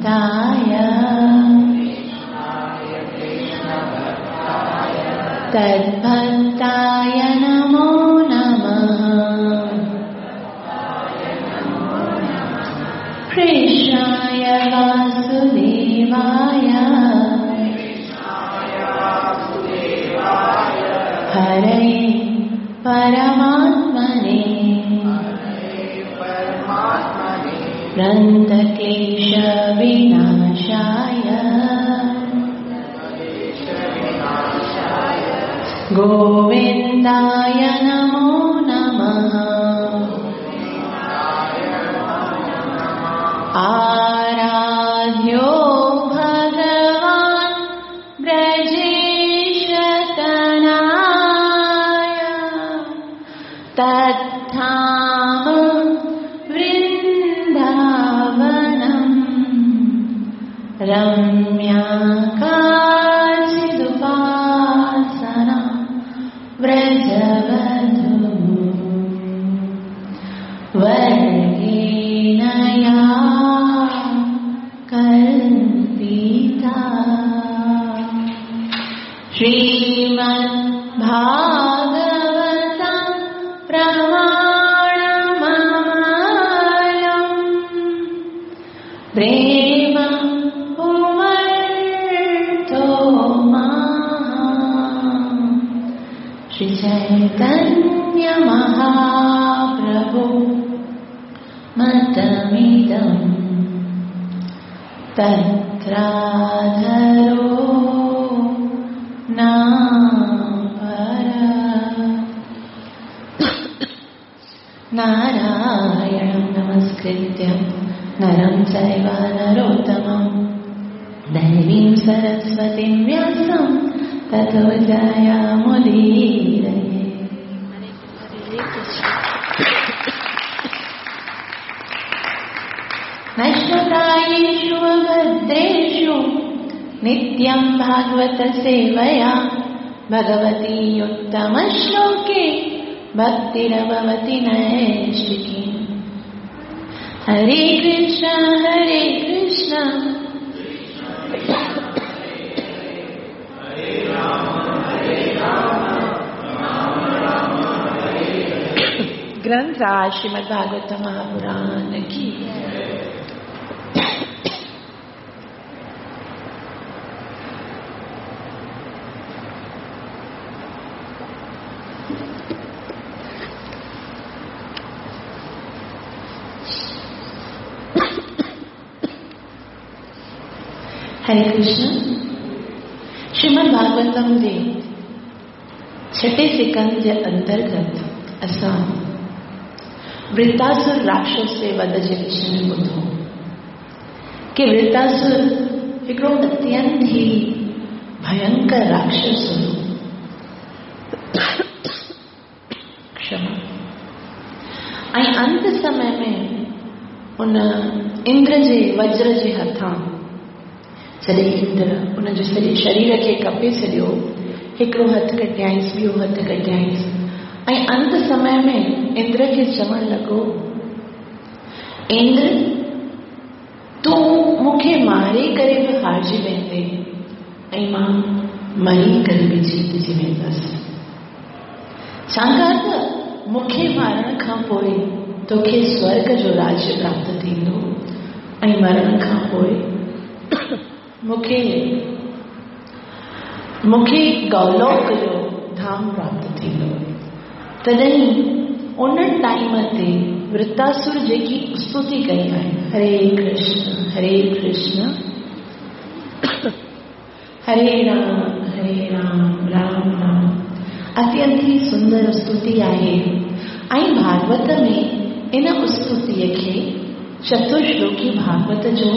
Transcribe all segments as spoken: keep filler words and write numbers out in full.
भक्ताय तद्भक्ताय नमो नमः। कृष्णाय वासुदेवाय हरये परमात्मने प्रणतक्लेश विनाशाय गोविन्दाय नमो नमः। आराध्यो भगवान् ब्रजेशतनाय तत्धाम वृन्दावनम् रम्या काचिदुपासना व्रजवधू वर्गेण या कल्पिता। श्रीमद्भागवतं प्रमाणममलम् प्रेम पुमर्थो महान् श्री चैतन्य महाप्रभु मतमिदं तत्राधरो नापर। नारायणं नमस्कृत्य नरं चैव नरोत्तमं देवीं सरस्वतीं व्यासं ततो जयमुदीरये। नष्टप्रायेषु अभद्रेषु नित्यं भागवत सेवया भगवती उत्तमश्लोके भक्तिरभवति नैष्टिकी। हरे कृष्ण हरे कृष्ण ग्रंथ राज श्रीमद् भागवत महापुराण की। हरे कृष्ण। श्रीमद् भागवतम जे छठे सिकंद जे अंतर्गत असां वृत्तासुर राक्षस जे वध जे विषय में ॿुधो कि वृत्तासुर हिकिड़ो अत्यंत ई भयंकर राक्षस हुयो। क्षमा। ऐं अंत समय में उन इंद्र जे वज्र जे हथां जॾहिं इंद्र उनजे सॼे शरीर खे कपे छॾियो, हिकिड़ो हथु कटियाईंसि, ॿियो हथु कटियाईंसि ऐं अंत समय में इंद्र खे चवणु लॻो, इंद्र तूं मूंखे मारे करे बि हारिजी वेंदे ऐं मां मरी करे बि जीतजी वेंदसि, छाकाणि त मूंखे मारण खां पोइ तोखे स्वर्ग जो राज्य प्राप्त थींदो ऐं मरण खां पोइ मूंखे मूंखे गौलोक जो धाम प्राप्त थींदो। तॾहिं उन टाइम ते वृत्तासुर जेकी स्तुति कई आहे, हरे कृष्ण हरे कृष्ण हरे राम हरे राम राम राम, अत्यंत ई सुंदर स्तुति आहे। ऐं भागवत में इन स्तुतीअ खे चतुर्श्लोकी भागवत जो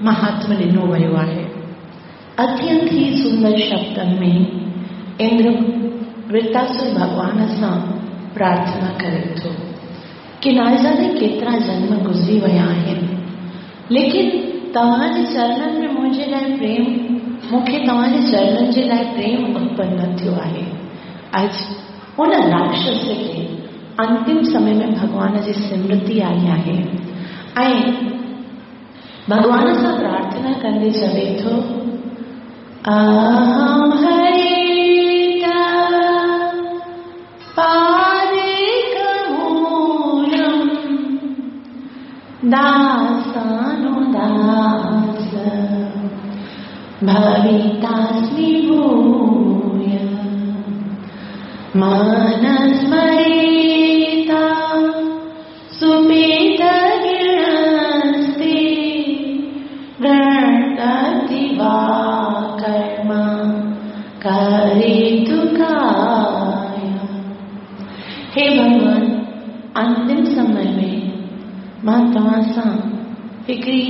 महात्म्य ॾिनो वियो आहे। अत्यंत ई सुंदर शब्दनि में इंद्र वृत्तासुर भॻवान सां प्रार्थना करे थो कि न जाने केतिरा जन्म गुज़री विया आहिनि, लेकिन तव्हांजे चरणनि में मुंहिंजे लाइ प्रेम, मूंखे तव्हांजे चरणनि जे लाइ प्रेम उत्पन्न न थियो आहे। अॼु उन राक्षस खे अंतिम समय में भॻवान जी स्मृति आई आहे ऐं भॻवान सां प्रार्थना कंदे चवे थो, अहं हरे पादेकमूलं दासानुदास भवितास्मि भूय मनस्मरेता सुपेतगिणस्ते गणपति वा कर्म करेतु काय। हे भॻवान, अंतिम समय में मां तव्हां सां हिकिड़ी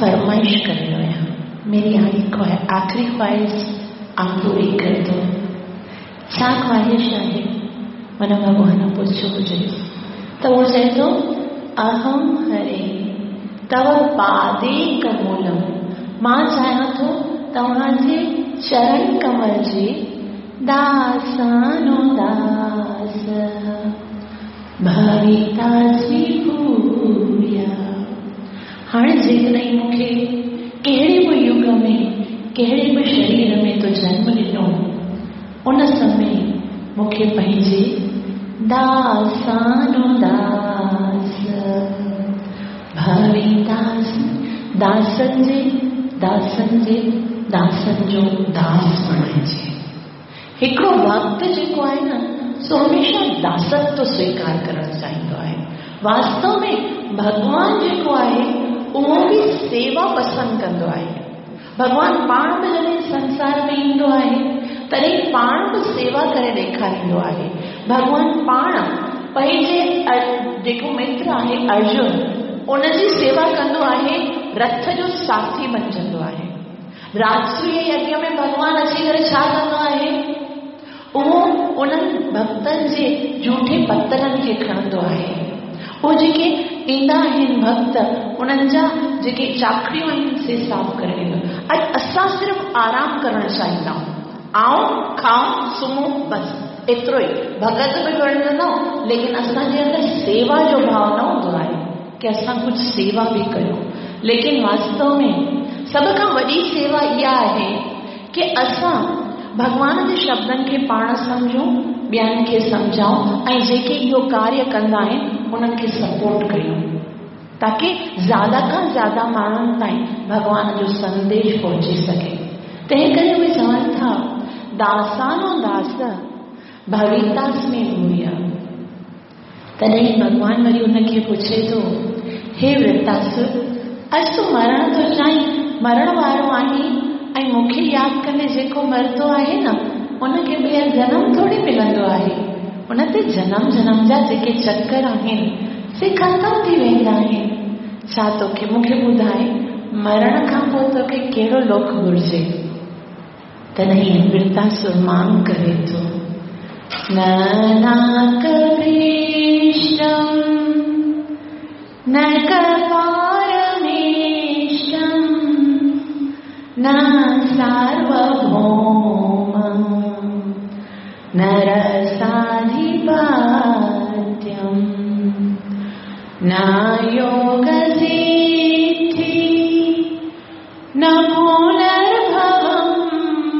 फरमाइश करे रहियो आहियां। मेरी आख़िरी ख़्वाहिश आप पूरी कर दो। छा ख़्वाहिश आहे? माना भॻवान पुछियो हुजे त उहो चए थो, अहम हरे तव पादे कमूलम, मां चाहियां थो तव्हांजे चरण कमल जे दासानुदास भवितास्मि भूय। हाणे जेकॾहिं मूंखे कहिड़े बि युग में कहिड़े बि शरीर में तो जन्म ॾिनो, उन समय मूंखे पंहिंजे दासानुदास भवितास्मि, दासनि जे दासनि जे दासनि जो दास बणाइजे। हिकिड़ो भक्त जेको आहे न, सो हमेशा दासत्व स्वीकार करणु चाहींदो आहे। वास्तव में भॻवान जेको आहे उहो बि सेवा पसंदि कंदो आहे। भॻवान पाण बि जॾहिं संसार में ईंदो आहे तॾहिं पाण बि सेवा करे ॾेखारींदो आहे। भॻवान पाण पंहिंजे जेको मित्र आहे अर्जुन, उनजी सेवा कंदो आहे, रथ जो साथी बणजंदो आहे। राजसूय यज्ञ में भॻवान अची करे छा कंदो आहे? उहो उन्हनि भक्तनि जे जूठे पतरनि खे खणंदो आहे। उहो जेके ईंदा आहिनि भक्त, उन्हनि जा जेके चाखड़ियूं आहिनि से साफ़ करे ॾींदो। अॼु असां सिर्फ़ु आराम करणु चाहींदा आहियूं, आऊं खाऊं सुम्हूं बसि एतिरो ई। भगत बि बणजंदा आहियूं, लेकिन असांजे अंदरि सेवा जो भाव न हूंदो आहे की असां कुझु सेवा बि कयूं। लेकिन वास्तव में सभ खां वॾी सेवा इहा आहे की असां भॻवान जे शब्दनि खे पाण सम्झूं, ॿियनि खे सम्झाऊं ऐं जेके इहो कार्य कंदा आहिनि उन्हनि खे सपोर्ट कयूं, ताकी ज़्यादा खां ज़्यादा माण्हुनि ताईं भॻवान जो संदेश पहुची सघे। तंहिं करे उहे चवनि था, दासानो दास भवितास्मि भूय। तॾहिं भॻवान वरी उनखे पुछे थो, हे वृत्तासुर, अॼु तूं मरणु थो चाहीं, मरण वारो आहीं ऐं मूंखे यादि कंदे जेको मरंदो आहे न, उनखे ॿीहर जनम थोरी मिलंदो आहे। उन ते जनम जनम जा जेके चक्कर आहिनि से ख़तमु थी वेंदा आहिनि। छा तोखे मूंखे ॿुधाए, मरण खां पोइ तोखे कहिड़ो लोक घुरिजे? तॾहिं वृत्तासुर मांग करे थो, न नाकभीष्टं न कपारमेष्टं न सार्वभौमं न रसाधिपत्यं न योगसिद्धि न पुनर्भवं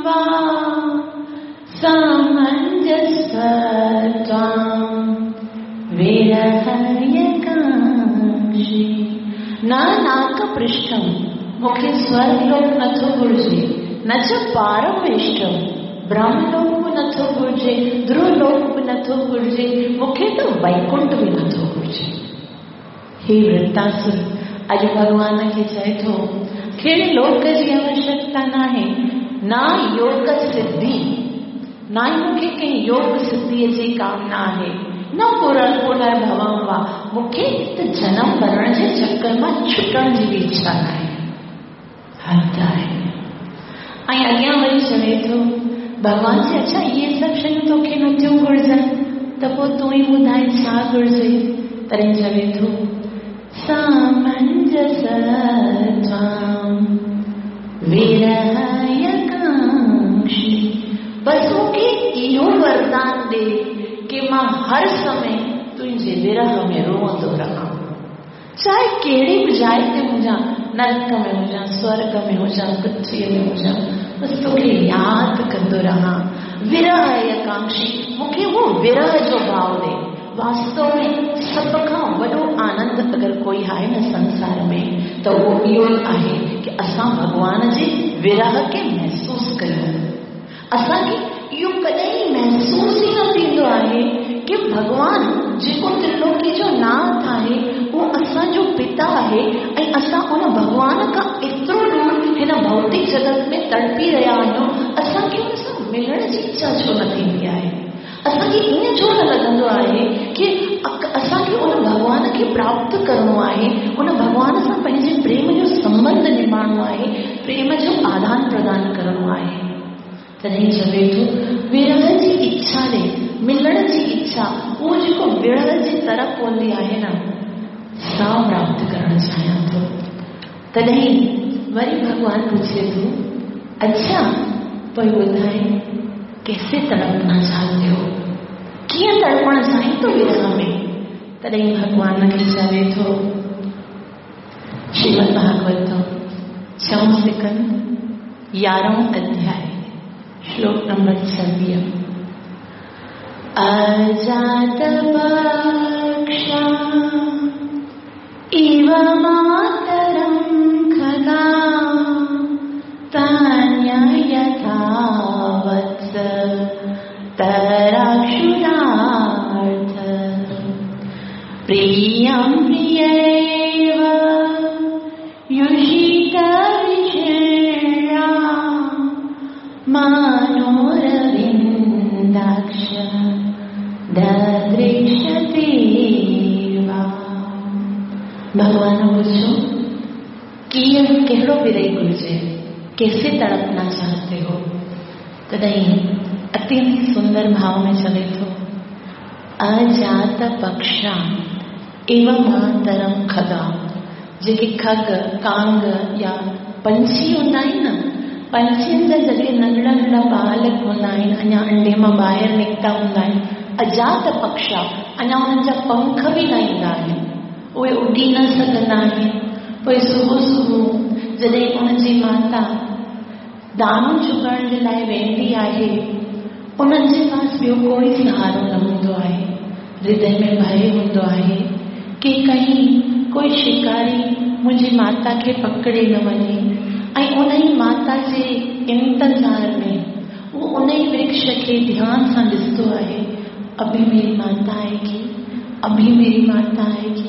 वा सामञ्जस्यत्वं विरहयकाङ्क्षी। न नाकपृष्ठं, मूंखे स्वर्गलोक नथो घुरिजे, न च पारमेष्ठं, ब्रह्मलोक बि नथो घुरिजे, ध्रुवलोक बि नथो घुरिजे, मूंखे त वैकुंठ बि नथो घुरिजे। हे वृत्तासुर, अॼु भॻवान खे चए थो, कहिड़े लोक जी आवश्यकता नाहे, न योग सिद्धि, न ई मूंखे कंहिं योग सिद्धीअ जी कामना आहे, न पुनर्भवं वा, मूंखे त जनम मरण जे चक्कर मां छुटण जी बि इच्छा नाहे। हद आहे। ऐं अॻियां वरी चवे थो, भॻवान चए, अच्छा इहे सभु शयूं तोखे नथियूं घुरिजनि, त पोइ तूं ई ॿुधाए छा घुरिजे? तॾहिं चवे थो, सामञ्जसत्वं विरहयकाङ्क्षी, बसि मूंखे इहो वरदान ॾे की मां हर समय तुंहिंजे विरह में रोअंदो रहां, चाहे कहिड़ी बि जाइ ते हुजां, नरक में हुजां, स्वर्ग में हुजां, पृथ्वीअ में हुजां, बसि तोखे यादि कंदो रहां। विरह आकांक्षी, मूंखे उहो विरह जो भाव ॾे। वास्तव में सभ खां वॾो आनंद अगरि कोई आहे न संसार में त उहो इहो ई आहे की असां भॻवान जे विरह खे महसूसु कयूं। असांखे इहो कॾहिं महसूसु ई न थींदो आहे की भॻवान जेको त्रिलोकी जो नाथ आहे उहो असांजो पिता आहे ऐं असां उन भॻवान खां एतिरो दूर हिन भौतिक जगत में तड़पी रहिया आहियूं। असांखे उन सां मिलण जी इच्छा छो न थींदी आहे? असांखे ईअं छो न लॻंदो आहे की असांखे उन भॻवान खे प्राप्त करिणो आहे, उन भॻवान सां पंहिंजे प्रेम जो संबंध निभाइणो आहे, प्रेम जो आदान प्रदान करिणो आहे। तॾहिं चवे थो विरह जी इच्छा ॾे, मिलण जी इच्छा, उहो जेको विरह जी तरफ़ हूंदी आहे न, सा प्राप्त करणु चाहियां थो। तॾहिं वरी भॻवान पुछे थो, अच्छा पोइ ॿुधाए कैसे तड़पना चाहते हो, कीअं तड़पणु चाहीं थो विरह में? तॾहिं भॻवान खे चवे थो, श्रीमद् भागवत छहों स्कंद यारहों अध्याय श्लोक नंबर छवीह। अजात पक्षा इव मातरं खगा तन्य यथा वत्स तराक्षुरार्थ प्रियं प्रियैव युषित विषया मनोरविन्दाक्ष ददृशते वा। भॻवान पुछो कीअं कहिड़ो विरही घुरिजे, कैसे तड़पना चाहते हो? तॾहिं अत्यंत सुंदर भाव में चवे थो, अजात पक्षा इव मातरम खगा। जेके खग कांग या पंछी हूंदा आहिनि न, पंछियुनि जा जॾहिं नंढड़ा नंढड़ा बालक हूंदा आहिनि, अञा अंडे मां ॿाहिरि निकिता हूंदा आहिनि, अजात पक्षा, अञा उन्हनि जा पंख बि न ईंदा आहिनि, उहे उॾी न सघंदा आहिनि। पोइ सुबुह सुबुह जॾहिं उनजी माता दाणो चुगण जे लाइ वेंदी आहे, उन्हनि जे पास ॿियो कोई सहारो न हूंदो आहे। हृदय में भय हूंदो आहे की कहीं कोई शिकारी मुंहिंजी माता खे पकड़े न वञे, ऐं उन ई माता जे इंतज़ार में उहो उन ई वृक्ष खे ध्यान सां ॾिसंदो आहे, अभी मेरी माता आएगी, अभी मेरी माता आएगी।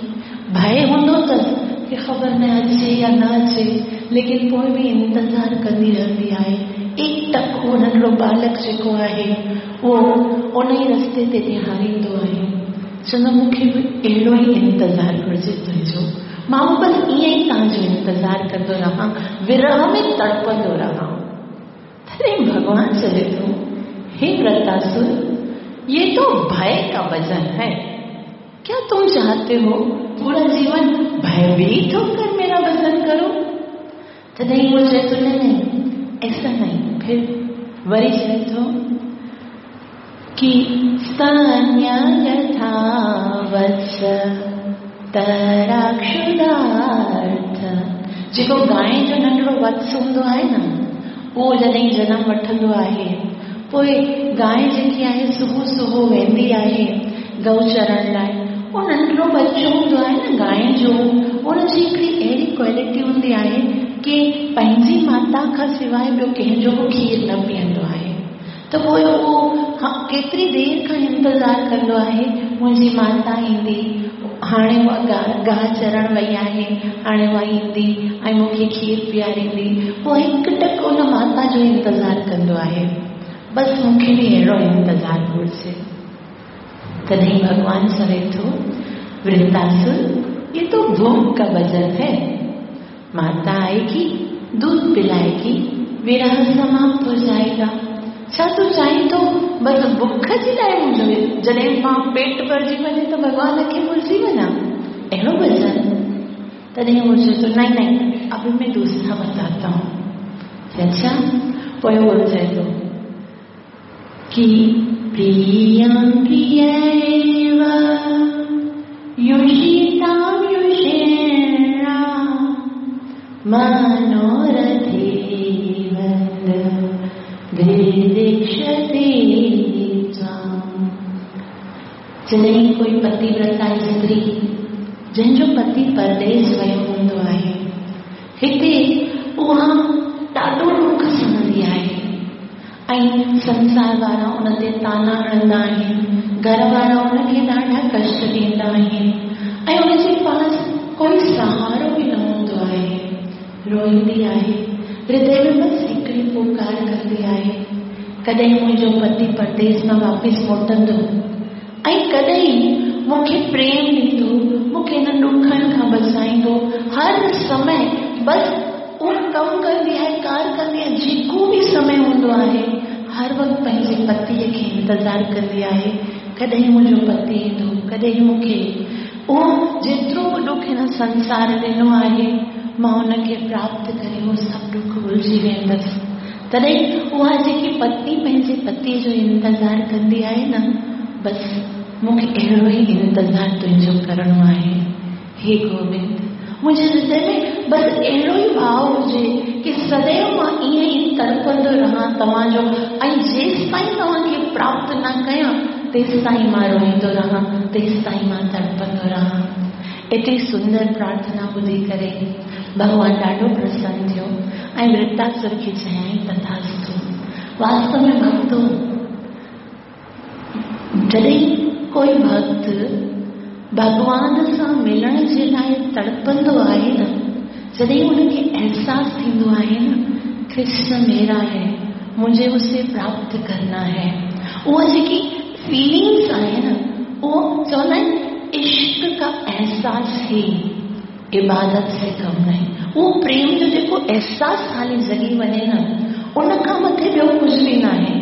भय हूंदो अथसि की ख़बर न अचे या न अचे, लेकिन पोइ बि इंतज़ार कंदी रहंदी आहे। एक टक उहो नंढड़ो बालक जेको आहे उहो उन ई रस्ते ते निहारींदो आहे। चवंदो मूंखे बि अहिड़ो ई इंतज़ार घुरिजे तुंहिंजो, मां बि बसि ईअं ई तव्हांजो इंतज़ार कंदो रहां, विरह में तड़पंदो रहां। तॾहिं भॻवान चवे थो, हे वृतासुर, ये तो भय का भजन है। क्या तुम चाहते हो पूरा जीवन भयभीत होकर मेरा भजन करो? तॾहिं उहो चए थो, नहीं नहीं, ऐसा नहीं। फिर वरी चए थो कि स्तन्य यथा वत्स तराक्षुरार्थ। जेको गाय जो नंढड़ो वत्स हूंदो आहे न, उहो जॾहिं जनम वठंदो आहे, पोइ गाय जेकी आहे सुबुह सुबुह वेंदी आहे गऊ चरण लाइ, उहो नंढड़ो बच्चो हूंदो आहे न गाय जो, उनजी हिकिड़ी अहिड़ी क्वालिटी हूंदी आहे की पंहिंजी माता खां सवाइ ॿियो कंहिंजो बि खीर न पीअंदो आहे। त पोइ उहो केतिरी देरि खां इंतज़ार कंदो आहे, मुंहिंजी माता ईंदी, हाणे उहा गाह चरण वई आहे, हाणे उहा ईंदी ऐं मूंखे खीर पीआरींदी। पोइ हिकु टक उन माता जो इंतज़ार कंदो आहे। बसि मूंखे बि अहिड़ो इंतज़ार घुरिजे। तॾहिं भॻवान चवे थो, वृतासुर, ये तो भूख का भजन है। माता आएगी, दूध पिलाएगी, विरह समाप्त हो जाएगा। छा तूं चाहीं थो बसि बुख जे लाइ मुंहिंजो, जॾहिं मां पेट भरिजी वञे त भॻवान खे भुलिजी वञा, अहिड़ो भजन? तॾहिं उहो चए थो, नहीं नहीं, अभी मैं दूसरा बताता हूँ। अच्छा, पोइ उहो चए थो कि प्रियं प्रियैव युषितां युषेणा मनोरथे वंद दिदीक्षते त्वाम्। जॾहिं कोई पतिव्रता स्त्री जंहिंजो पति परदेस वियो हूंदो आहे, हिते उहा ॾाढो ॾुख सहंदी आहे ऐं संसार वारा उन ते ताना हणंदा आहिनि, घर वारा उनखे ॾाढा कष्ट ॾींदा आहिनि ऐं उनजे पास कोई सहारो बि न हूंदो आहे। रोईंदी आहे, हृदय में बसि हिकिड़ी पुकार कंदी आहे, कॾहिं मुंहिंजो पति परदेस मां वापसि मोटंदो ऐं कॾहिं मूंखे प्रेम ॾींदो, मूंखे हिन ॾुखनि खां बचाईंदो। हर समय बसि उहो कमु कंदी आहे, कार कंदी आहे, जेको बि समय हूंदो आहे हर वक़्तु पंहिंजे पतीअ खे इंतज़ारु कंदी आहे, कॾहिं मुंहिंजो पति ईंदो, कॾहिं मूंखे उहो जेतिरो बि ॾुख हिन संसार ॾिनो आहे मां उनखे प्राप्त करे उहो सभु ॾुख भुलिजी वेंदसि। तॾहिं उहा जेकी पत्नी पंहिंजे पतीअ जो इंतज़ारु कंदी आहे न, बसि मूंखे अहिड़ो ई इंतज़ारु तुंहिंजो करिणो आहे। हे गोविंद, मुंहिंजे हृदय में बसि अहिड़ो ई भाव हुजे की सदैव मां ईअं ई तड़पंदो रहां तव्हांजो ऐं जेसि ताईं तव्हांखे प्राप्त न कयां तेसि ताईं मां रोईंदो रहां, तेसि ताईं मां तड़पंदो रहां। एतिरी सुंदर प्रार्थना ॿुधी करे भॻवान ॾाढो प्रसन्न थियो ऐं वृत्तासुर खे चयाईं तथास्तु। वास्तव में भक्तो, जॾहिं कोई भक्त भॻवान सां मिलण जे लाइ तड़पंदो आहे न, जॾहिं उनखे अहसासु थींदो आहे न, कृष्ण मेरा है, मुझे उसे प्राप्त करना है, उहा जेकी फीलिंग्स आहे न, उहो चवंदा आहिनि इश्क का एहसास ही इबादत से कम नहीं। उहो प्रेम जो जेको एहसास खाली जॻी वञे न, उन खां मथे ॿियो कुझु बि न आहे।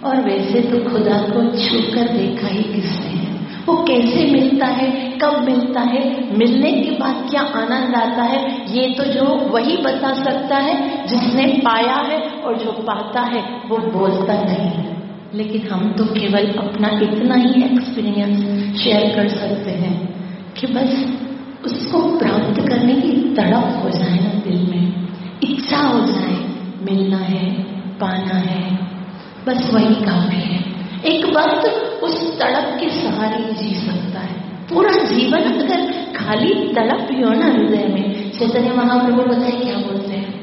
और वैसे तो खुदा को छूकर देखा ही किसने है, वो कैसे मिलता है, कब मिलता है, मिलने के बाद क्या आनंद आता है, ये तो जो वही बता सकता है जिसने पाया है, और जो पाता है वो बोलता नहीं है। लेकिन हम तो केवल अपना इतना ही एक्सपीरियंस शेयर कर सकते हैं कि बस उसको प्राप्त करने की तड़प हो जाए ना दिल में, इच्छा हो जाए, मिलना है, पाना है, बस वही काफी है। एक वक्त उस तड़प के सहारे ही जी सकता है। पूरा जीवन अगर खाली तड़प ही हो ना हृदय में। चैतन्य महाप्रभु बताए क्या बोलते हैं,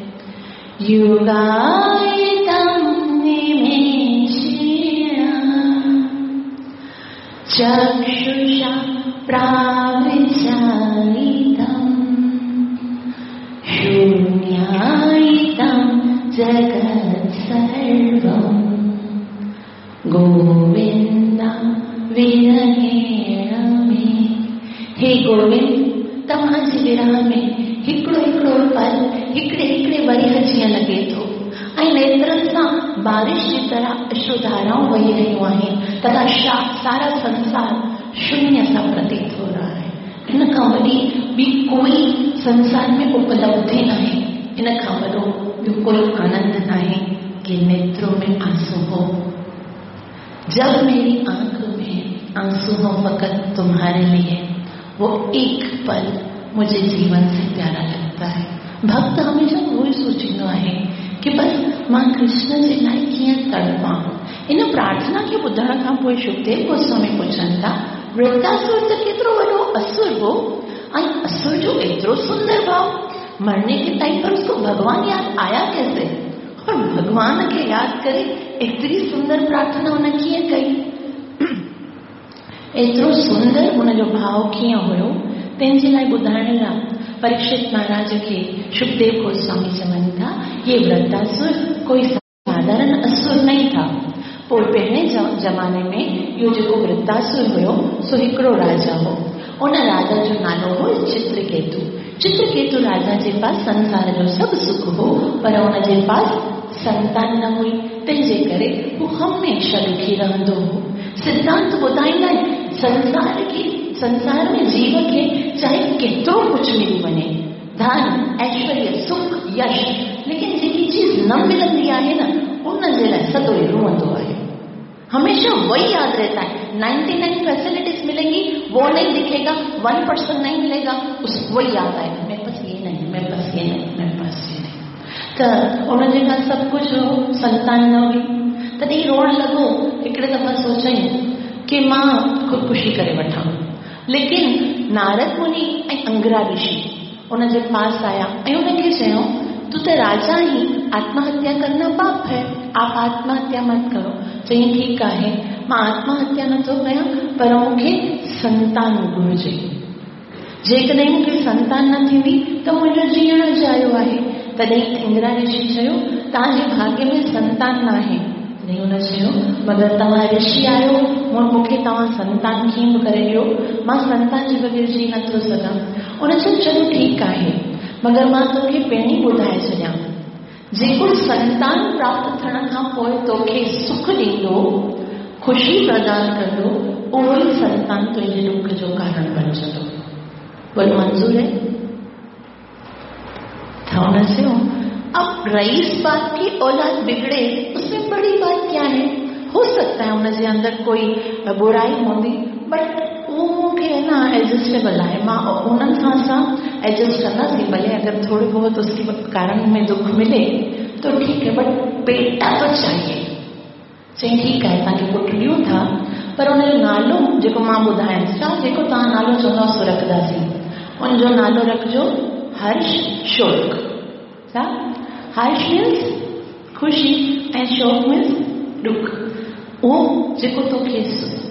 युगायितं निमेषेण चक्षुषा प्राविचारितं शून्यायितं जगत् सर्वम् गोविंदा विरहेण मे। हे गोविंद, तव्हांजे विरह में हिकिड़ो हिकिड़ो पल हिकिड़े हिकिड़े वरीह जीअं लॻे थो ऐं नेत्रनि सां बारिश जी तरह अश्रुधाराऊं वही रहियूं आहिनि तथा सारा संसार शून्य सा प्रतीत हो रहा है। इन खां वॾी ॿी कोई संसार में उपलब्धि न आहे, इन खां वॾो ॿियो कोई आनंद न आहे कि नेत्रों में आंसू हो। जब मेरी आंख में आंसू हो फकत तुम्हारे लिए, वो एक पल मुझे जीवन से प्यारा लगता है। भक्त हमेशा उहो ई सोचींदो आहे कि बस मां कृष्ण जे लाइ कीअं तड़पां। इन प्रार्थना खे ॿुधण खां पोइ सुखदेव गोस्वामी पुछनि था, वृत्तासुर त केतिरो वॾो असुर हो ऐं असुर जो एतिरो सुंदर भाव, मरने के टाइम पर उसको भगवान याद आया कैसे, और भगवान खे यादि करे एतिरी सुंदर प्रार्थना हुन कीअं कई, एतिरो सुंदर हुनजो भाव कीअं हुयो, तंहिंजे लाइ ॿुधाइण लाइ परीक्षित महाराज खे सुखदेव गोस्वामी चवनि था, ये वृत्तासुर कोई साधारण असुर नहीं था। पोइ पहिरें ज़माने में इहो जेको वृत्तासुर हुयो सो हिकिड़ो राजा हो, उन राजा जो नालो हो चित्रकेतु। चित्रकेतु राजा जे पास संसार जो सभु सुख हो, पर उन जे पास संतान न हुई, तंहिंजे करे हू हमेशा दुखी रहंदो हो। सिद्धांत ॿुधाईंदा आहिनि संसार खे, संसार में जीव खे चाहे केतिरो कुझु मिली वञे, धन, ऐश्वर्य, सुख, यश, लेकिन जेकी चीज़ न मिलंदी आहे न, उन जे लाइ सदो ई रोअंदो आहे। हमेशा वही याद रहता है। नाइन्टी नाइन फैसिलिटीज मिलेंगी वो नहीं दिखेगा, वन परसेंट नहीं मिलेगा उस वही याद आएगा, मेरे पास ये नहीं। नहीं, मेरे पास ये नहीं, मेरे पास ये नहीं। त उन जे खां सभु कुझु हो, संतान न हुई। तॾहिं रोअण लॻो। हिकिड़े दफ़ा सोचई की मां ख़ुदकुशी करे वठां, लेकिन नारद मुनि ऐं अंगिरा ऋषि उन जे पास आया ऐं उनखे चयो, तूं त राजा आहीं, आत्महत्या करना पाप है, आप आत्महत्या मत करो। चई ठीकु आहे, मां आत्महत्या नथो कयां, पर मूंखे संतान घुर्जे। जेकॾहिं मूंखे संतान न थींदी त मुंहिंजो जीअण अजायो आहे। तॾहिं इंदिरा ऋषि चयो, तव्हांजे भाग्य में संतान न आहे। तॾहिं हुन चयो, मगर तव्हां ऋषि आहियो, मूंखे तव्हां संतान कीअं बि करे ॾियो, मां संतान जे बग़ैर जी नथो सघां। हुन चयो, चलो ठीकु आहे, मगर मां तोखे पहिरीं ॿुधाए छॾियां, जेको संतान प्राप्त थियण खां पोइ तोखे सुख ॾींदो, ख़ुशी प्रदान कंदो, उहो ई संतान तुंहिंजे दुख जो कारण बणजंदो। बोलो मंजूर है? त हुन चयो, अब रईस बाप की औलाद बिगड़े उसमें बड़ी बात क्या है? हो सकता है उनजे अंदर कोई बुराई हूंदी, बट उहो मूंखे न एडजस्टेबल आहे, मां उन्हनि सां असां एडजस्ट कंदासीं, भले अगर थोरो बहुत उसके कारण में दुख मिले तो ठीक है, बट बेटा तो चाहिए। चई ठीकु आहे, तव्हांखे पुटु ॾियूं था, पर उनजो नालो जेको मां ॿुधायां, छा जेको तव्हां नालो चवंदव सो रखंदासीं। उनजो नालो रखिजो हर्ष शोक। छा? हर्ष मीन्स ख़ुशी ऐं शोक मीन्स ॾुख। उहो जेको तोखे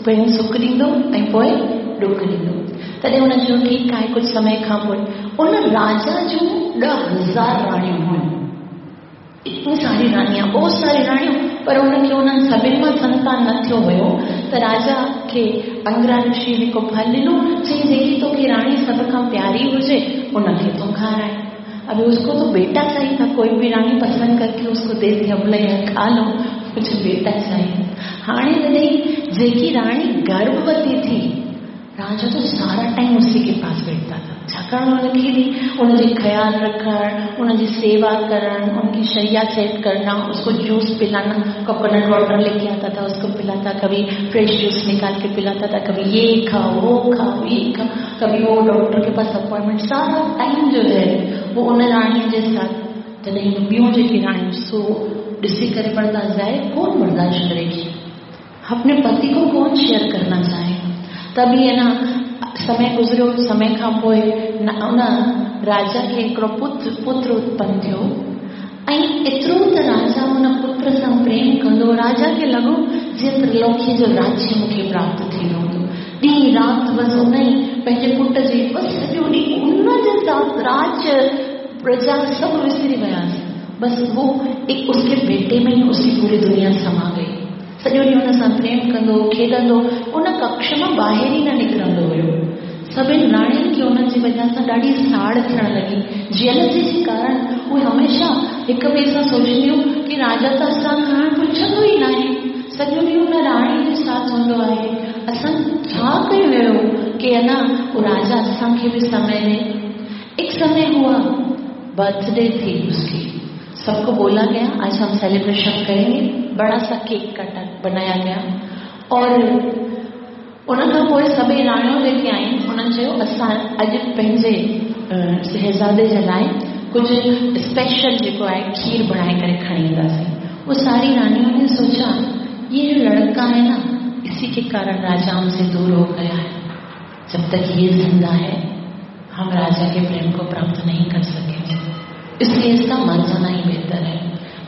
पहिरीं सुख ॾींदो ऐं पोइ ॾुख ॾींदो। तॾहिं हुन चयो ठीकु आहे। कुझु समय खां पोइ उन राजा जूं ॾह हज़ार राणियूं हुयूं, इतनी सारी राणियां, बहुत सारी राणियूं, पर उनखे उन्हनि सभिनी मां संतान न थियो हुयो। त राजा खे अंगिरा ऋषि हिकु फल ॾिनो, चई जेकी तोखे राणी सभ खां प्यारी हुजे उनखे तूं खाराए। अभी उसको तो बेटा चाहिए था, कोई भी रानी पसंद करके उसको दे दिया, बोले यार खा लो, मुझे बेटा चाहिए। हाणे तॾहिं जेकी राणी गर्भवती थी, राजा तो सारा टाइम उसी के पास बैठता था, छाकाणि उनखे बि उनजे ख़्यालु रखणु, उनजी सेवा करणु, उनकी शैया सेट करना, उसको जूस पिलाना, कोकोनट वाटर लेके आता था उसको पिलाता, कभी फ्रेश जूस निकाल के पिलाता था, कभी ये खाओ वो खाओ ये खाओ, कभी वो डॉक्टर के पास अपॉइंटमेंट, सारा टाइम जो है वो उन राणीअ जे साथ। तॾहिं ॿियूं जेकी राणियूं सो ॾिसी करे बर्दाश्त जाए कौन बर्दाश्त करेगी, अपने पति को कौन शेयर करना चाहे। तभी है ना समय गुज़रियो, समय खां पोइ उन राजा खे हिकिड़ो पुत्र पुत्र उत्पन्न थियो ऐं एतिरो त राजा उन पुत्र सां प्रेम कंदो, राजा खे लॻो जीअं त्रिलोकीअ जो राज्य मूंखे प्राप्त थी वियो हूंदो। ॾींहुं राति बसि उन ई पंहिंजे पुट जी बसि सॼो ॾींहुं उन जे साथ राज्य प्रजा सभु विसरी वियासीं, बसि वो एक उसके बेटे में ही उसकी पूरी दुनिया समा गई। सॼो ॾींहुं हुन सां प्रेम कंदो, खेॾंदो, उन कक्ष मां ॿाहिरि ई न निकिरंदो हुयो। सभिनी राणियुनि खे उन्हनि जी वजह सां ॾाढी साड़ थियण लॻी। जेलसी जे कारण उहे हमेशा हिक ॿिए सां सोचंदियूं की राजा त असां खां पुछंदो ई न आहे, सॼो ॾींहुं हुन राणी जे साथ हूंदो आहे, असां छा कयूं अहिड़ो की अञा उहो राजा असांखे बि समय ॾे। एक समय हुआ, बर्थडे थी उसकी, सबको बोला गया आज हम सेलिब्रेशन करेंगे, बड़ा सा केक कटा बनाया गया और उन खां पोइ सभई राणियूं जेके आहिनि उन्हनि चयो असां अॼु पंहिंजे शहज़ादे जे लाइ कुझु स्पेशल जेको आहे खीर बणाए करे खणी ईंदासीं। वो सारी रानियों ने सोचा ये जो लड़का है ना इसी के कारण राजा हमसे दूर हो गया है, जब तक ये जिंदा है हम राजा के प्रेम को प्राप्त नहीं कर सकेंगे, इसलिए इसका मर जाना ही बेहतर है।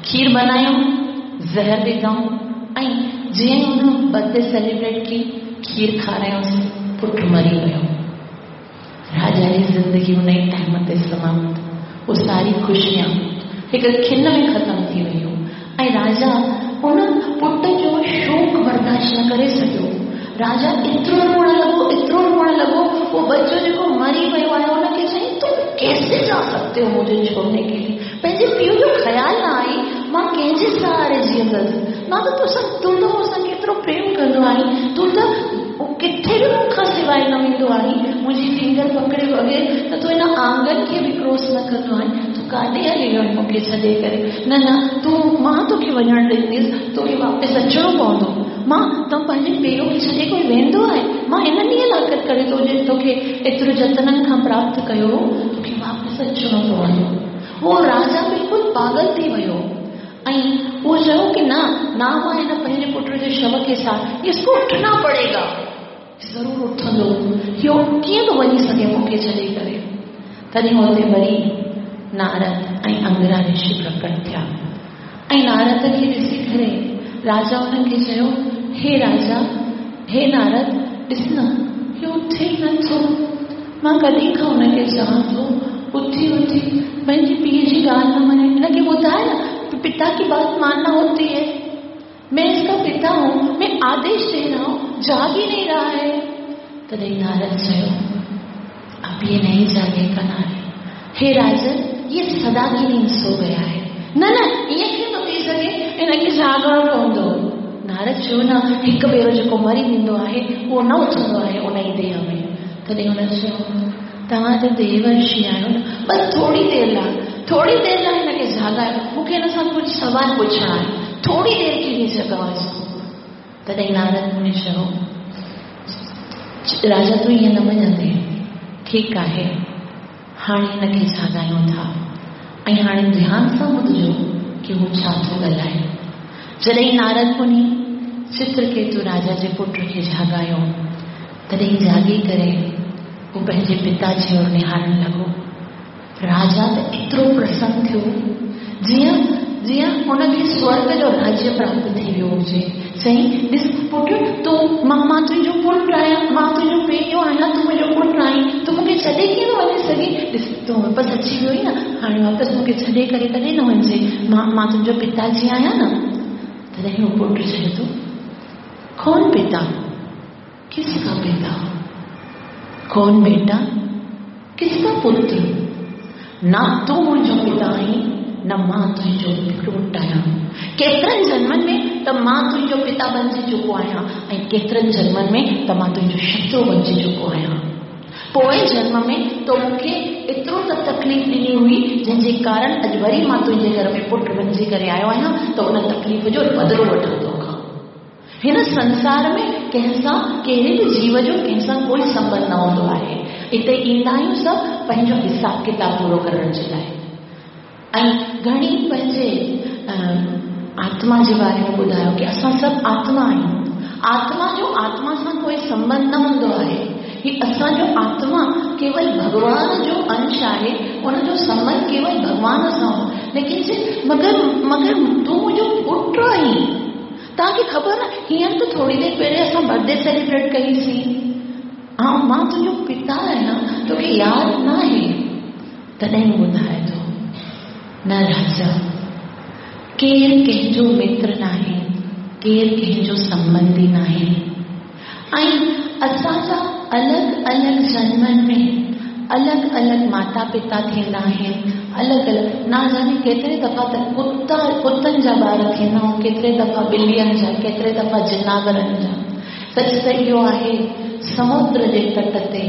खीर बनायूं, ज़हर विधाऊं ऐं जीअं ई हुन बर्थडे सेलिब्रेट की खीर खारायूंसीं, पुटु मरी वियो। राजा जी ज़िंदगी उन ई टाइम ते समाप्त, उहो सारी ख़ुशियां हिकु खिन में ख़तमु थी वयूं ऐं राजा उन पुट जो शोक बर्दाश्त न करे सघियो। राजा एतिरो रोअण लॻो, एतिरो रोअण लॻो, उहो बच्चो जेको मरी वियो आहे हुनखे चयईं तुम कैसे जा सकते हो मुझे छोड़ने के लिए, पंहिंजे पीउ जो ख़्यालु न आई, मां कंहिंजे सहारे जीअंदसि, मां त तोसां, तूं त मूंसां केतिरो प्रेम कंदो आहीं, तूं त किथे बि मूंखां सवाइ न वेंदो आहीं, मुंहिंजी फिंगर पकड़े बग़ैर त तूं हिन आंगन खे बि क्रॉस न कंदो आहीं, तूं काॾे हली वियो आहीं मूंखे छॾे करे, न न तूं, मां तोखे वञणु ॾींदसि, तोखे वापसि अचिणो पवंदो, मां त पंहिंजे पीउ खे छॾे कोई वेंदो आहे, मां हिन ॾींहं लाक़त करे तो तोखे एतिरो जतननि खां प्राप्त कयो हो, तोखे वापसि अचिणो पवंदो। उहो राजा बिल्कुलु पागल थी वियो ऐं उहो चयो की न न मां हिन पंहिंजे पुट जे शव खे साथ, इसको उठना पड़ेगा, ज़रूरु उथंदो, इहो कीअं थो वञी सघे मूंखे छॾे करे। तॾहिं हुते वरी नारद ऐं अंगिरा ऋषि प्रकट थिया ऐं नारद खे ॾिसी करे राजा उन्हनि खे चयो, हे राजा, हे नारद, ॾिस न इहो उथे ई नथो, मां कॾहिं खां हुनखे चवां थो उथी उथी पंहिंजे पीउ जी ॻाल्हि न मञे, हिनखे ॿुधाए न, पिता की बात मानना होती है, मैं इसका पिता हूँ, मैं आदेश दे रहा हूँ, जाग ही नहीं रहा है। तॾहिं नारद चयो, अब ये नहीं जागेगा नारद, हे राजन, ये सदा की नींद सो गया है। न न ईअं कीअं थो थी सघे, हिनखे जागणो पवंदो। नारद चयो, न, हिकु भेरो जेको मरी वेंदो आहे उहो न उथंदो आहे उन ई देह में। तॾहिं हुन चयो, तव्हां त देवर्षि आहियो न, बसि थोरी देरि लाइ, थोरी देरि लाइ हिनखे जागायो, मूंखे हिन सां कुझु सवाल पुछणा आहिनि, थोरी देरि के लिए जगाओ इसको। तॾहिं नारद मुनि चयो, राजा तूं ईअं न मञंदे, ठीकु आहे, हाणे हिनखे जागायूं था ऐं हाणे ध्यान सां ॿुधजो की हू छा थो ॻाल्हाए। जॾहिं नारद मुनि चित्रकेतु राजा जे पुट खे जागायो, तॾहिं जागी करे हू पंहिंजे पिता जे ओर निहारणु लॻो। राजा त एतिरो प्रसन्न थियो जीअं जीअं हुनखे स्वर्ग जो राज्य प्राप्त थी वियो हुजे। चई, ॾिस पुट, तूं मां मां तुंहिंजो पुटु आहियां, मां तुंहिंजो पीउ आहियां, तूं मुंहिंजो पुटु आहीं, तूं मूंखे छॾे कीअं थो वञी सघे? ॾिस तूं वापसि अची वियो आहीं न, हाणे वापसि मूंखे छॾे करे कॾहिं न वञिजे, मां मां तुंहिंजो पिताजी आहियां न। तॾहिं उहो पुटु चए थो, कौन पिता, किसका पिता, कौन बेटा, किसका पुत्र? न तूं मुंहिंजो पिता आहीं, न मां तुंहिंजो पुटु आहियां। केतिरनि जन्मनि में त मां तुंहिंजो पिता बणिजी चुको आहियां ऐं केतिरनि जन्मनि में त मां तुंहिंजो शत्रु बणिजी चुको आहियां। पोएं जन्म में तो मूंखे एतिरो त तकलीफ़ ॾिनी हुई जंहिंजे कारण अॼु वरी मां तुंहिंजे घर में पुटु बणिजी करे आयो आहियां, त उन तकलीफ़ जो बदिलो वठां तोखां। हिन संसार में कंहिंसां कहिड़े बि जीव जो कंहिंसां कोई संबंध न हूंदो आहे। हिते ईंदा आहियूं सभु पंहिंजो हिसाब किताब पूरो करण जे लाइ। ऐं घणी पंहिंजे आत्मा जे बारे में ॿुधायो की असां सभु आत्मा आहियूं, आत्मा जो आत्मा सां कोई संबंध न हूंदो आहे। ही असांजो आत्मा केवल भॻवान जो अंश आहे, उनजो संबंध केवल भॻवान सां हो। लेकिन जे मगर मगर तूं मुंहिंजो पुटु आहीं, तव्हांखे ख़बर न, हींअर त थोरी देरि पहिरियों असां बर्थडे सेलिब्रेट कईसीं, ऐं मां तुंहिंजो पिता आहियां, तोखे यादि न आहे? तॾहिं ॿुधाए थो, न राजा, केरु कंहिंजो मित्र न आहे, केरु कंहिंजो संबंधी न आहे, ऐं असांजा अलॻि अलॻि जन्मनि में अलॻि अलॻि माता पिता थींदा आहिनि, अलॻि अलॻि न जाने केतिरे दफ़ा त कुता कुतनि जा ॿार थींदा आहिनि, केतिरे दफ़ा ॿिलियुनि जा, केतिरे दफ़ा जिनावरनि जा। सच त इहो आहे, समुद्र जे तट ते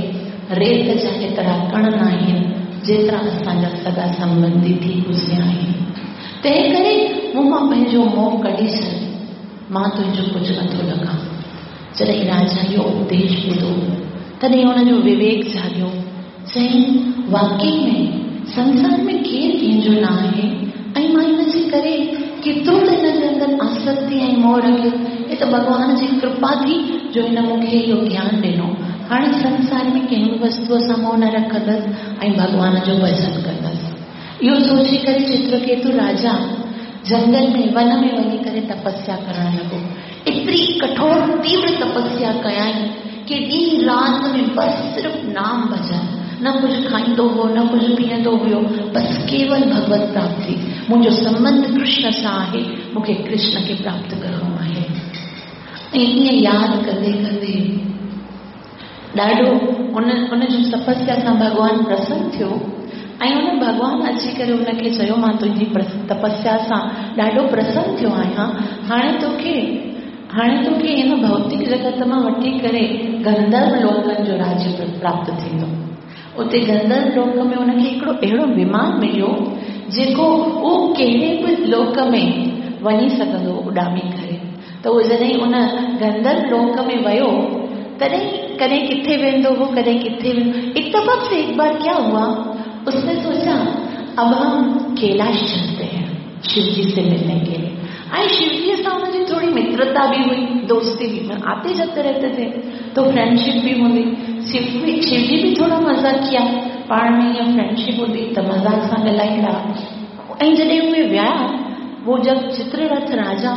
रेत जा एतिरा कण न आहिनि जेतिरा असांजा सॻा संबंधी थी गुज़रिया आहिनि। तंहिं करे मूं मां पंहिंजो मोह कढी छॾ, मां तुंहिंजो कुझु नथो लॻां। जॾहिं राजा इहो उपदेश ॿुधो, तॾहिं हुनजो विवेक जाॻियो। चयईं, वाकई में संसार में केरु कंहिंजो न आहे ऐं मां हिन जे करे केतिरो त हिन जे अंदरि आसक्ति ऐं मोह रखियो। हे त भॻवान जी कृपा थी जो हिन मूंखे इहो ज्ञान ॾिनो। हाणे संसार में कंहिं बि वस्तूअ सां मोह न रखंदसि ऐं भॻवान जो भॼन कंदसि। इहो सोची करे चित्रकेतु राजा जंगल में वन में वञी करे तपस्या करण लॻो। एतिरी कठोर तीव्र तपस्या कयाईं की ॾींहुं राति में बसि सिर्फ़ नाम भजन, न कुझु खाईंदो हो न कुझु पीअंदो हुयो, बसि केवल भगवत प्राप्ति। मुंहिंजो संबंध कृष्ण सां आहे, मूंखे कृष्ण खे प्राप्त करिणो आहे। ऐं ईअं यादि कंदे कंदे ॾाढो उन उन जो तपस्या सां भॻवान प्रसन्न थियो ऐं उन भॻवान अची करे हुनखे चयो, मां तुंहिंजी तपस्या सां ॾाढो प्रसन्न थियो आहियां, हाणे तोखे हाणे तोखे हिन भौतिक जगत मां वठी करे गंधर्व लोकनि जो राज्य प्राप्त थींदो। उते गंधर्व लोक में हुनखे हिकिड़ो अहिड़ो विमान मिलियो जेको उहो कहिड़े बि लोक में वञी सघंदो उॾामी करे। त उहो जॾहिं उन गंधर्व लोक में वियो, तॾहिं कॾहिं किथे वेंदो हो, कॾहिं किथे वेंदो। इत्तफाक से एक बार क्या हुआ, उसने सोचा अब हम कैलाश चलते हैं शिवजी से मिलने के लिए। ऐं शिवजी सां हुनजी थोरी मित्रता बि हुई, दोस्ती बि, आते जाते रहते थे तो फ्रेंडशिप बि हूंदी। शिव शिवजी बि थोरो मज़ाकिया, पाण में ईअं फ्रेंडशिप हूंदी त मज़ाक सां ॻाल्हाईंदा। ऐं जॾहिं उहे विया, वो जब चित्ररथ राजा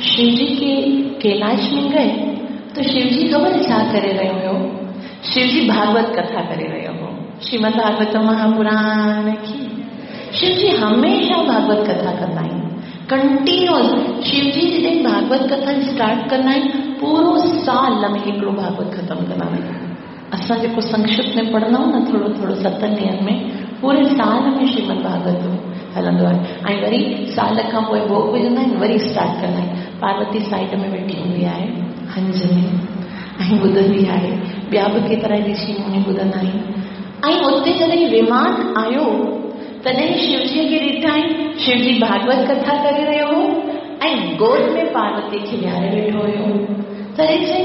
शिवजी के कैलाश में गए तो शिवजी ख़बर छा करे रहियो हुयो? शिवजी भागवत कथा करे रहियो हो, श्रीमद् भागवत महापुराण की। शिवजी हमेशा भागवत कथा कंदा आहिनि कंटिन्यूअस। शिवजी जॾहिं भागवत कथा स्टार्ट कंदा आहिनि पूरो साल में हिकिड़ो भागवत ख़तमु कंदा आहिनि। असां जेको संक्षिप्त में पढ़ंदा आहियूं न थोरो थोरो सतनि ॾींहंनि में, पूरे साल में श्रीमद् भागवत हलंदो आहे। ऐं वरी साल खां पोइ भोग विझंदा आहिनि, वरी स्टार्ट कंदा आहिनि। पार्वती साइड में वेठी हूंदी आहे हंज में ऐं ॿुधंदी आहे, ॿिया बि केतिरा ऋषि मुनि ॿुधंदा आहिनि। ऐं उते जॾहिं विमान आयो तॾहिं शिवजीअ खे ॾिठाई, शिवजी भागवत कथा करे रहियो हो ऐं गोद में पार्वती खे विहारे वेठो हुयो। तॾहिं चई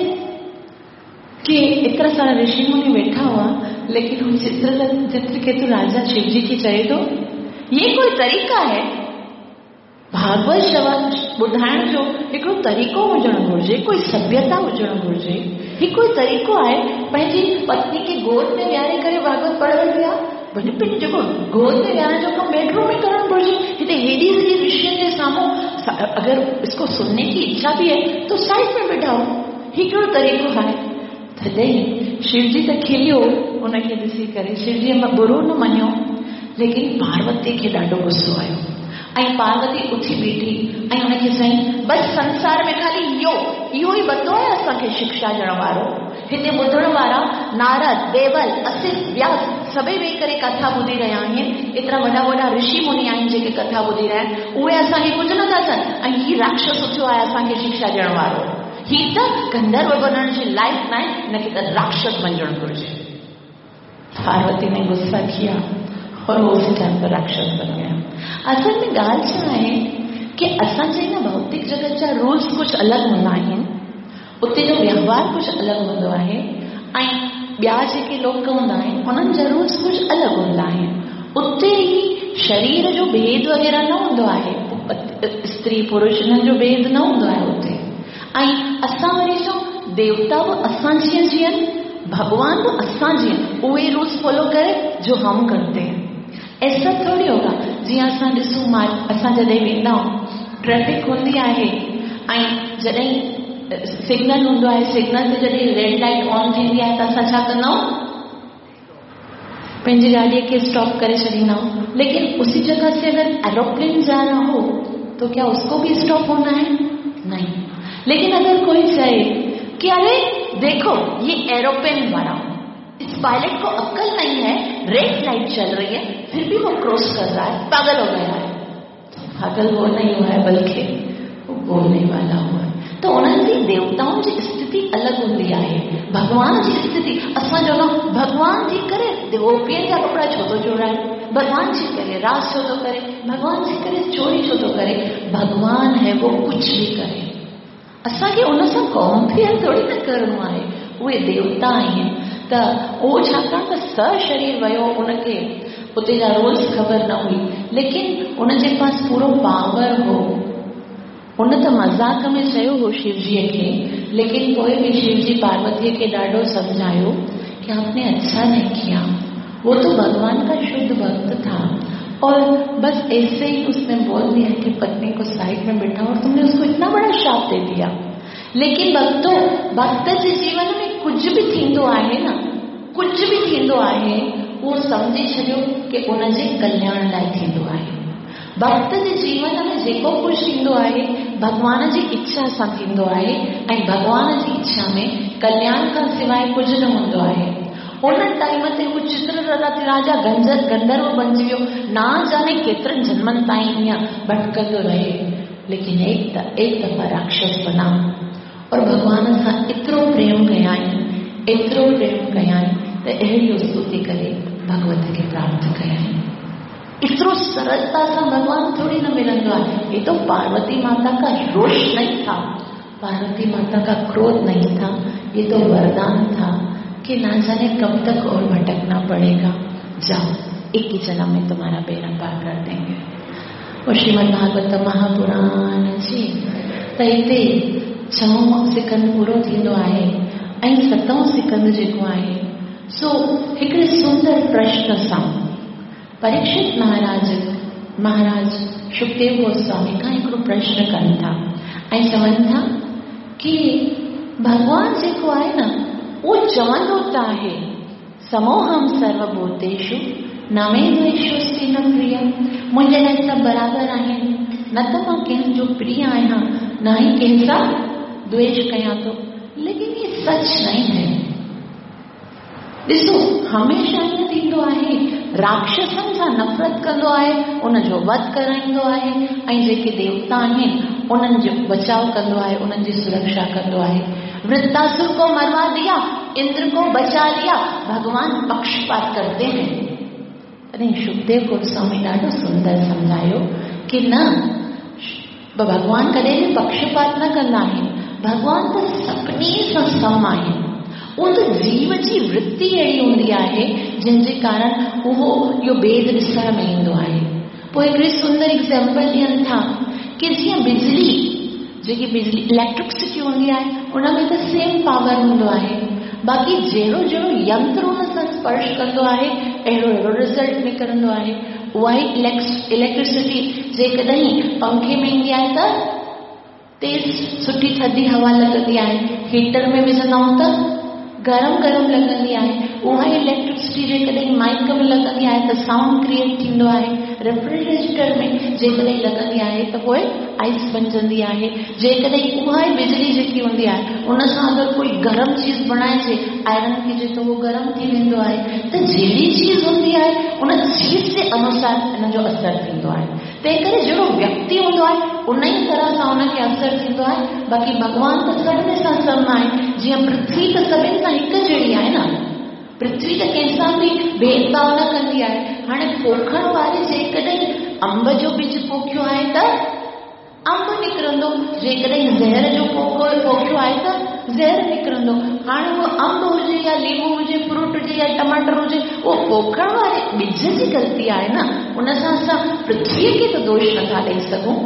कि एतिरा सारा ऋषि मुनि वेठा हुआ, लेकिन हू चित्र चित्रकेतु राजा शिवजी खे चए थो ये कोई तरीक़ा है? भागवत श्रवण ॿुधाइण जो हिकिड़ो तरीक़ो हुजणु घुरिजे, कोई सभ्यता हुजणु घुरिजे। ही कोई तरीक़ो आहे पंहिंजी पत्नी खे गोद में विहारे करे भागवत पढ़णु पिया? भले पिन जेको गोद में विहारण जो कमु बेडरूम में करणु घुरिजे। हिते हेॾी सॼी ऋषियुनि जे साम्हूं अगरि इसको सुनने की इच्छा भी है तो साइड में बिठाओ, ही कहिड़ो तरीक़ो आहे? तॾहिं शिवजी त खिलियो हुनखे ॾिसी करे, शिवजी बुरो न मञियो, लेकिन पार्वती खे ॾाढो गुस्सो आयो। ऐं पार्वती उथी बीठी ऐं हुनखे चयईं बसि संसार में ख़ाली इहो इहो ई बंदो आहे असांखे शिक्षा ॾियण वारो। हिते ॿुधण वारा नारद, देवल, असित, व्यास सभई वेही करे कथा ॿुधी रहिया आहिनि। एतिरा वॾा वॾा ऋषि मुनि आहिनि जेके कथा ॿुधी रहिया आहिनि, उहे असांखे कुझु नथा चवनि ऐं हीउ राक्षस उथियो आहे असांखे शिक्षा ॾियण वारो। हीउ त गंधर्व बणण जे लाइक़ न आहे, हिनखे त राक्षस बणिजणु घुरिजे। पार्वती ने गुस्सा किया और वो उसी टाइम पर राक्षस बन गया। असल में ॻाल्हि छा आहे कि असांजे हिन भौतिक जगत जा रूल्स कुझु अलॻि हूंदा आहिनि, उते जो व्यवहार कुझु अलॻि हूंदो आहे ऐं ॿिया जेके लोक हूंदा आहिनि उन्हनि जा रूल्स कुझु अलॻि हूंदा आहिनि। उते ई शरीर जो भेद वग़ैरह न हूंदो आहे, स्त्री पुरुष हिननि जो भेद न हूंदो आहे उते। ऐं असां वरी चऊं देवता बि असां जीअं जीअनि, भॻवान बि असां जीअं, उहे रूल्स फॉलो करे जो हम करते हैं। ऐसा थोरी होगा। जीअं असां ॾिसूं, मां असां जॾहिं वेंदा आहियूं ट्रैफिक हूंदी आहे ऐं जॾहिं सिग्नल हूंदो आहे, सिग्नल ते जॾहिं रेड लाइट ऑन थींदी आहे त असां छा कंदा आहियूं? पंहिंजी गाॾीअ खे स्टॉप करे छॾींदा आहियूं। लेकिन उसी जगह से अगर एरोप्लेन जा रहा हो तो क्या उसको भी स्टॉप होना है? नहीं। लेकिन अगर कोई चाहे कि अरे देखो ये एरोप्लेन वाला, इस पायलट को अक्ल नहीं है, रेड लाइट चल रही है फिर भी वो क्रॉस कर रहा है, पागल हो गया है। तो पागल वो नहीं हुआ है बल्कि वो बोलने वाला हुआ है। तो उन्हनि जी देवताउनि जी स्थिति अलॻि हूंदी आहे, भॻवान जी स्थिति असांजो न भॻवान जी करे गोपियनि जा कपिड़ा छो थो चोराए, भॻवान जी करे रास छो थो करे, भॻवान जी करे चोरी छो थो करे। भॻवान है वो कुझु बि करे, असांखे उन सां कंपेयर थोरी न करिणो आहे। उहे देवता आहिनि त उहो छाकाणि त सशरीर वियो, उनखे उते जा रूल्स ख़बर न हुई, लेकिन उनजे पास पूरो पावर हो। उन त मज़ाक में चयो हो शिवजीअ खे, लेकिन पोइ बि शिवजी पार्वतीअ खे ॾाढो सम्झायो कि आपने अच्छा नहीं किया, वो तो भगवान का शुद्ध भक्त था और बस ऐसे ही उसने बोल दिया कि पत्नी को साइड में बैठा और तुमने उसको इतना बड़ा श्राप दे दिया। लेकिन भक्तों, भक्त जे जीवन में कुझु बि थींदो आहे न, कुझु बि थींदो आहे, उहो सम्झी छॾियो कि उनजे कल्याण लाइ थींदो आहे। भक्त जे जीवन में जेको कुझु थींदो आहे भॻवान जी इच्छा सां थींदो आहे ऐं भॻवान जी इच्छा में कल्याण खां सवाइ कुझु न हूंदो आहे। उन टाइम ते हू चित्ररथ राजा गंजर गंधर्व बणिजी वियो, ना जाने केतिरनि जन्मनि ताईं ईअं भटकंदो रहे, लेकिन एक एक दफ़ा राक्षस बना और भॻवान सां एतिरो प्रेम कयाईं, एतिरो प्रेम कयाईं त अहिड़ी स्तुति करे भगवत खे प्राप्त कयाईं। एतिरो सरलता सां भॻवान थोरी न मिलंदो आहे। ये तो पार्वती माता का रोष नहीं था, पार्वती माता का क्रोध नहीं था, ये तो वरदान था कि ना जाने कब तक और भटकना पड़ेगा, जाओ एक ही जन्म में तुम्हारा बेड़ा पार कर देंगे। और श्रीमद् भागवत महापुराण जी त हिते छहों सिकंद पूरो थींदो आहे ऐं सतों सिकंद जेको आहे सो हिकिड़े सुंदर प्रश्न सां परीक्षित महाराज महाराज सुखदेव गोस्वामी खां हिकिड़ो प्रश्न कनि था ऐं चवनि था की भॻवान जेको आहे न उहो चवंदो त आहे समोहम सर्वभूतेषु न मे द्वेषोऽस्ति न प्रिय, मुंहिंजे लाइ सभु बराबरि आहिनि, न त मां कंहिंजो प्रिय आहियां न ई कंहिंसां द्वेष कयां थो। लेकिन ये सच नहीं है। ॾिसो हमेशा ईअं थींदो आहे, राक्षसनि सां नफ़रत कंदो आहे, उनजो वध कराईंदो आहे ऐं जेके देवता आहिनि उन्हनि जो बचाव कंदो आहे, उन्हनि जी सुरक्षा कंदो आहे। वृत्तासुर को मरवा दिया, इंद्र को बचा लिया, भगवान पक्षपात करते हैं। तॾहिं सुखदेव गोस्वामी ॾाढो सुंदर सम्झायो की न, भॻवान कॾहिं बि पक्षपात न कंदा आहिनि, भॻवान त सभिनी सां सम आहिनि। उहो त जीव जी वृत्ति अहिड़ी हूंदी आहे जंहिंजे कारण उहो इहो भेद ॾिसण में ईंदो आहे। पोइ हिकिड़ी सुंदर एग्ज़ाम्पल ॾियनि था की जीअं बिजली, जेकी बिजली इलेक्ट्रिसिटी हूंदी आहे उन में त सेम पावर हूंदो आहे, बाक़ी जहिड़ो जहिड़ो यंत्र उन सां स्पर्श कंदो आहे अहिड़ो अहिड़ो रिज़ल्ट निकिरंदो आहे। उहा ई इलेक्ट्रिसिटी जेकॾहिं पंखे में ईंदी आहे त तेज़ सुठी थधि हवा लॻंदी आहे, हीटर में विझंदा आहियूं त गरम गरम लॻंदी आहे। उहा ई इलेक्ट्रिसिटी जेकॾहिं माइक में लॻंदी आहे त साउंड क्रिएट थींदो आहे, रेफ्रिजरेटर में जेकॾहिं लॻंदी आहे त पोइ आइस बणजंदी आहे। जेकॾहिं उहा ई बिजली जेकी हूंदी आहे उन सां अगरि कोई गरम चीज़ बणाइजे, आयरन कीजे त उहो गरम थी वेंदो आहे। त जहिड़ी चीज़ हूंदी आहे उन चीज़ जे अनुसार इन जो असरु थींदो आहे। तंहिं करे जहिड़ो व्यक्ति हूंदो आहे उन ई तरह सां उनखे असरु थींदो आहे। बाक़ी भॻवान त सभिनी सां सम आहे, जीअं पृथ्वी त सभिनी सां हिकु जहिड़ी आहे न, पृथ्वी त कंहिंसां बि भेदभाव न कंदी आहे। हाणे पोखण वारे जेकॾहिं अंब जो ॿिज पोखियो आहे त अंब निकिरंदो, जेकॾहिं ज़हर जो पोखो पोखियो आहे त ज़हर निकिरंदो। हाणे उहो अंब हुजे या लींबू हुजे, फ्रूट हुजे या टमाटर हुजे, उहो पोखण वारे ॿिज जी ग़लती आहे न, उन सां असां पृथ्वीअ खे त दोष नथा ॾेई सघूं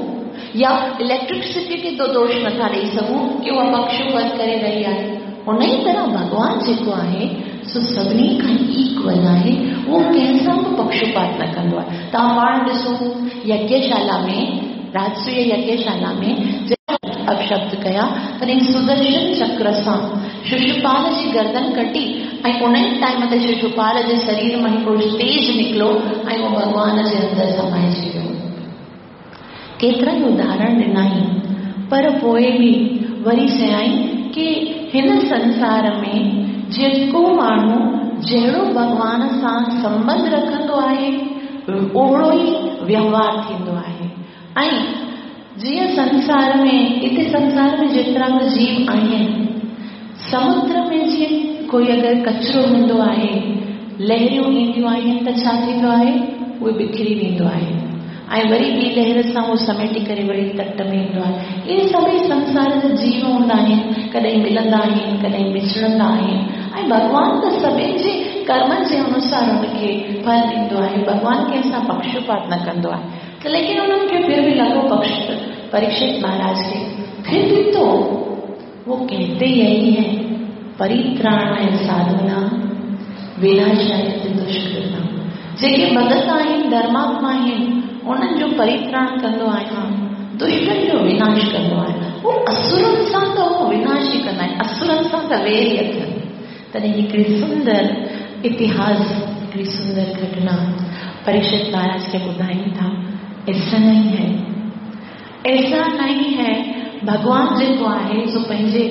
या इलेक्ट्रिसिटी खे त दोष नथा ॾेई सघूं की उहा पक्षपात करे रही आहे। उन ई तरह भॻवान जेको आहे सो सभिनी खां इक्वल आहे, उहो कंहिंसां बि पक्षपात न कंदो आहे। तव्हां पाण ॾिसो यज्ञशाला में, राजसूय यज्ञशाला में अपशब्द कया तॾहिं सुदर्शन चक्र सां शिशुपाल जी गर्दन कटी ऐं उन ई टाइम ते शिशुपाल जे शरीर मां हिकिड़ो तेज निकिरो ऐं उहो भॻवान जे अंदरि समाइजी वियो। केतिरा ई उदाहरण ॾिनाई, पर पोइ बि वरी चयाई की हिन संसार में जेको माण्हू जहिड़ो भॻवान सां संबंध रखंदो आहे उहिड़ो ई व्यवहार थींदो आहे। ऐं जीअं संसार में, हिते संसार में जेतिरा बि जीव आहिनि, समुद्र में जीअं कोई अगरि कचरो हूंदो आहे, लहरियूं ईंदियूं आहिनि त छा थींदो आहे, उहो बिखरी वेंदो आहे ऐं वरी ॿी लहर सां उहो समेटी करे वरी तट में ईंदो आहे। इहे सभई संसार जा जीव हूंदा आहिनि, कॾहिं मिलंदा आहिनि, कॾहिं विछड़ंदा आहिनि ऐं भॻवान त सभिनी जे कर्मनि जे अनुसार हुनखे फल ॾींदो आहे। भॻवान कंहिंसां पक्षपात न कंदो आहे। त लेकिन उन्हनि खे फिर बि लॻो पक्ष परीक्षित महाराज खे, फिर भी तो वो कहते यही है, परित्राणाय साधूनां विनाशाय दुष्कृतां। जेके भगत आहिनि, धर्मात्मा आहिनि, उन्हनि जो परित्राण कंदो आहियां, दुष्टनि जो विनाश कंदो आहियां। उहो असुरनि सां त उहो विनाश ई कंदा आहिनि, असुरनि सां त वेर ई अथनि। तॾहिं हिकिड़ी सुंदर इतिहास, हिकिड़ी सुंदर घटना परीक्षित महाराज खे ॿुधाइनि था। ऐसा नहीं है, ऐसा नहीं है। भॻवान जेको आहे सो पंहिंजे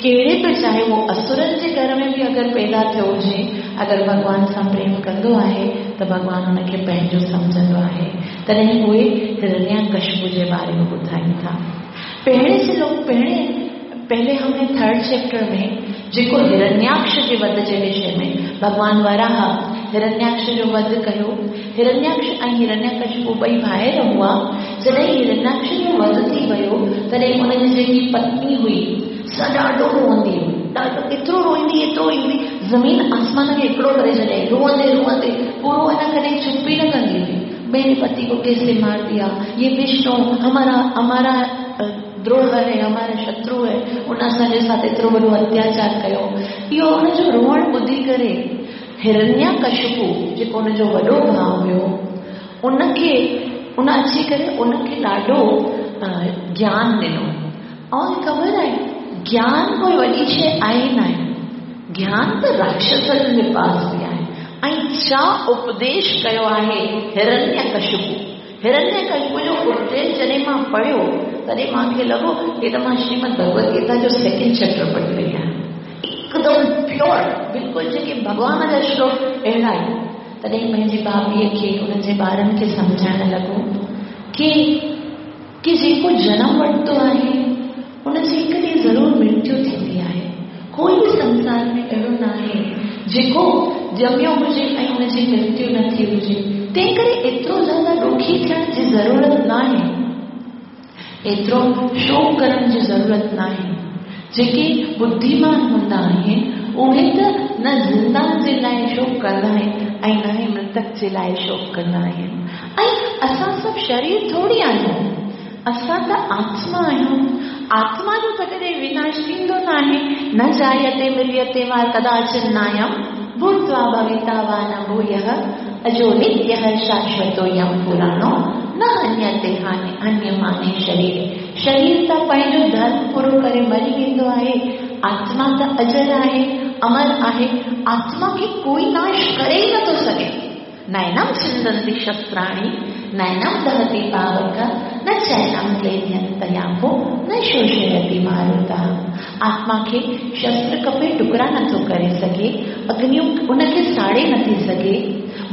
कहिड़े बि, चाहे उहो असुरनि जे घर में बि अगरि पैदा थियो हुजे, अगरि भॻवान सां प्रेम कंदो आहे त भॻवान हुनखे पंहिंजो सम्झंदो आहे। तॾहिं उहे हिरण्यकशिपु जे बारे में ॿुधाइनि था। पहिरें से लोग पहिरें पहले हमने थर्ड चैप्टर में जेको हिरण्याक्ष जे वध जे विषय में भॻवान वराह हिरण्याक्ष जो वध कयो। हिरण्याक्ष ऐं हिरण्यकशिपु ॿई भाइर हुआ। जॾहिं हिरण्याक्ष जो वध थी वियो तॾहिं हुनजी जेकी पत्नी हुई सा ॾाढो रोअंदी हुई, ॾाढो एतिरो रोईंदी एतिरो रोईंदी, ज़मीन आसमान खे हिकिड़ो करे छॾियईं। रोअंदे रोअंदे पूरो है न, कॾहिं चुप ई न कंदी हुई। मेरे पति को कैसे मार दिया, ये विष्णु हमारा हमारा द्रोह है, हमारा शत्रु है, उन असांजे साथ एतिरो वॾो अत्याचार कयो। इहो हुनजो रोअणु ॿुधी करे हिरण्यकशिपु जेको हुनजो वॾो भाउ हुयो, उनखे उन अची करे उनखे ॾाढो ज्ञान ॾिनो। ऐं ख़बर आहे ज्ञान कोई वॾी शइ आहे न आहे, ज्ञान त राक्षसनि जे पास बि आहे। ऐं छा उपदेश कयो आहे हिरण्यकशिपु। हिरण्यकशिपु जो उपदेश जॾहिं मां पढ़ियो तॾहिं मूंखे लॻो की त मां श्रीमद भगवद गीता जो सेकेंड चैप्टर पढ़ी रही आहियां। एकदम प्योर, बिल्कुलु जेके भॻवान जा श्लोक अहिड़ा आहिनि। तॾहिं पंहिंजी भाभीअ खे, उन्हनि जे ॿारनि खे सम्झाइण लॻो की की जेको जनम वरितो आहे उनजी हिकु ॾींहुं ज़रूरु मृत्यु थींदी आहे। कोई बि संसार में अहिड़ो न आहे जेको ॼमियो हुजे ऐं हुनजी मृत्यु न थी हुजे। तंहिं करे एतिरो ज़्यादा ॾुखी थियण जी ज़रूरत न आहे, एतिरो शोक करण जी ज़रूरत न आहे। जेके बुद्धिमान हूंदा आहिनि उहे त न ज़िंदा जे लाइ शोक कंदा आहिनि ऐं न ई मृतक जे लाइ शोक कंदा आहिनि। ऐं असां सभु शरीर थोरी आहियूं, असां त आत्मा आहियूं। आत्मा जो त कॾहिं विनाश थींदो न आहे। न जायते मिलियते वा कदाचिन नायम भूत्वा भविता वा न भूयः अजो नित्यः शाश्वतोऽयं पुराणो न हन्यते हानि हन्यमाने शरीर। शरीर त पंहिंजो धर्म पूरो करे मरी वेंदो आहे, आत्मा त अजर आहे, अमर आहे। आत्मा खे कोई नाश करे ई नथो सघे। नैनम छिन्दन्ति शस्त्राणि नैनम दहति पावक न चैनम क्लेदयन्तयापो न शोषयति मारुतः। आत्मा खे शस्त्र कपे टुकड़ा नथो करे सघे, अग्नि उनखे साड़े नथी सघे,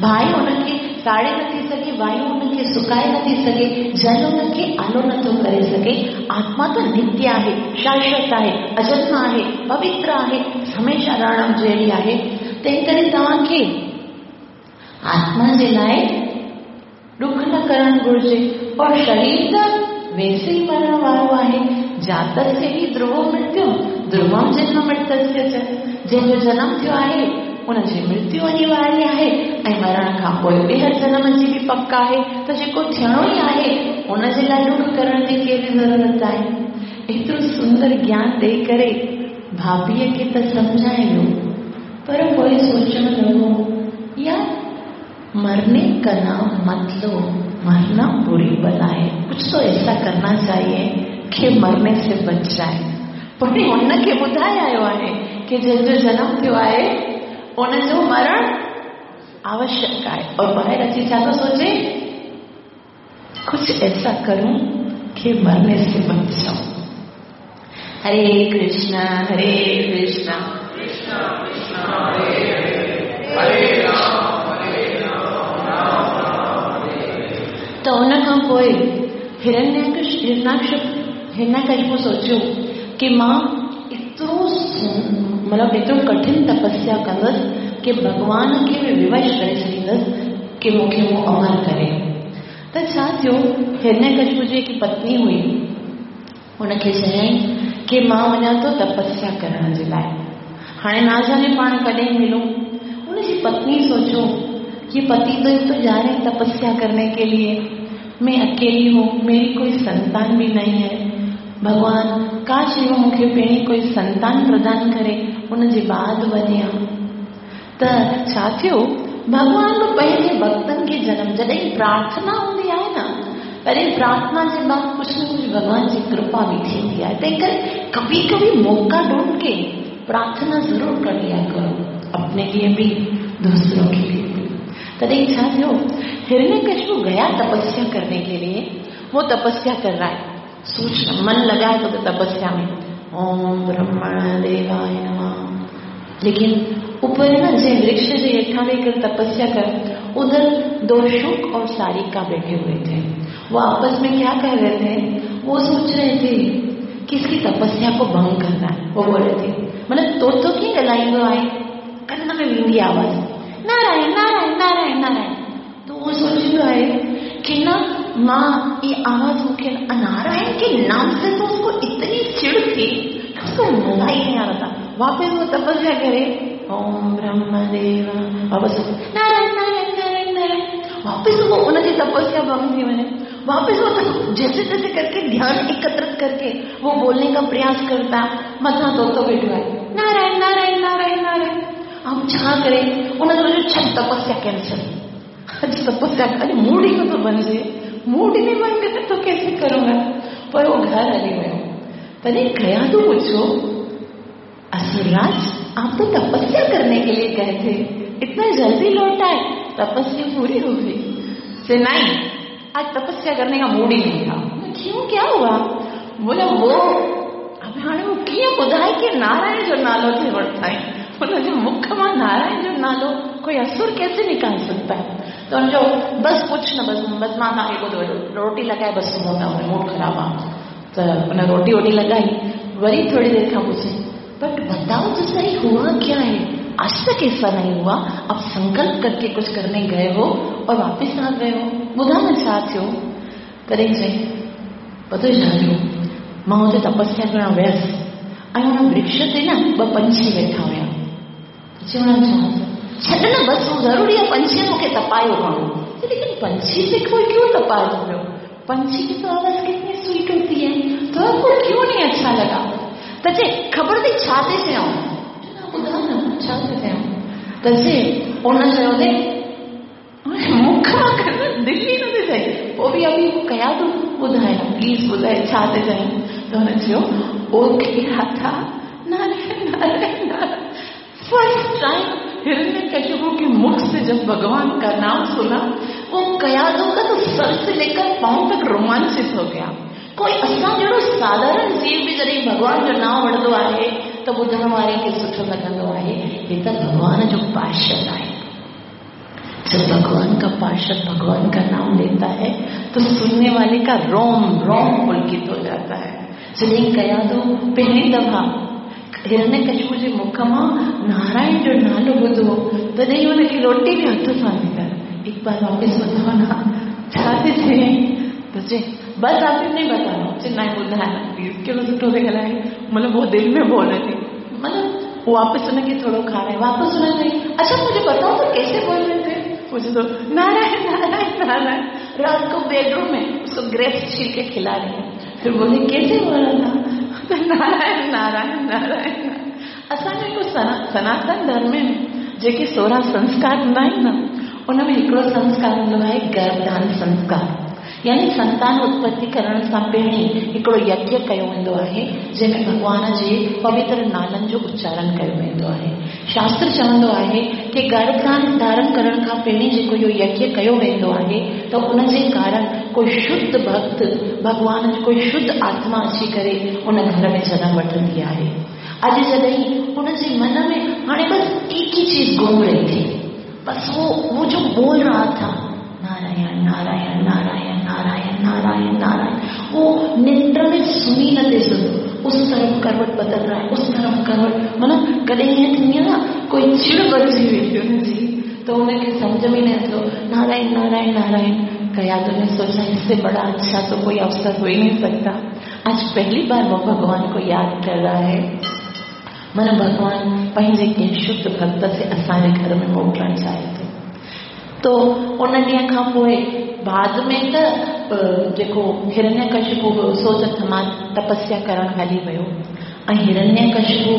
बाहि उनखे साड़े नथी सघे, वायु उनखे सुकाए नथी सघे, जल उनखे आलो नथो करे सघे। आत्मा त नित्य आहे, शाश्वत आहे, अजन्म आहे, पवित्र आहे, हमेशा रहण जहिड़ी आहे। तंहिं करे तव्हांखे आत्मा जे लाइ ॾुख न करणु घुर्जे। और शरीर त वैसे ई मरण वारो आहे। जातस्य ही ध्रुवो मृत्यु ध्रुवम जन्म मृतस्य च। जंहिंजो जनम थियो आहे उनजी मृत्यु अनिवार्य आहे ऐं मरण खां पोइ ॿीहर जनम जी बि पक आहे। त जेको थियणो ई आहे उनजे लाइ ॾुख करण जी कहिड़ी ज़रूरत आहे। एतिरो सुंदर ज्ञान ॾेई करे भाभीअ खे त सम्झाए वियो, पर पोइ सोचण लॻो यार मरने का नाम मत लो, मरना बुरी बला है, कुछ तो ऐसा करना चाहिए कि मरने से बच जाए। पर हुनखे ॿुधाए आयो आहे कि जंहिंजो जनम थियो आहे उनजो मरण आवश्यक आहे। और ॿाहिरि अची छा थो सोचे, कुछ ऐसा करूं कि मरने से बच जाऊं। हरे कृष्णा हरे कृष्णा कृष्णा कृष्णा हरे हरे, हरे राम हरे राम राम राम हरे हरे। त उन खां पोइ हिरण्यकश हिरणाक्ष हिरण्यकशिपु सोचियो कि मां एतिरो मतिलबु एतिरो कठिन तपस्या कंदुसि कि भॻवान खे बि विवश करे छॾींदुसि कि मूंखे उहो अमर करे। त छा थियो, हिरण्यकशिपु जी हिकु पत्नी हुई, हुनखे चयईं कि मां वञा थो तपस्या करण जे लाइ, हाणे ना जाने पाण कॾहिं मिलूं। हुनजी पत्नी सोचो कि पति देव तो जा रहे हैं तपस्या करने के लिए, मैं अकेली हूँ, मेरी कोई संतान भी नहीं है, भगवान काश इहो मूंखे पहिरीं कोई संतान प्रदान करे उनजे बाद वञा। त छा थियो, भॻवान पंहिंजे भक्तनि खे जनम, जॾहिं प्रार्थना हूंदी आहे न, तॾहिं प्रार्थना जे बाद कुझु न कुझु भॻवान जी कृपा बि थींदी आहे। तंहिं करे कभी कभी मौका ढूंढ के प्रार्थना ज़रूर कर लिया करो, अपने लिए भी दूसरों के लिए भी। तॾहिं छा थियो, हिरण्यकशिपु गया तपस्या करने के लिए, वो तपस्या कर रहा है, सोच मन लगाए तो तपस्या में ओम ब्रह्मण देवाय नमः। लेकिन ऊपर ना जे वृक्ष जे हेठां वेही करे तपस्या कर, उधर दो शुक और सारिका बैठे हुए थे। वो आपस में क्या कर रहे थे, वो सोच रहे थे कि इसकी तपस्या को भंग करना है। वो बोल रहे थे, मतलब तो तो कीअं ॻाल्हाईंदो आहे, कन में वेंदी आवाज़ नारायण नारायण नारायण नारायण। तो वो सोचींदो आहे कि न मां ये आवाज मूंखे नारायण के नाम से तो उसको इतनी चिढ़ थी कि उसको मजा ही नहीं आ रहा था। वापस वो तपस्या करे ओम ब्रह्मदेव, वापसि नारायण नारायण नारायण नारायण, वापसि वो उनजी तपस्या भंग थी वञे। वापसि वो जैसे तैसे करके ध्यान एकत्रित करके वो बोलने का प्रयास करता, मथां तोतो वेठो आहे, नारायण नारायण नारायण नारायण। ऐं छा करे उन जो छॾ तपस्या कैंसल, अॼु तपस्या अॼु मूड ई नथो बणिजे, मूड ही नहीं बन गया तो कैसे करूंगा। पर वो घर हली वियो। तॾहिं कयादू पुछो, असुरराज आप तो तपस्या करने के लिए गए थे, इतना जल्दी लौट आए, तपस्या पूरी हो गई। से नहीं, आज तपस्या करने का मूड ही नहीं था। क्यों, क्या हुआ? बोला वो अब हाणे वो कीअं ॿुधाए कि नारायण जो नालो थे वरिताई, हुनजे मुख मां नारायण जो नालो कोई असुर कैसे निकाल सकता है। तो हुनजो बस पुछ न, बस बस मां तव्हांखे ॿुधो, रोटी लॻाए बस सुम्हो था, मूड ख़राबु आहे। त हुन रोटी वोटी लॻाई, वरी थोरी देरि खां पुछे, बट बताओ तो सही हुआ क्या है, आज तक ऐसा नहीं हुआ, आप संकल्प करके कुछ करने गए हो और वापस आ गए हो, ॿुधा न छा थियो। तॾहिं चई पतो छा थियो, मां हुते तपस्या करण वियसि ऐं हुन वृक्ष ते न ॿ पंछी वेठा हुया। चवण छा छॾ न, बस वो ज़रूरी आहे, पंछी मूंखे तपायो घणो। लेकिन पंछी से कोई क्यों तपाए पियो, पंछी की तो आवाज़ कितनी स्वीट होती है, तो आपको क्यों नहीं अच्छा लगा। त चए ख़बर अथई छा ते चयऊं, ॿुधा न छा ते चयऊं। त चए उन चयो त मुख मां दिलि ई नथी थिए, पोइ बि अभी वो कया तूं ॿुधाए प्लीज़ ॿुधाए छा ते चयईं। त हुन चयो वो कहिड़ा था नारायण नारायण नारायण। फर्स्ट टाइम हिरण्यकशिपु के मुख से जब भगवान का नाम सुना, वो कयादू का तो सर से लेकर पांव तक रोमांचित हो गया। कोई असां जहिड़ो साधारण जीव बि जॾहिं भॻवान जो नाम वठंदो आहे त ॿुधण वारे खे सुठो लॻंदो आहे, हे त भॻवान जो पार्षद आहे। जब भगवान का पार्षद भगवान का नाम लेता है तो सुनने वाले का रोम रोम पुलकित हो जाता है। जॾहिं कयादू पहिरीं दफ़ा हिरण्यकशिपु जे मुख मां नारायण जो नालो ॿुधो, तॾहिं हुनखे रोटी बि हथ सां निकिरी। एक बार वापसि ॿुधाओ न छा थी थिए। त चए बस आप नहीं बताओ, चए न ॿुधाए प्लीज़, केहिड़ो सुठो थी ॻाल्हाए, मतलब वो दिल में बोल रही थी, मतलब वापसि हुनखे थोरो खाराए, वापसि हुन चई अच्छा मुझे बताओ तो कैसे बोल रहे थे। मुझे तो नारायण नारायण नारायण। रात को बेडरूम में उसको ग्रेप्स छील के खिला रही है, फिर बोले कैसे बोल रहा था, तो नारायण नारायण नारायण। असांजो हिकिड़ो सनातन धर्म में जेके सोरहं संस्कार हूंदा आहिनि न, उन में हिकिड़ो संस्कार हूंदो आहे गर्भदान संस्कार, यानी संतान उत्पत्ति करण सां पहिरीं हिकिड़ो यज्ञ कयो वेंदो आहे जंहिंमें भॻवान जे पवित्र नालनि जो उच्चारण कयो वेंदो आहे। शास्त्र चवंदो आहे कि गर्भदान धारण करण खां पहिरीं जेको इहो यज्ञ कयो वेंदो आहे त उनजे कारण कोई शुद्ध भक्त भॻवान जी कोई शुद्ध आत्मा अची करे उन घर में जनम वठंदी आहे। अॼु जॾहिं उनजे मन में हाणे बसि एक ही चीज़ घूम रही थी, बस वो वो जो बोल रहा था नारायण नारायण नारायण नारायण नारायण नारायण, वो निंद्र में सुनी न थे सुनो, उस तरफ करवट बदल रहा है, उस तरफ करवट, माना कॾहिं ईअं थींदी आहे न कोई चिड़ बणिजी वेंदी हुनजी, त हुनखे सम्झ में न अचो नारायण नारायण नारायण। कयादू ने सोचा इससे बड़ा अच्छा तो कोई अवसर हो ही नहीं सकता, आज पहली बार वो भगवान को याद कर रहा है। माना भगवान पंहिंजे कंहिं शुद्ध भक्त से असांजे घर में मोकिलणु चाहे थो। तो उन ॾींहं खां पोइ बाद में त जेको हिरण्यकशिपु हुयो सो त मां तपस्या करण हली वियो ऐं हिरण्यकशिपु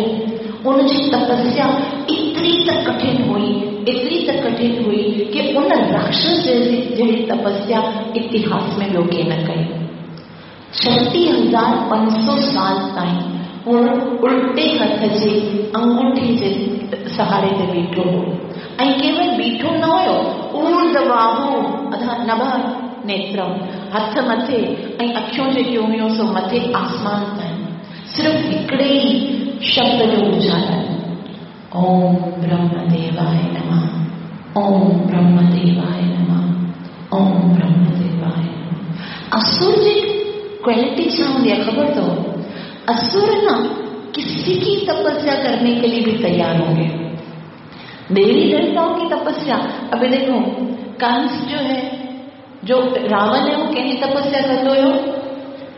उनजी तपस्या एतिरी त कठिन हुई, एतिरी त कठिन हुई कि उन राक्षस जहिड़ी तपस्या इतिहास में ॿियो कंहिं न कई। छटीह हज़ार पंज सौ साल ताईं हू उल्टे हथ जे अंगूठे जे सहारे ते बीठो हो ऐं केवल बीठो न हुयो, ऊर्ध्वबाहु नभ नेत्रम, हथ मथे ऐं अखियूं जेकियूं हुयूं सो मथे आसमान ताईं, सिर्फ़ हिकिड़े ई शब्द जो उचारण, ओम ब्रह्मदेवाय नमः, ओम ब्रह्मदेवाय नमः, ओम ब्रह्मदेवाय नमः। असुर जी क्वालिटी छा हूंदी आहे ख़बर अथव? असुर न किसी की तपस्या करने के लिए भी तैयार होंगे, देवी देवताओं की तपस्या। अभी देखो कंस जो है, जो रावण है, वो कंहिंजी तपस्या कंदो हुयो?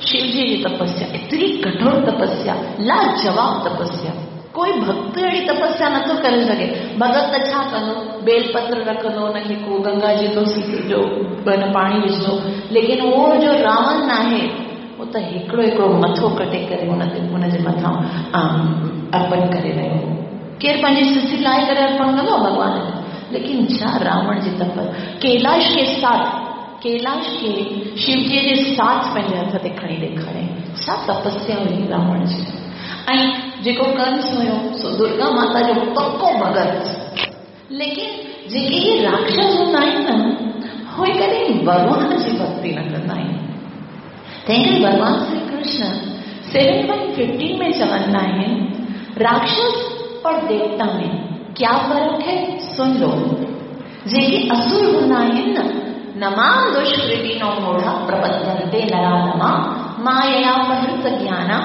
शिवजी जी तपस्या, एतिरी कठोर तपस्या, लाजवाब तपस्या। कोई भक्त अहिड़ी तपस्या नथो करे सघे। भगत त छा कंदो? बेलपत्र रखंदो, हुनखे को गंगा जी तुलसी जो पाणी विझंदो। लेकिन उहो जो रावण आहे उहो त हिकिड़ो हिकिड़ो मथो कटे करे हुन ते हुनजे मथां अर्पण करे रहियो हो। केरु पंहिंजी सिसी लाहे करे अर्पण कंदो भॻवान खे? लेकिन छा रावण जी तपस्या। कैलाश के साथ, कैलाश खे शिवजीअ जे साथ पंहिंजे हथ ते खणी ॾेखारे, छा तपस्या हुई रावण जी। ऐं जेको कंस हुयो सो दुर्गा माता जो पको भगत। लेकिन जेके इहे राक्षस हूंदा आहिनि न, उहे कॾहिं भॻवान जी भक्ति न कंदा आहिनि। तंहिं करे भॻवान Shri Krishna seven point fifteen में चवंदा आहिनि, राक्षस और देवता में क्या फर्क है सुन लो। जेके असुर हूंदा आहिनि न, नमाम दुष्कृतिनो मूढ़ा प्रपद्यन्ते नराधमा मायया अपहृत ज्ञाना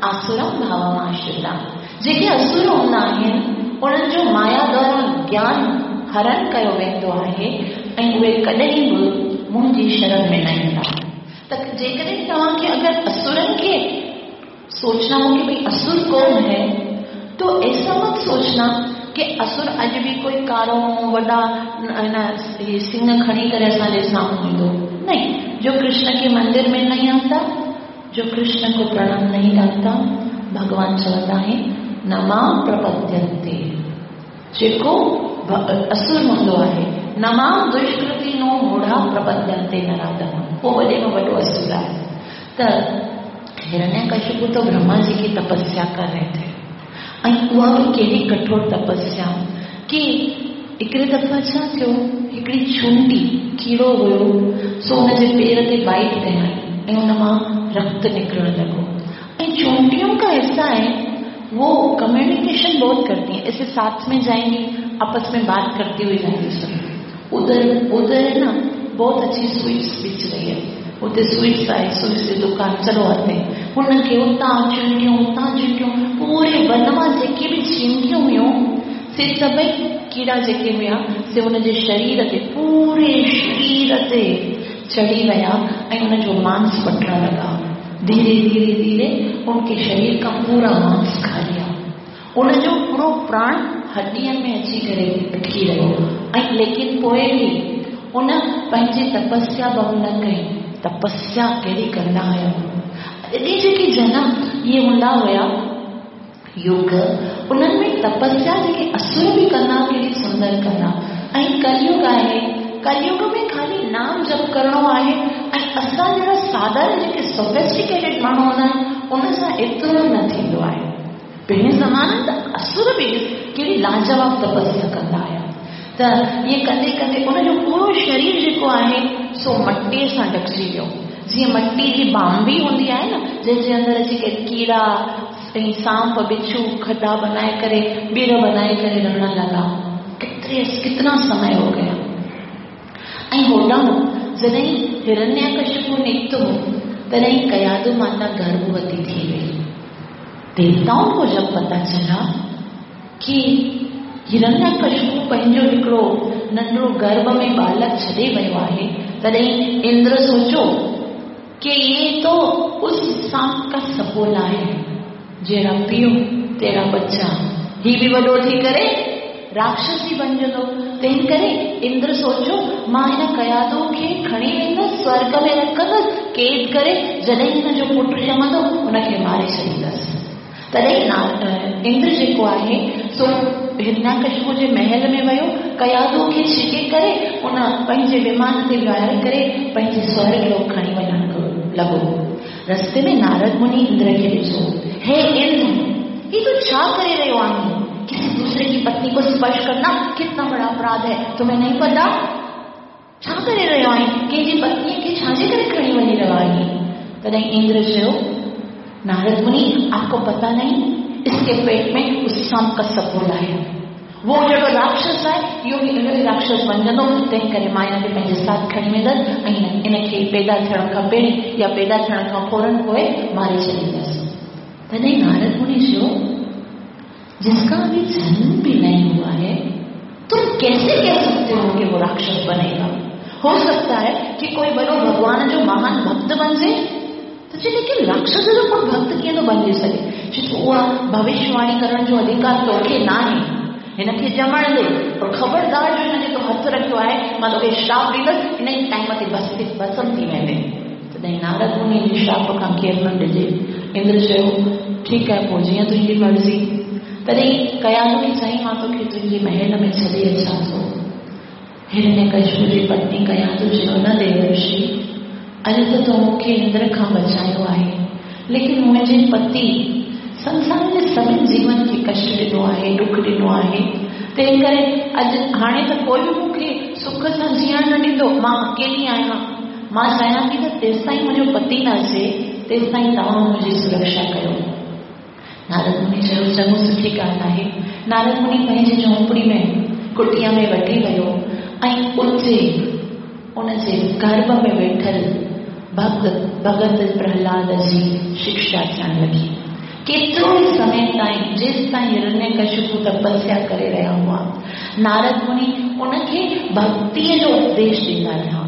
आसुरम भावमाश्रिता। जेके असुर हूंदा आहिनि उन्हनि जो माया द्वारा ज्ञान हरण कयो वेंदो आहे ऐं उहे कॾहिं बि मुंहिंजी शरण में न ईंदा। त जेकॾहिं तव्हांखे अगरि असुरनि खे सोचना हो कि भई असुर कौन है, तो ऐसा मत सोचना कि असुर अॼु बि कोई कारो वॾा सिंह खणी करे असांजे साम्हूं ईंदो। नहीं, जो कृष्ण के मंदिर में नहीं आता, जो कृष्ण को प्रणाम नहीं डालता, भगवान चवंदा आहिनि न मां प्रपद्यन्ते। जेको असुर हूंदो आहे, न मां दुष्कृति नो मूढ़ा प्रपद्यन्ते नराधम, उहो वॾे में वॾो असुर आहे। त हिरण्यकशिपु तो ब्रह्मा जी की तपस्या कर रहे थे, ऐं उहा बि कहिड़ी कठोर तपस्या कि हिकिड़े दफ़ा छा थियो, हिकिड़ी चूंटी कीड़ो हुयो, सो हुनजे पेर ते बाइट कयाई ऐं हुन मां रक्त निकिरण लॻो। ऐं चूंटियों का ऐसा है, वो कम्युनिकेशन बहुत करती हैं, ऐसे साथ में जाएंगी, आपस में बात करती हुई जाएंगी। सब उधर उधर है ना, बहुत अच्छी स्वीट्स बिच रही है, उते स्वीट्स आहे, स्वीट्स जी दुकान, चलो आते। हुनखे उतां चूंटियूं उतां चूंटियूं, पूरे वन मां जेके बि चींटियूं हुयूं से सभई कीड़ा जेके हुया से हुनजे शरीर ते, पूरे शरीर ते चढ़ी विया ऐं हुनजो मांस वठण लॻा। धीरे धीरे धीरे उनके शरीर का पूरा मांस खा लिया, उनजो पूरो प्राण हॾियनि में अची करे अटकी रहियो। ऐं लेकिन पोइ बि उन पंहिंजी तपस्या भंग न कई। तपस्या कहिड़ी कंदा हुया अॼु जेके जनम इहे हूंदा हुया युग, उन्हनि में तपस्या जेके असुर बि कंदा कहिड़ी सुंदर कंदा। ऐं कलयुग आहे, कलयुग में खाली नाम जप करिणो आहे ऐं असां जहिड़ा साधारण जेके सोफिस्टिकेटेड माण्हू हूंदा आहिनि उन सां एतिरो न थींदो आहे। पहिरियों ज़माने त असुर बि कहिड़ी लाजवाब तपस्या कंदा हुया। त इहे कंदे कंदे उनजो पूरो शरीर जेको आहे सो मटीअ सां ढकिजी वियो। जीअं मटी जी बाम्बी हूंदी आहे न, जंहिंजे अंदरि अची करे कीड़ा ऐं सांप बिच्छू खॾा बनाए करे ॿीर बनाए करे रहण लॻा। कितरे कितना समय हो गया। ऐं होॾां जॾहिं हिरण्यकशिपु निकितो तॾहिं कयादु माता गर्भवती थी वई। देवताओं को जब पता चला कि हिरण्यकशिपु पंहिंजो हिकिड़ो नंढड़ो गर्भ में बालक छॾे वियो आहे, तॾहिं इंद्र सोचो कि ये तो उस सांप का सपोला है, जहिड़ा पीउ तहिड़ा बच्चा, ही बि वॾो थी करे राक्षसी बणिजंदो। तंहिं करे इंद्र सोचो मां हिन कयादो खे खणी वेंदसि, स्वर्ग में रखंदसि, क़ैद करे जॾहिं हिन जो पुटु ॼमंदो हुनखे मारे छॾींदसि। तॾहिं इंद्र जेको आहे सो हिरण्यकशिपु जे महल में वियो, कयादो खे छिके करे उन पंहिंजे विमान ते विहारे करे पंहिंजे स्वर्ग लोक खणी वञण लॻो। रस्ते में नारद मुनि इंद्र खे ॾिठो, हे इंद्र, ही तूं छा करे रहियो आहीं? किसी दूसरे की पत्नी को स्पर्श करना कितना बड़ा अपराध है, तुम्हें नहीं पता? छा करे रहियो आहीं? कंहिंजी पत्नीअ खे छाजे करे खणी वञी रहियो आहीं? तॾहिं इंद्र चयो, नारद मुनि, आपको पता नहीं, इसके पेट में उस सांप का सपोला है, वो जहिड़ो राक्षस आहे इहो बि अहिड़ो ई राक्षस बणिजंदो। तंहिं करे मां हिनखे पंहिंजे साथ खणी वेंदसि ऐं इनखे पैदा थियण खां पहिरीं या पैदा थियण खां फ़ौरन पोइ मारे छॾींदसि। तॾहिं नारद मुनि चयो, जिसका अभी जन्म भी नहीं हुआ है तुम कैसे कह सकते हो कि वो राक्षस बनेगा? हो सकता है कि कोई बड़ो भगवान जो महान भक्त बन जाए, तो जी लेकिन राक्षस जो कोई भक्त कीअं थो बणिजी सघे? चए थो उहा भविष्यवाणी करण जो अधिकार तोखे न आहे, हिनखे ॼमण ॾे, पर ख़बरदार जो हिन ते हथु रखियो आहे, मां तोखे श्राप ॾींदसि, इन ई टाइम ते बस भस्म थी वेंदे। तॾहिं नारद मुनि जी श्राप खां केरु न ॾिजे। इंद्र चयो ठीकु आहे, पोइ जीअं तुंहिंजी मर्ज़ी। तॾहिं कयादू खे चयईं मां तोखे तुंहिंजे महल में छॾे अचां थो। हिरण्यकशिपु जी पत्नी कयादू चयो न देवर्षि, अॼु त तो मूंखे इंद्र खां बचायो आहे, लेकिन मुंहिंजे पति संसार जे सभिनी जीवन खे कष्ट ॾिनो आहे, ॾुख ॾिनो आहे, तंहिं करे अॼु हाणे त कोई बि मूंखे सुख सां जीअण न ॾींदो, मां अकेली आहियां। मां चाहियां थी त तेसि ताईं मुंहिंजो पति न अचे तेसि ताईं तव्हां मुंहिंजी सुरक्षा कयो। नारद मुनि चयो चङो सुठी ॻाल्हि आहे। नारद मुनि पंहिंजी झोंपड़ी में कुटिया में वठी वियो ऐं उते उनजे गर्भ में वेठल भक्त भगत प्रहलाद जी शिक्षा थियण लॻी। केतिरो ई समय ताईं जेसि ताईं हिरण्यकशिपु तपस्या करे रहिया हुआ, नारद मुनि उनखे भक्तीअ जो उपदेश ॾींदा रहिया।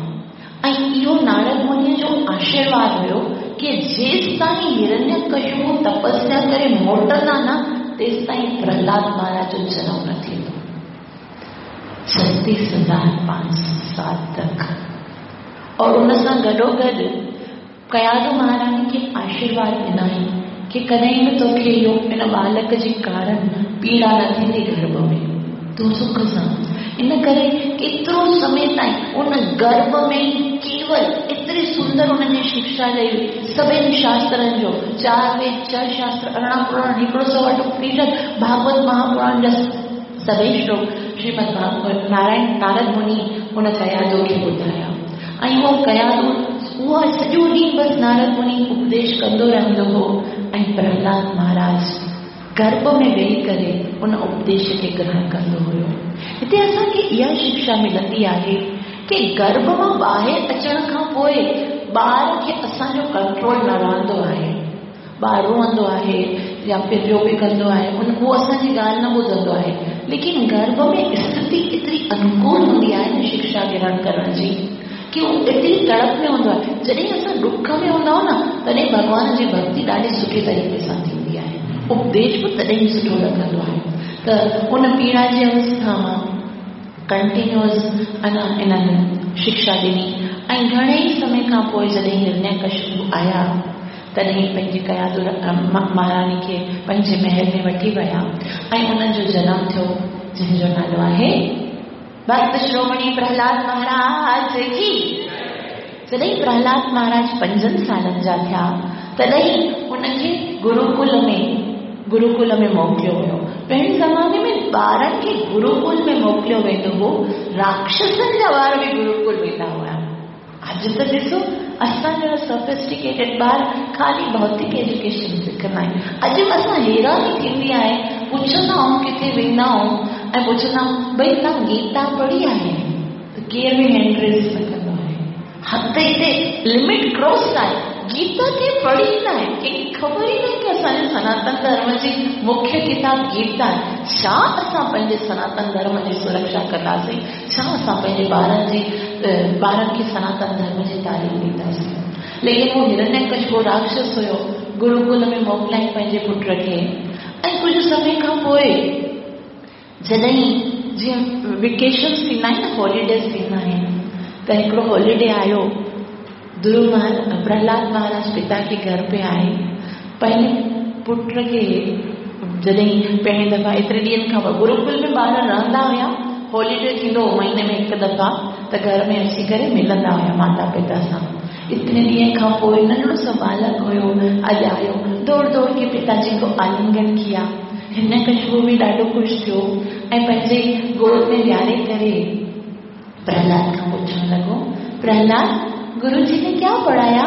ऐं इहो नारद मुनि जो आशीर्वाद हुयो की जेसि ताईं हिरण्यकशिपु तपस्या करे मोटंदा न तेसि ताईं प्रहलाद महाराज जो जनम न थींदो। छत्तीस हज़ार पांच सौ साल तक। और उन सां गॾोगॾु कयादू महारानी खे आशीर्वाद ॾिनाई की कॾहिं बि तोखे इहो इन बालक जे कारण पीड़ा न थींदी गर्भ में, तूं सुख सां। इन करे केतिरो समय ताईं उन गर्भ में ई केवल एतिरी सुंदर उनजी शिक्षा ॾेई, सभिनी शास्त्रनि जो, चार वेद, छह शास्त्र, अरिड़हं पुराण, हिकिड़ो सौ अठ उपनिषद, भागवत महापुराण जा सभई श्लोक श्रीमद भागवत नारायण नारद मुनि उन कयादू खे ॿुधाया। ऐं उहो कयादू उहो सॼो ॾींहुं बसि नारद मुनि उपदेश कंदो रहंदो हो ऐं प्रहलाद महाराज गर्भ में वेही करे उन उपदेश खे ग्रहण कंदो हुयो। हिते असांखे इहा शिक्षा मिलंदी आहे की गर्भ मां ॿाहिरि अचण खां पोइ ॿार खे असांजो कंट्रोल न रहंदो आहे। ॿार रोअंदो आहे या फिर जो बि कंदो आहे उन उहो असांजी ॻाल्हि न ॿुधंदो आहे, लेकिन गर्भ में स्थिति एतिरी अनुकूल हूंदी आहे न शिक्षा ग्रहण करण जी की उहो एतिरी तड़प में हूंदो आहे। जॾहिं असां ॾुख में हूंदा आहियूं न तॾहिं भॻवान जी भक्ति ॾाढी सुठे तरीक़े सां थींदी आहे, उपदेश बि तॾहिं सुठो लॻंदो आहे। त उन पीड़ा जी अवस्था मां कंटिन्यूअस अञा इन्हनि शिक्षा ॾिनी ऐं घणे ई समय खां पोइ जॾहिं हिरण्यकशिपु आया तॾहिं पंहिंजी कयादू महारानी खे पंहिंजे महल में वठी विया ऐं उन्हनि जो जनम थियो जंहिंजो नालो आहे भक्त शिरोमणि प्रहलाद महाराज की। जॾहिं प्रहलाद महाराज पंजनि सालनि जा थिया तॾहिं उनखे गुरुकुल में गुरुकुल में मोकिलियो वियो। पहिरीं ज़माने में ॿारनि खे गुरुकुल में मोकिलियो वेंदो हो, राक्षसनि जा ॿार बि गुरुकुल वेंदा हुआ। अॼु त ॾिसो असांजा सोफिस्टिकेटेड ॿार ख़ाली भौतिक एजुकेशन सिखंदा आहिनि। अॼु असां हैरानी थींदी आहे, पुछंदा आहियूं किथे वेंदा आहियूं ऐं पुछंदा आहियूं भई तव्हां गीता पढ़ी आहे? त केरु बि हैंड रेज़ न कंदो आहे। हद हिते लिमिट क्रॉस आहे, गीता के पढ़ी न आहे, कंहिंखे ख़बर ई न आहे की असांजे सनातन धर्म जी मुख्य किताब गीता आहे। छा असां पंहिंजे सनातन धर्म जी सुरक्षा कंदासीं? छा असां पंहिंजे ॿारनि जी ॿारनि खे सनातन धर्म जी तालीम ॾींदासीं? लेकिन उहो हिरण्यकशिपु राक्षस हुयो, गुरुकुल में मोकिलियईं पंहिंजे पुट खे। ऐं कुझु समय खां पोइ जॾहिं जीअं वेकेशन्स थींदा आहिनि न, हॉलीडेज़ थींदा आहिनि, त हिकिड़ो हॉलीडे आयो, ध्रुव महाराज प्रहलाद महाराज पिता के घर पे आए। पंहिंजे पुट खे जॾहिं पहिरीं दफ़ा एतिरे ॾींहंनि खां पोइ गुरुकुल में ॿार रहंदा हुया, हॉलीडे थींदो हो महीने में हिकु दफ़ा, त घर में अची करे मिलंदा हुया माता पिता सां। इतने ॾींहं खां पोइ नंढड़ो सो बालक हुयो, अॼु आयो, दौड़ दौड़ के पिताजी को आलिंगन किया। हिरण्यकशिपु बि ॾाढो ख़ुशि थियो ऐं पंहिंजे गोद में विहारे करे प्रहलाद खां पुछणु लॻो, प्रहलाद गुरुजी ने क्या पढ़ाया?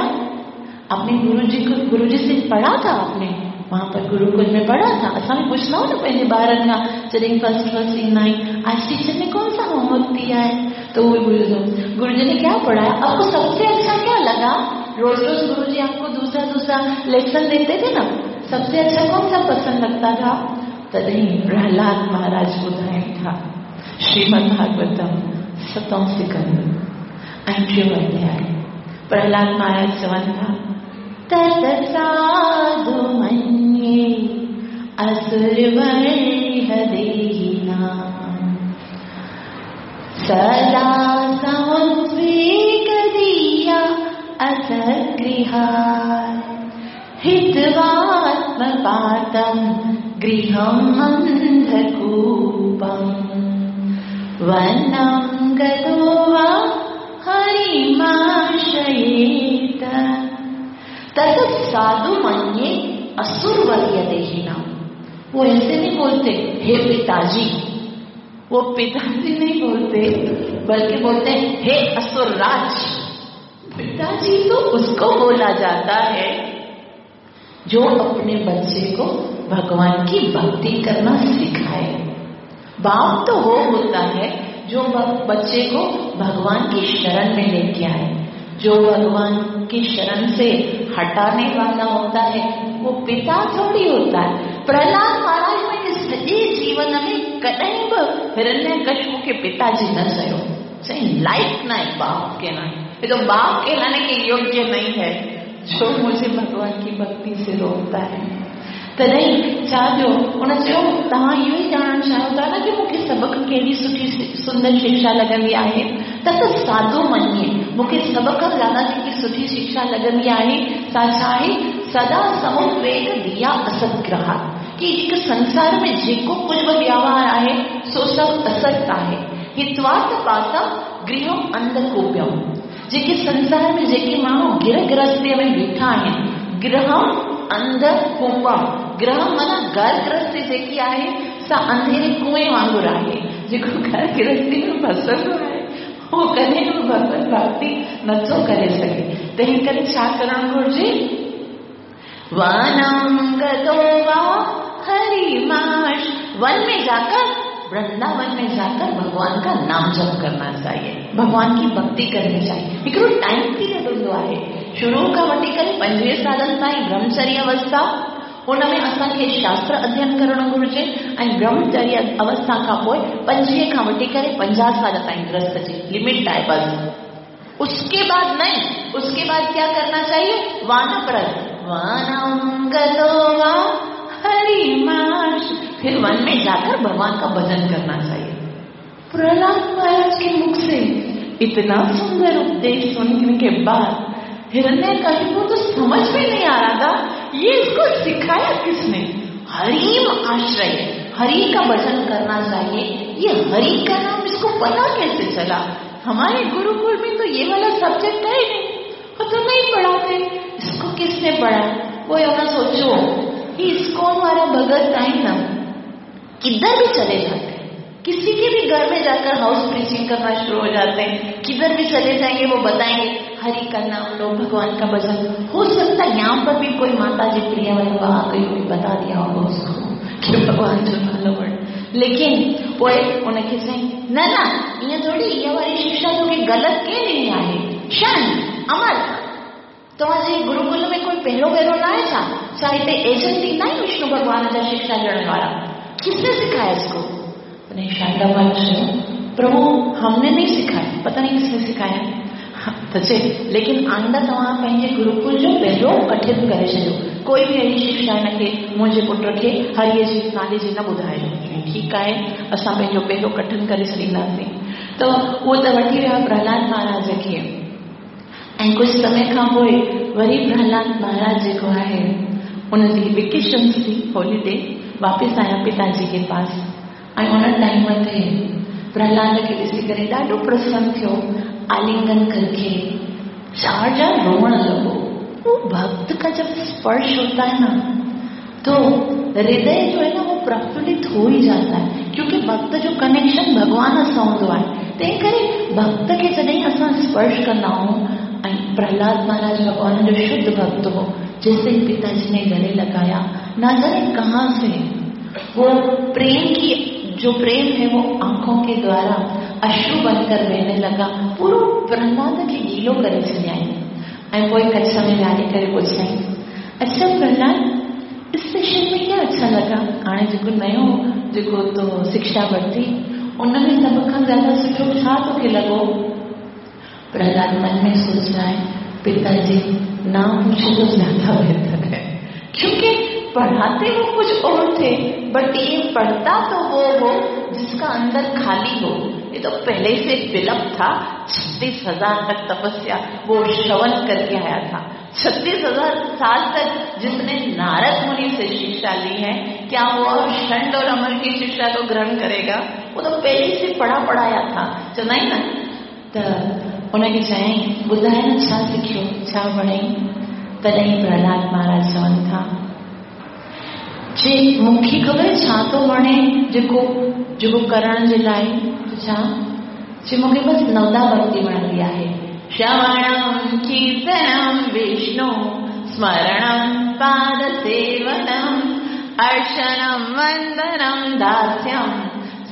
आपने गुरुजी को गुरुजी से पढ़ा था? आपने वहां पर गुरुकुल में पढ़ा था? असां बि पुछंदा आहियूं न पंहिंजे ॿारनि खां जॾहिं फर्स्ट फर्स्ट ईंदा आहिनि, आज टीचर ने कौन सा होमवर्क दिया है? तो वो भी गुरुजी ने क्या पढ़ाया, आपको सबसे अच्छा क्या लगा? रोज रोज गुरुजी आपको दूसरा दूसरा लेसन देते थे ना, सबसे अच्छा कौन सा पसंद लगता था? तॾहिं प्रहलाद महाराज ॿुधाइनि था श्रीमद् भागवतम सतों सिकंद ऐं टियों अध्याय। प्रहलाद महाराज चवनि था, तत साधु मन्ये असुरवर्य देहिनां। सदा समुद्वेगदीया असद्गृहात् हित्वात्मपातं गृहं अन्धकूपं वनं गतो वा हरिमाश्रयेत। तत् साधु मन्ये असुरवर्य देहिनां। वो ऐसे नहीं बोलते हे पिताजी, वो पिताजी नहीं बोलते, बल्कि बोलते हैं हे असुरराज। पिताजी तो उसको बोला जाता है जो अपने बच्चे को भगवान की भक्ति करना सिखाए। बाप तो वो होता है जो बच्चे को भगवान की शरण में लेके आए। जो भगवान की शरण से हटाने वाला होता है वो पिता थोड़ी होता है। प्रहलाद महाराज पंहिंजे सॼे जीवन में कॾहिं बि हिरण्यकशिपु खे पिताजी न चयो, चई लाइक न है बाप के ना, ये तो बाप कहलाने के योग्य नहीं है जो मुझे भगवान की भक्ति से रोकता है। तॾहिं छा थियो, हुन चयो तव्हां इहो ई ॼाणणु चाहियो था न की मूंखे सभ खां कहिड़ी सुठी सुंदर शिक्षा लॻंदी आहे, त त साधु मञे मूंखे सभ खां ज़्यादा जेकी सुठी शिक्षा लॻंदी आहे सा छा आहे, सदा समुद्वेग दिया असदग्रह, की हिकु संसार में जेको कुझु बि व्यवहार आहे सो सभु असत आहे। हित्वार्थ पाता गृहम अंधकूप्यम, जेके संसार में जेके माण्हू गिरह गृहस्थीअ में बीठा आहिनि, गृहम अंधकूपम, गृह माना घर गृहस्थी जेकी आहे सा अंधेरे कुएं वांगुरु आहे, जेको घर गृहस्थी में फसियल आहे उहो कॾहिं बि भगवत भक्ति नथो करे सघे। तंहिं करे छा करणु घुरिजे, वनम गतो वा हरिमाश, वन में जाकर, वृंदावन में जाकर भगवान का नाम जप करना चाहिए, भगवान की भक्ति करनी चाहिए। हिकिड़ो टाइम पीरियड हूंदो आहे, शुरू खां वठी करे पंजवीह सालनि ताईं ब्रह्मचर्य अवस्था, उन में असांखे शास्त्र अध्ययन करणु घुरिजे ऐं ब्रह्मचर्य अवस्था खां पोइ पंजवीह खां वठी करे पंजाह साल ताईं गृहस्थ जी लिमिट आहे बसि। उसके बाद नहीं, उसके बाद क्या करना चाहिए, वानप्रस्थ, वनम गतो वा हरिमाश, फिर वन में जाकर भगवान का भजन करना चाहिए। प्रहलाद महाराज के मुख से इतना सुंदर उपदेश सुनने के बाद हिरण्यकशिपु तो समझ में नहीं आ रहा था ये इसको सिखाया किसने। हरिम आश्रय, हरि का भजन करना चाहिए, ये हरि का नाम इसको पता कैसे चला? हमारे गुरुकुल में तो ये वाला सब्जेक्ट है ही नहीं, वो तो नहीं पढ़ाते, इसको किसने पढ़ा? वो यहाँ सोचो कि इस्कॉन वाला भगत आए ना, किधर भी चले जाते हैं, किसी के भी घर में जाकर हाउस प्रीचिंग करना शुरू हो जाते हैं, किधर भी चले जाएंगे वो बताएंगे हरि का नाम लो, भगवान का भजन। हो सकता है यहाँ पर भी कोई माता जी प्रिया वल्लभा आ गई होगी, बता दिया होगा उसको कि भगवान जो नालो वठ। लेकिन पोइ उनखे चयईं न न ईअं थोरी, इहा वारी शिक्षा तोखे ग़लति कंहिं ॾिनी आहे? शन अमर, तव्हांजे गुरुकुल में कोई पहिरियों भेरो न आहे छा? छा हिते एजेंट ईंदा आहिनि विष्णु भॻवान जा शिक्षा ॾियण वारा? किसने सिखाया इसको? शारदा मां चयो प्रभु हमने नहीं सिखाया, पता नहीं किसने सिखाया। त चए लेकिन आइंदा तव्हां पंहिंजे गुरुकुल जो पहिरियों कठिन करे छॾियो, कोई बि अहिड़ी शिक्षा हिनखे मुंहिंजे पुट खे हरीअ जे नाले जी न ॿुधाइजो। ठीकु आहे, असां पंहिंजो पहिरियों कठिन करे छॾींदासीं। त उहो त वठी विया प्रहलाद महाराज खे, ऐं कुझु समय खां पोइ वरी प्रहलाद महाराज जेको आहे उनजी वेकेशन थी, हॉलीडे, वापसि आया पिताजी के पास। ऐं उन टाइम ते प्रहलाद खे ॾिसी करे ॾाढो प्रसन्न थियो, आलिंगन करके जार जार रोअण लॻो। वो भक्त का जब स्पर्श होता है ना तो हृदय जो है ना वो प्रफुल्लित हो ही जाता है, क्योंकि भक्त जो कनेक्शन भॻवान सां हूंदो आहे। तंहिं करे भक्त खे जॾहिं असां स्पर्श कंदा आहियूं, ऐं प्रहलाद महाराज भॻवान जो शुद्ध भक्त हो, जैसे ही पिताजी ने गले लगाया, ना जाने कहाँ से वो प्रेम की जो प्रेम है वो आंखों के द्वारा अश्रु बनकर बहने लगा। पूरो प्रहलाद खे गीलो करे छॾियाईं ऐं पोइ कच्छ में विहारी करे पुछियाईं, अच्छा प्रहलाद, इस सेशन में क्या अच्छा लगा? हाणे जेको नयो जेको तो शिक्षा वरिती उन में सभ खां ज़्यादा सुठो छा तोखे लॻो? प्रहलाद मन में सोच रहा है पिताजी ना पूछे तो ज्यादा बेहतर है, क्योंकि पढ़ाते वो कुछ और थे, बट ये पढ़ता तो वो हो जिसका अंदर खाली हो। ये तो पहले से फिलअप था। छत्तीस हजार तक तपस्या वो श्रवण करके आया था। छत्तीस हजार साल तक जिसने नारद मुनि से शिक्षा ली है, क्या वो और शंड और अमर की शिक्षा को ग्रहण करेगा? वो तो पहले से पढ़ा पढ़ाया था। चवंदा आहिनि न त उनखे चयईं, ॿुधाए न छा सिखियो, छा वणई? तॾहिं प्रहलाद महाराज चवनि था, जे मूंखे ख़बर छा थो वणे जेको जेको करण जे लाइ, छा? जे मूंखे बसि नवदा भक्ति वणंदी आहे। श्रवणं कीर्तनं विष्णु स्मरणं पादसेवनम् अर्चनं वंदनं दास्यं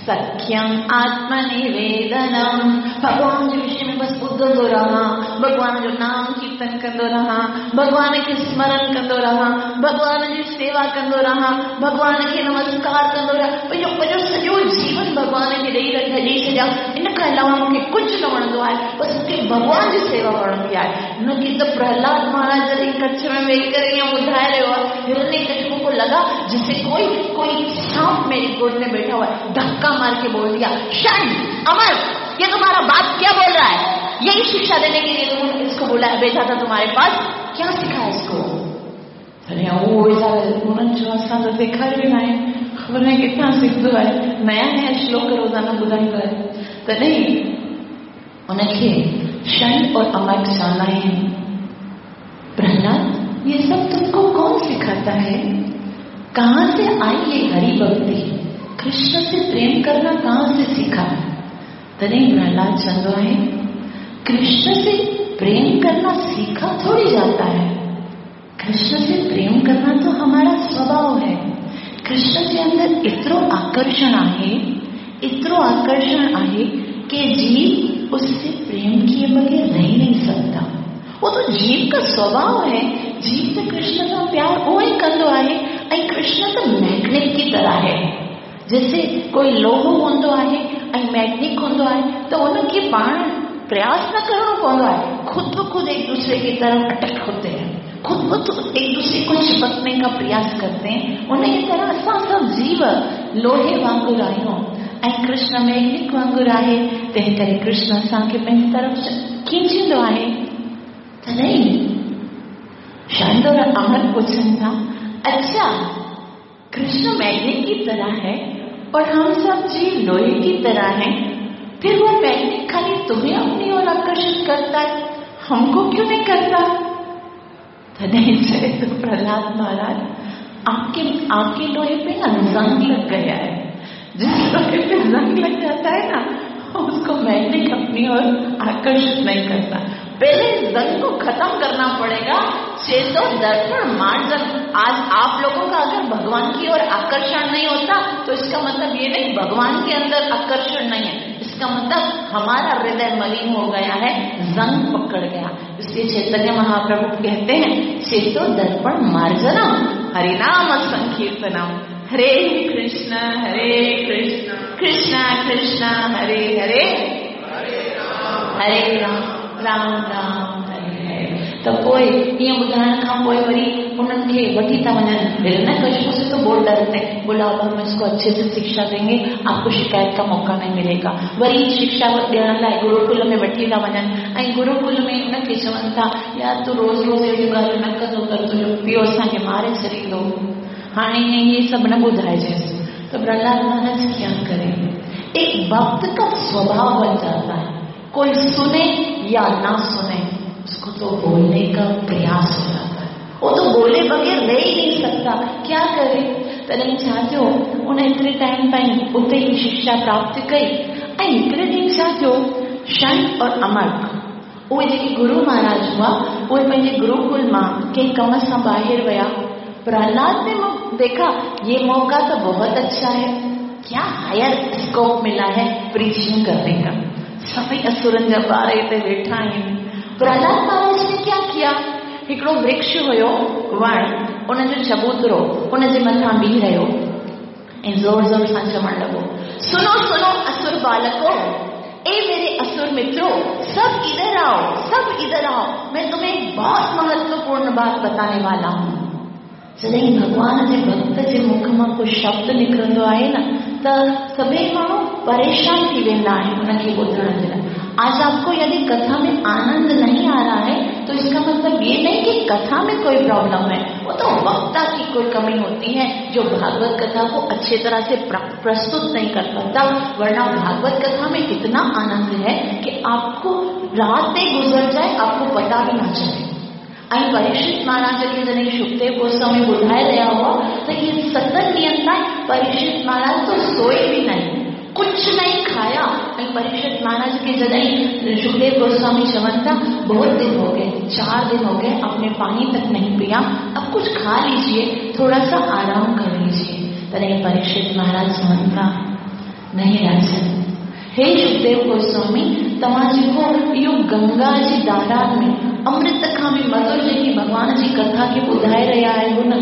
सख्यम आत्मनिवेदनम। भॻवान जे विषय में बसि ॿुधंदो रहां, भॻवान जो नाम कीर्तन कंदो रहां, भॻवान खे स्मरण कंदो रहां, भॻवान जी सेवा कंदो रहां, भॻवान खे नमस्कार कंदो रहां, पंहिंजो पंहिंजो सॼो जीवन भॻवान खे ॾेई ॾेई छॾियां। इन खां अलावा मूंखे कुझु न वणंदो आहे, बसि मूंखे भॻवान जी सेवा वणंदी आहे। हुनखे त प्रहलाद महाराज जॾहिं कच्छ में वेही करे ईअं ॿुधाए रहियो आहे, हिरण्यकशिपु को लगा जिसे कोई कोई सांप मेरी गोद में बैठा हुआ है, धक्का मार के बोल दिया, शंड अमर, ये तुम्हारा बाप क्या बोल रहा है? यही शिक्षा देने के लिए तुमने इसको बोला भेजा था तुम्हारे पास, क्या सिखाया इसको? अरे वो उन्हनि चयो, असां त सेखारियो न आहे, ख़बर न किथां सिखंदो आहे, नया नया श्लोक रोज़ाना ॿुधाईंदो आहे। तॾहिं उनखे शंड और अमर चवंदा आहिनि, प्रहलाद ये सब तुमको कौन सिखाता है? कहाँ से आई ये हरि भक्ति? कृष्ण से प्रेम करना कहाँ से सीखा? तॾहिं प्रहलाद चवंदो आहे, कृष्ण से प्रेम करना सीखा थोड़ी जाता है, कृष्ण से प्रेम करना तो हमारा स्वभाव है। कृष्ण के अंदर एतिरो आकर्षण आहे, एतिरो आकर्षण आहे कि जीव उससे प्रेम किए बगैर रह नहीं सकता। वो तो जीव का स्वभाव है। जीव त कृष्ण सां प्यार उहो ई कंदो आहे, ऐं कृष्ण त मैग्नेट की तरह है। जैसे कोई लोहो हूंदो आहे ऐं मैग्नेट हूंदो आहे, त उनखे पाण प्रयास न करणो पवंदो आहे, खुद ब खुद एक दूसरे की तरफ अटक होते हैं, खुद ब खुद एक दूसरे को चिपकने का प्रयास करते हैं। उन जी तरह असां सभु जीव लोहे वांगुरु आहियूं ऐं कृष्ण मैग्नेट वांगुरु आहे, तंहिं करे कृष्ण असांखे पंहिंजी तरफ़ खींचींदो आहे। तॾहिं शंड और अमर पुछनि था, अच्छा कृष्ण मैग्नेट की तरह है और हम सब जीव लोहे की तरह हैं, फिर वो मैग्नेट खाली तुम्हें अपनी ओर आकर्षित करता है, हमको क्यों नहीं करता? तॾहिं चए थो प्रहलाद महाराज, आपके आपके लोहे पे ना जंग लग गया है। जिस लोहे पे जंग लग जाता है ना, उसको मैग्नेट अपनी ओर आकर्षित नहीं करता। पहले जंग को खत्म करना पड़ेगा। चेतो दर्पण मार्जन। आज आप लोगों का अगर भगवान की ओर आकर्षण नहीं होता तो इसका मतलब ये नहीं भगवान के अंदर आकर्षण नहीं है, इसका मतलब हमारा हृदय मलिन हो गया है, जंग पकड़ गया। इसलिए चैतन्य महाप्रभु कहते हैं, चेतो दर्पण मार्जनम हरिनाम संकीर्तनम, हरे कृष्ण हरे कृष्ण कृष्ण कृष्ण हरे हरे, हरे राम राम राम हरे हरे। त पोइ ईअं ॿुधाइण खां पोइ वरी उन्हनि खे वठी था वञनि। हिरण्यकशिपु से तो बहुत डरते हैं, बोला अब हम इसको अच्छे से शिक्षा देंगे, आपको शिकायत का मौका नहीं मिलेगा। वरी शिक्षा ॾियण लाइ गुरुकुल में वठी था वञनि ऐं गुरुकुल में हुनखे चवनि था, यार तूं रोज़ रोज़ अहिड़ियूं ॻाल्हियूं न कंदो कर, तुंहिंजो पीउ असांखे मारे छॾींदो, हाणे ईअं इहे सभु न ॿुधाइजेंसि। त प्रहलाद महाराज क्या करे, एक भक्त का स्वभाव बन जाता है, कोई सुने या ना सुने उसको तो बोलने का प्रयास हो जाता है, वो तो बोले बगैर रह ही नहीं सकता, क्या करे? तॾहिं छा थियो, उन एतिरे टाइम ताईं उते ई शिक्षा प्राप्त कई ऐं हिकिड़े ॾींहुं छा थियो, शंड और अमर्क उहे जेके गुरु महाराज हुआ, उहे पंहिंजे गुरुकुल मां कंहिं कम सां ॿाहिरि विया। प्रहलाद ने देखा ये मौका तो बहुत अच्छा है, क्या हायर स्कोप मिला है प्रीचिंग करने का, सभई असुरनि जा ॿार हिते वेठा आहिनि। प्रहलाद महाराज ने क्या किया, हिकिड़ो वृक्ष हुयो वण, उनजो चबूतरो उनजे मथां बीह रहियो ऐं ज़ोर ज़ोर सां चवणु लॻो, सुनो सुनो असुर बालको, ए मेरे असुर मित्रों, सब इधर आओ, सब इधर आओ, मैं तुम्हें एक बहुत महत्वपूर्ण बात बताने वाला हूँ। जॾहिं भॻवान जे भक्त जे मुख मां को शब्द निकिरंदो आहे न, त सभई माण्हू परेशान थी वेंदा आहिनि हुनखे ॿुधण जे लाइ। आज आपको यदि कथा में आनंद नहीं आ रहा है तो इसका मतलब ये नहीं कि कथा में कोई प्रॉब्लम है, वो तो वक्ता की कोई कमी होती है जो भागवत कथा को अच्छे तरह से प्रस्तुत नहीं कर पाता। वरना भागवत कथा में इतना आनंद है कि आपको रातें गुजर जाए आपको पता भी ना चले। ऐं परीक्षित महाराज खे जॾहिं शुकदेव गोस्वामी ॿुधाए रहिया हुआ त इहे सतनि ॾींहनि ताईं परीक्षित महाराज तो सोए भी नहीं, कुछ नहीं खाया। ऐं परीक्षित महाराज खे जॾहिं शुकदेव गोस्वामी चवनि था बहुत दिन हो गए, चार दिन हो गए आपने पानी तक नहीं पिया, अब कुछ खा लीजिए, थोड़ा सा आराम कर लीजिए। तॾहिं परीक्षित महाराज चवनि था नहीं राजन, हे शुकदेव गोस्वामी, तव्हां जेको इहो गंगा जी धारा में अमृत खां बि मधुर जेकी भॻवान जी कथा खे ॿुधाए रहिया आहियो न,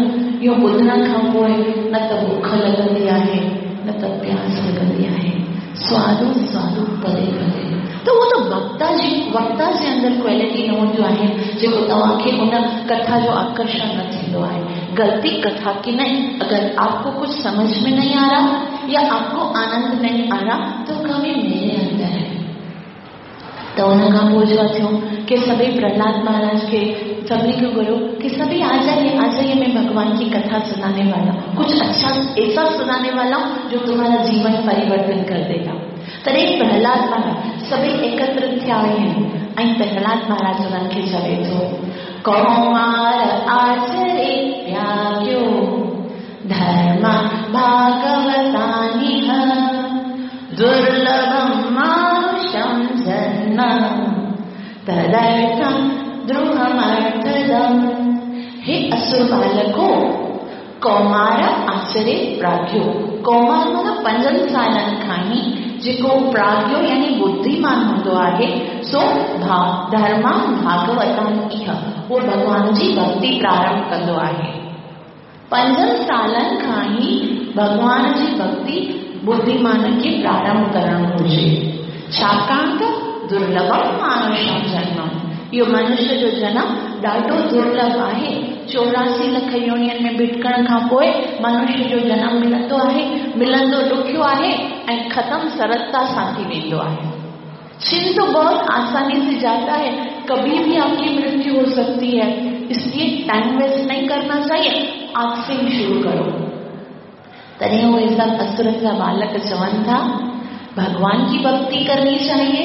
इहो ॿुधण खां पोइ न त बुख लॻंदी आहे न त प्यास लॻंदी आहे, स्वादु स्वादु पदे पदे। त उहो त वक्ता जी वक्ता जे अंदरि क्वालिटी न हूंदियूं आहिनि जेको तव्हांखे उन कथा जो आकर्षण न थींदो आहे। गलती कथा की नहीं, अगर आपको कुछ समझ में नहीं आ रहा या आपको आनंद नहीं आ रहा तो कमी मेरे अंदर है। त उन खां पोइ छा थियो कि सभई प्रहलाद महाराज खे सभिनी खे घुरियो कि सभी आ जाइए आ जाइए, मैं भगवान की कथा सुनाने वाला, कुछ अच्छा ऐसा सुनाने वाला हूँ जो तुम्हारा जीवन परिवर्तन कर देगा। तॾहिं प्रहलाद महाराज सभई एकत्र थिया आहिनि ऐं प्रहलाद महाराज उन्हनि खे चवे थो, कौमार आचरे त्याग्यो धर्म भागवतानि दुर्लभं मानुषं जन्म तदर्थं द्रुहमर्थदम्। हे असुर बालको, कौमार आचरे प्राज्ञो, कौमार माना पंजनि सालनि खां ई जेको प्राज्ञो यानी बुद्धिमान हूंदो आहे सो भा धर्मा भागवतान इह, उहो भॻवान जी भक्ति प्रारंभ कंदो आहे। पंजनि सालनि खां ई भॻवान जी भक्ति बुद्धिमान खे प्रारंभ करणु घुरिजे, छाकाणि त दुर्लभम मानुषम जन्म, इहो मनुष्य जो जनम ॾाढो दुर्लभ आहे। चौरासी लख योनियुनि में भिटकण खां पोइ मनुष्य जो जनम मिलंदो आहे, मिलंदो ॾुखियो आहे ऐं ख़त्म सरलता सां थी वेंदो आहे। छिन तो बहुत आसानी से जाता है, कभी भी आपकी मृत्यु हो सकती है, इसलिए टाइम वेस्ट नहीं करना चाहिए, आज से ही शुरू करो। तॾहिं उहे सभु असुरनि जा बालक चवनि था भगवान की भक्ति करनी चाहिए,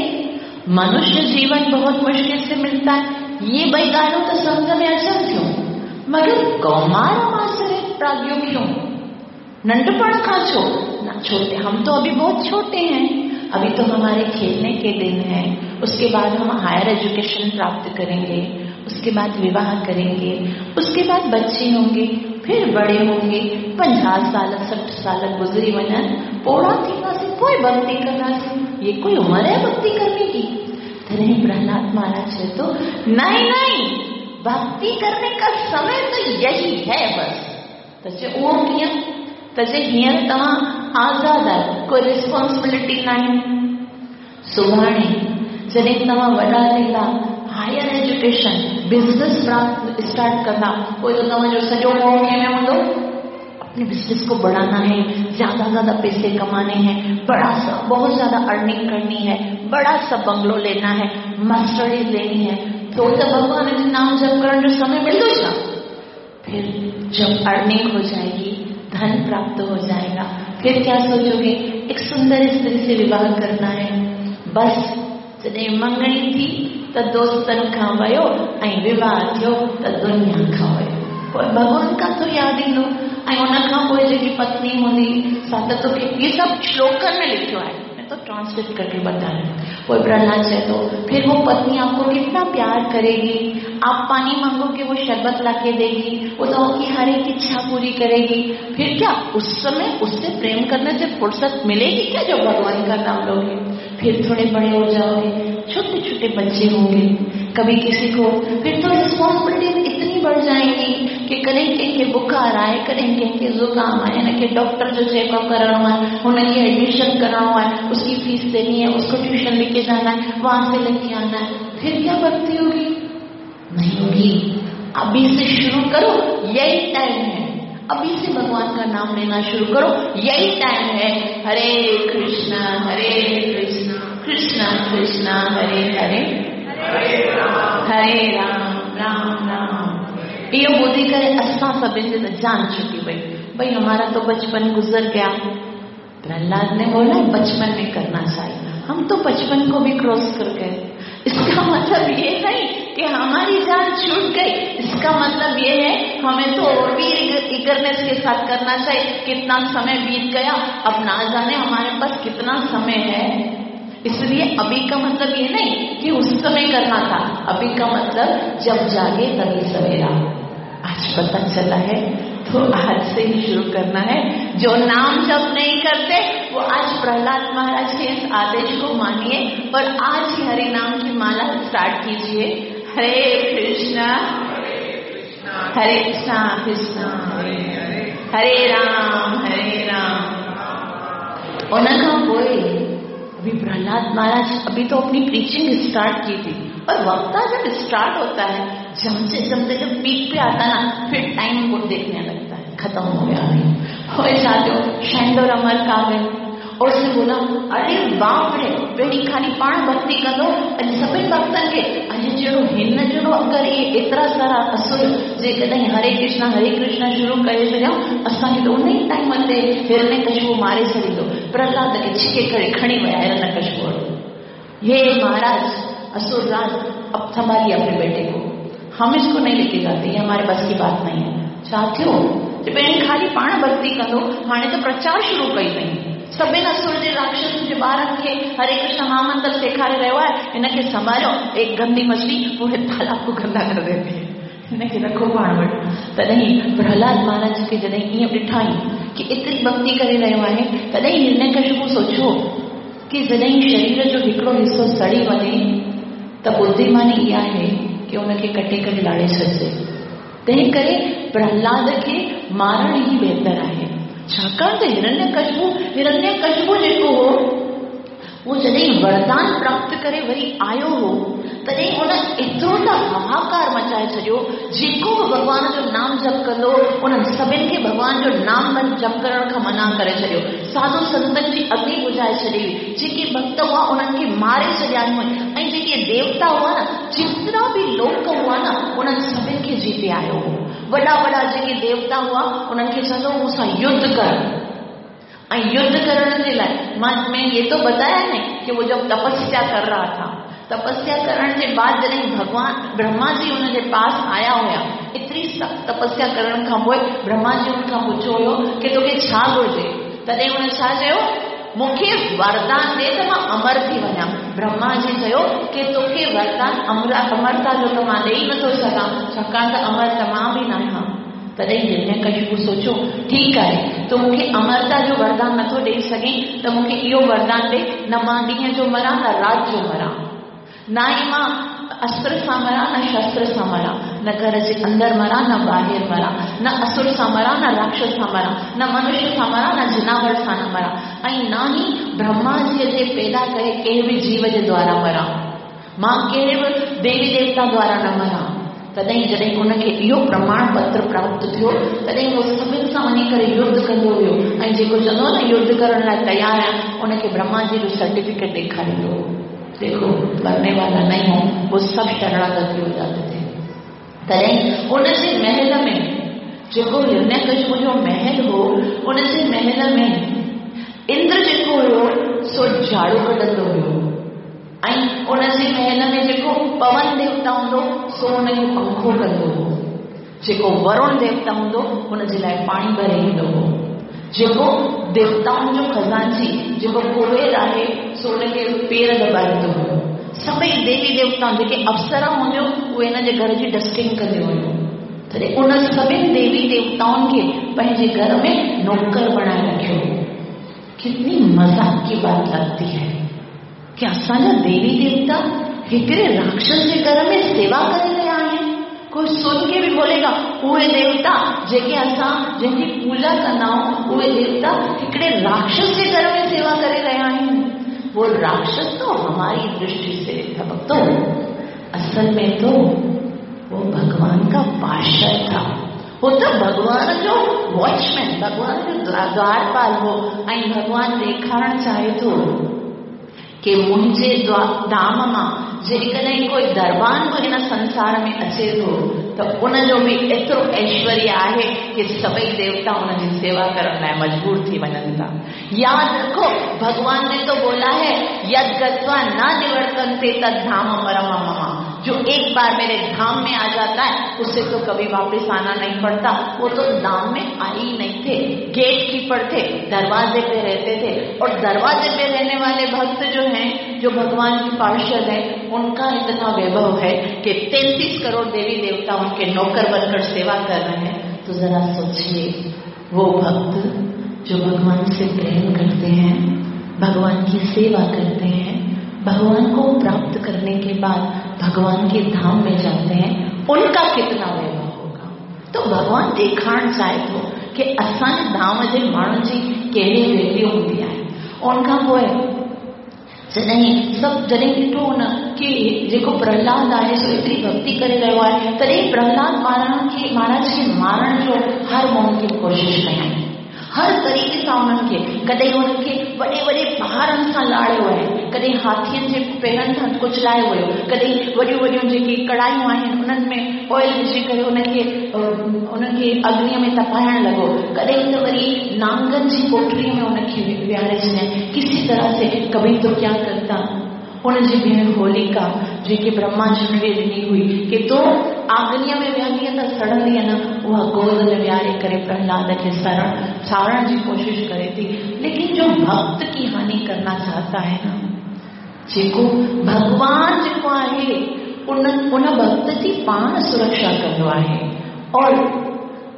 मनुष्य जीवन बहुत मुश्किल से मिलता है, ये ॿई ॻाल्हियूं त सम्झ में अचनि थियूं, मगर कौमार मासरे प्राज्ञो क्यों, नंढपण खां छो न छोटे, हम तो अभी बहुत छोटे हैं, अभी तो हमारे खेलने के दिन हैं, उसके बाद हम हायर एजुकेशन प्राप्त करेंगे, उसके बाद विवाह करेंगे, उसके बाद बच्चे होंगे, फिर बड़े होंगे, पंजाह साल सठि साल गुज़री वञनि, पोड़ा थींदासीं पोइ भक्ति कंदासीं, ये कोई उम्र है भक्ति करने की? तॾहिं प्रहलाद महाराज चए थो नहीं नहीं, भक्ति करने का समय तो यही है बस। त चए उहो कीअं? त चए हींअर तव्हां आज़ाद आहियो, कोई रिस्पॉन्सिबिलिटी न आहे, सुभाणे जॾहिं तव्हां वॾा थींदा, हायर एजुकेशन बिजनेस प्राप्त स्टार्ट कंदा, पोइ त तव्हांजो सॼो मोह कंहिंमें हूंदो? अपने बिजनेस को बढ़ाना है, ज्यादा ज्यादा पैसे कमाने हैं, बड़ा सा बहुत ज्यादा अर्निंग करनी है, बड़ा सा बंगलो लेना है, मर्सिडीज लेनी है, तो त भगवान जो नाम जप करण जो समय मिलंदो छा? फिर जब अर्निंग हो जाएगी, धन प्राप्त हो जाएगा, फिर क्या सोचोगे? एक सुंदर स्त्री से विवाह करना है। बस जॾहिं मंगणी थी त दोस्तनि खां वियो ऐं विवाह थियो त दुनिया खां वियो, पोइ भॻवान खां थो यादि ईंदो। ऐं उन खां पोइ जेकी पत्नी हूंदी सा त तोखे इहे सभु श्लोकनि में लिखियो आहे, मैं तो ट्रांसलेट करके बता रही हूँ। पोइ प्रहलाद चए थो फिर वो पत्नी आपको कितना प्यार करेगी, आप पानी मांगोगे वो शरबत ला के देगी, वो तो आपकी हर एक इच्छा पूरी करेगी, फिर क्या उस समय उससे प्रेम करने से फुर्सत मिलेगी क्या जब भगवान का नाम लोगे? फिर थोड़े बड़े हो जाओगे, छोटे छोटे बच्चे होंगे, कभी किसी को फिर तो रिस्पॉन्सिबिलिटी इतनी बढ़ जाएंगी कि कॾहिं कंहिंखे बुखार आहे, कॾहिं कंहिंखे ज़ुकाम आहे, हुनखे डॉक्टर जो चेकअप करणो आहे, हुनखे एडमिशन करणो आहे, उसकी फीस देनी है, उसको ट्यूशन लेके जाना है, वहां से लेके आना है, फिर क्या भक्ति होगी? नहीं होगी। अभी से शुरू करो, यही टाइम है। भगवान का नाम लेना शुरू करो। यही टाइम है। हरे कृष्णा हरे कृष्णा कृष्णा कृष्णा हरे हरे, हरे राम हरे राम राम राम। इहो ॿुधी करे असां सभिनी जी त जान छुटी वई, भई हमारा तो बचपन गुजर गया। प्रहलाद ने बोला बचपन में करना चाहिए, हम तो बचपन को भी क्रॉस कर गए। इसका मतलब ये नहीं कि हमारी जान छूट गई, इसका मतलब ये है हमें तो और भी ईगरनेस के साथ करना चाहिए। कितना समय बीत गया, अब ना जाने हमारे पास कितना समय है। इसलिए अभी का मतलब ये नहीं कि उस समय करना था, अभी का मतलब जब जागे तभी सवेरा। आज पता चला है तो आज से ही शुरू करना है। जो नाम जप नहीं करते वो आज प्रहलाद महाराज के इस आदेश को मानिए और आज ही हरि नाम की माला स्टार्ट कीजिए। हरे कृष्णा हरे कृष्णा कृष्णा हरे राम हरे राम। उन खां पोइ अभी प्रहलाद महाराज अभी तो अपनी प्रीचिंग स्टार्ट की थी, और वक्ता जब स्टार्ट होता है जमते जमते जब पीक पे आता ना, फिर टाइम को देखने लगता है, खत्म हो गया अभी। हो चाहते हो शैंडोर अमर का गए और उसने बोला अरे बाप रे, पहिरीं खाली पाण भक्ति कंदो, अॼु सभिनी भक्तनि खे अॼु जहिड़ो हिन जहिड़ो अगरि इहे एतिरा सारा असुर जेकॾहिं हरे कृष्णा हरे कृष्णा शुरू करे छॾियऊं, असांखे त उन ई टाइम ते हिरण्यकशिपु मारे छॾींदो। प्रहलाद खे छिके करे खणी विया हिरण्यकशिपु। ये महाराज असुर राज अब संभालिए अपने बेटे को, हम इसको नहीं लेके जाते, ये हमारे बस की बात नहीं है। छा थियो पहिरीं खाली पाण भक्ति कंदो, हाणे त प्रचार शुरू कई अथई। सभिनी असुर जे राक्षस जे ॿारनि खे हरे कृष्ण महामंत्र सेखारे रहियो आहे, हिनखे संभालियो। एक गंदी मछली पूरे तालाब को गंदा कर देती है, हिनखे रखो पाण वटि। तॾहिं प्रहलाद महाराज खे जॾहिं ईअं ॾिठाई कि एतिरी भक्ति करे रहियो आहे, तॾहिं हिरण्यकशिपु सोचियो कि जॾहिं शरीर जो हिकिड़ो हिसो सड़ी वञे त बुद्धिमानी इहा आहे कि उनखे कटे करे लाड़े छॾिजे। तंहिं करे प्रहलाद खे मारण ई बहितर आहे, छाकाणि त हिरण्यकशिपु हिरण्यकशिपु जेको हो उहो जॾहिं वरदान प्राप्त करे वरी आयो हो, तॾहिं हुन एतिरो त हाहाकार मचाए छॾियो, जेको बि भॻवान जो नाम जप कंदो उन्हनि सभिनी खे भॻवान जो नाम जप करण खां मना करे छॾियो। साधु संतनि जी अग्नि बुझाए छॾी हुई, जेके भक्त हुआ उन्हनि खे मारे छॾिया हुई, ऐं जेके देवता हुआ न, जेतिरा बि लोक हुआ न, उन्हनि सभिनी खे जीते आयो हो। वॾा वॾा जेके देवता हुआ उन्हनि खे चवंदो मूंसां युद्ध कर। ऐं युद्ध करण जे लाइ मां मैं ये तो बताया नहीं कि वो जब तपस्या कर रहा था, तपस्या करण जे बाद जॾहिं भॻवान ब्रह्मा जी हुन जे पास आया हुया, एतिरी सख़्तु तपस्या करण खां पोइ ब्रह्मा जी हुन खां पुछियो हुयो कि तोखे छा घुरिजे? तॾहिं हुन छा चयो, मूंखे वरदान ॾे त मां अमर थी वञा। ब्रह्मा जी चयो कि तोखे वरदान अमर अमरता जो त मां ॾेई नथो सघां, छाकाणि त अमर त मां बि न आहियां। तॾहिं हिरण्यकशिपु सोचियो ठीकु आहे, तूं मूंखे अमरता जो वरदान नथो ॾेई सघीं त मूंखे इहो वरदान ॾे, न मां ॾींहं जो मरां न राति जो मरां, न ई मां अस्त्र सां मरां न शस्त्र सां मरां, न घर जे अंदरि मरां न ॿाहिरि मरां, न असुर सां मरां न राक्षस सां मरां, न मनुष्य सां मरां न जिनावर सां न मरां, ऐं न ई ब्रह्मा जीअ जे पैदा करे कंहिं बि जीव जे द्वारा मरां, मां कहिड़े बि देवी देवता द्वारा न मरां। तॾहिं जॾहिं हुनखे इहो प्रमाण पत्र प्राप्त थियो, तॾहिं उहो सभिनी सां वञी करे युद्ध कंदो हुयो, ऐं जेको चवंदो हो न युद्ध करण लाइ तयारु आहियां, उनखे ब्रह्मा जी जो सर्टिफिकेट ॾेखारींदो हो, देखो मरने वाला नहीं हूं। वो सब शरणागति हो जाते थे। तॾहिं उनजे महल में जेको हिरण्यकशिपु जो महल हो, उनजे महल में इंद्र जेको हुयो सो झाड़ू कढंदो हुयो, ऐं उनजे महल में जेको पवन देवता हूंदो सो उनखे पंखो कंदो हो, जेको वरुण देवता हूंदो हुनजे लाइ पाणी भरे ईंदो हो, जेको देवताउनि जो खज़ांची जेको कुबेर आहे सो हुनखे पेर दॿाईंदो हुयो। सभई देवी देवता जेके अप्सरा हूंदियूं उहे हिन जे घर जी डस्टिंग कंदियूं हुयूं। तॾहिं उन सभिनी देवी देवताउनि खे पंहिंजे घर में नौकर बणाए रखियो हो। कितनी मज़ाक की बात लगती है कि असांजा देवी देवता हिकिड़े राक्षस जे घर में सेवा करे रहिया आहिनि। कोई सुन के बि बोलेगा उहे देवता जेके असां जंहिंजी पूजा कंदा आहियूं, उहे देवता हिकिड़े राक्षस जे घर में सेवा करे रहिया आहिनि। वो राक्षस तो हमारी दृष्टि से था भक्तों, असल में तो वो भगवान का पार्षद था। हो त भॻवान जो वॉचमैन, भॻवान जो द्वारपाल हो ऐं भॻवान ॾेखारणु चाहे थो की मुंहिंजे धाम मां जेकॾहिं कोई दरबान बि हिन संसार में अचे थो त उनजो बि एतिरो ऐश्वर्य आहे की सभई देवता उनजी सेवा करण लाइ मजबूर थी वञनि था। यादि रखो, भगवान ने तो बोला है यद गत्वा न निवर्तन्ते तद धाम परम मम। जो एक बार मेरे धाम में आ जाता है उसे तो कभी वापस आना नहीं पड़ता। वो तो धाम में आए ही नहीं थे, गेट कीपर थे, दरवाजे पे रहते थे। और दरवाजे पे रहने वाले भक्त जो हैं, जो भगवान की पार्षद हैं, उनका इतना वैभव है कि तैंतीस करोड़ देवी देवता उनके नौकर बनकर सेवा कर रहे हैं। तो जरा सोचिए, वो भक्त जो भगवान से प्रेम करते हैं, भगवान की सेवा करते हैं, भगवान को प्राप्त करने के बाद भगवान के धाम में जाते हैं, उनका कितना वैभव होगा। तो भगवान ॾेखारणु चाहे थो कि असांजे धाम जे माण्हुनि जी कहिड़ी वैल्यू हूंदी आहे। उन खां पोइ जॾहिं सभु जॾहिं ॾिठो हुन की जेको प्रहलाद आहे सो एतिरी भक्ति करे रहियो आहे, तॾहिं प्रहलाद महाराज खे महाराज खे मारण जो हर मुमकिन कोशिशि कयाईं, हर तरीक़े सां उन्हनि खे। कॾहिं उन्हनि खे वॾे वॾे पहाड़नि सां लाड़ियो आहे, कॾहिं हाथियुनि जे पेरनि सां कुचलायो वियो, कॾहिं वॾियूं वॾियूं जेके कड़ाहियूं आहिनि उन्हनि में ऑयल विझी करे उनखे उनखे अग्नीअ में तपाइण लॻो, कॾहिं त वरी नांगनि जी कोठड़ीअ में उनखे विहारे छॾियईं। किसी तरह से कभी तो क्या करता, उनजी भेण होलिका जेके ब्रह्मा जी ॾिनी हुई की तूं अग्नीअ में विहंदीअ त सड़ंदीअ न, उहा गोद में विहारे करे प्रहलाद खे सरण साड़ण जी कोशिशि करे थी। लेकिन जो भक्त की हानि करना चाहता है ना, जेको भॻवान जेको आहे उन उन भक्त जी पाण सुरक्षा कंदो आहे। और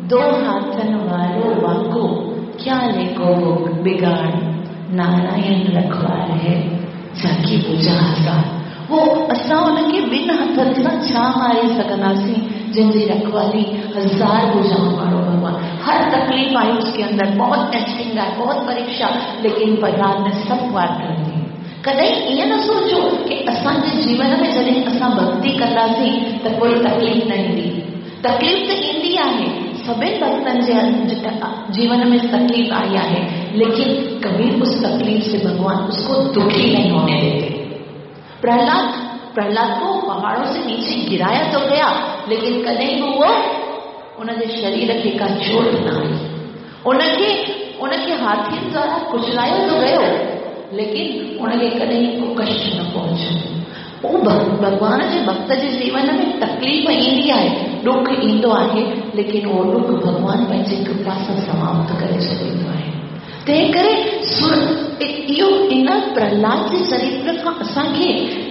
दो हाथनि वारो वाको क्या लेको बिगाड़, नारायण रखवार है जाकी पूजा हज़ार। वो असां उनखे ॿिनि हथनि सां छा मारे सघंदासीं, जंहिंजी रखवाली हज़ार भुजाऊं वारो भॻवान। हर तकलीफ आई उसके अंदर, बहुत टेस्टिंग आहे, बहुत परीक्षा, लेकिन प्रहलाद ने सब पार कर दी। कॾहिं ईअं न सोचो कि असांजे जीवन में जॾहिं असां भक्ति कंदासीं त कोई तकलीफ न ईंदी। तकलीफ त ईंदी आहे, सभिनी भक्तनि जे जीवन में तकलीफ आई आहे, लेकिन कभी उस तकलीफ से भगवान उसको दुखी नहीं होने देते। प्रहलाद प्रहलाद को पहाड़ों से नीचे गिराया तो गया, लेकिन कॾहिं बि उहो उनजे शरीर खे का चोट न आई। उनखे उनखे हाथियुनि द्वारा कुचलायो तो गयो, लेकिन उनखे कॾहिं को कष्ट न पहुचो। उहो भॻवान जे भक्त जे जीवन में तकलीफ़ ईंदी आहे, ॾुख ईंदो आहे, लेकिन उहो ॾुख भॻवान पंहिंजी कृपा सां समाप्त करे छॾींदो आहे। तंहिं करे सुर इहो इन प्रहलाद जे चरित्र खां असांखे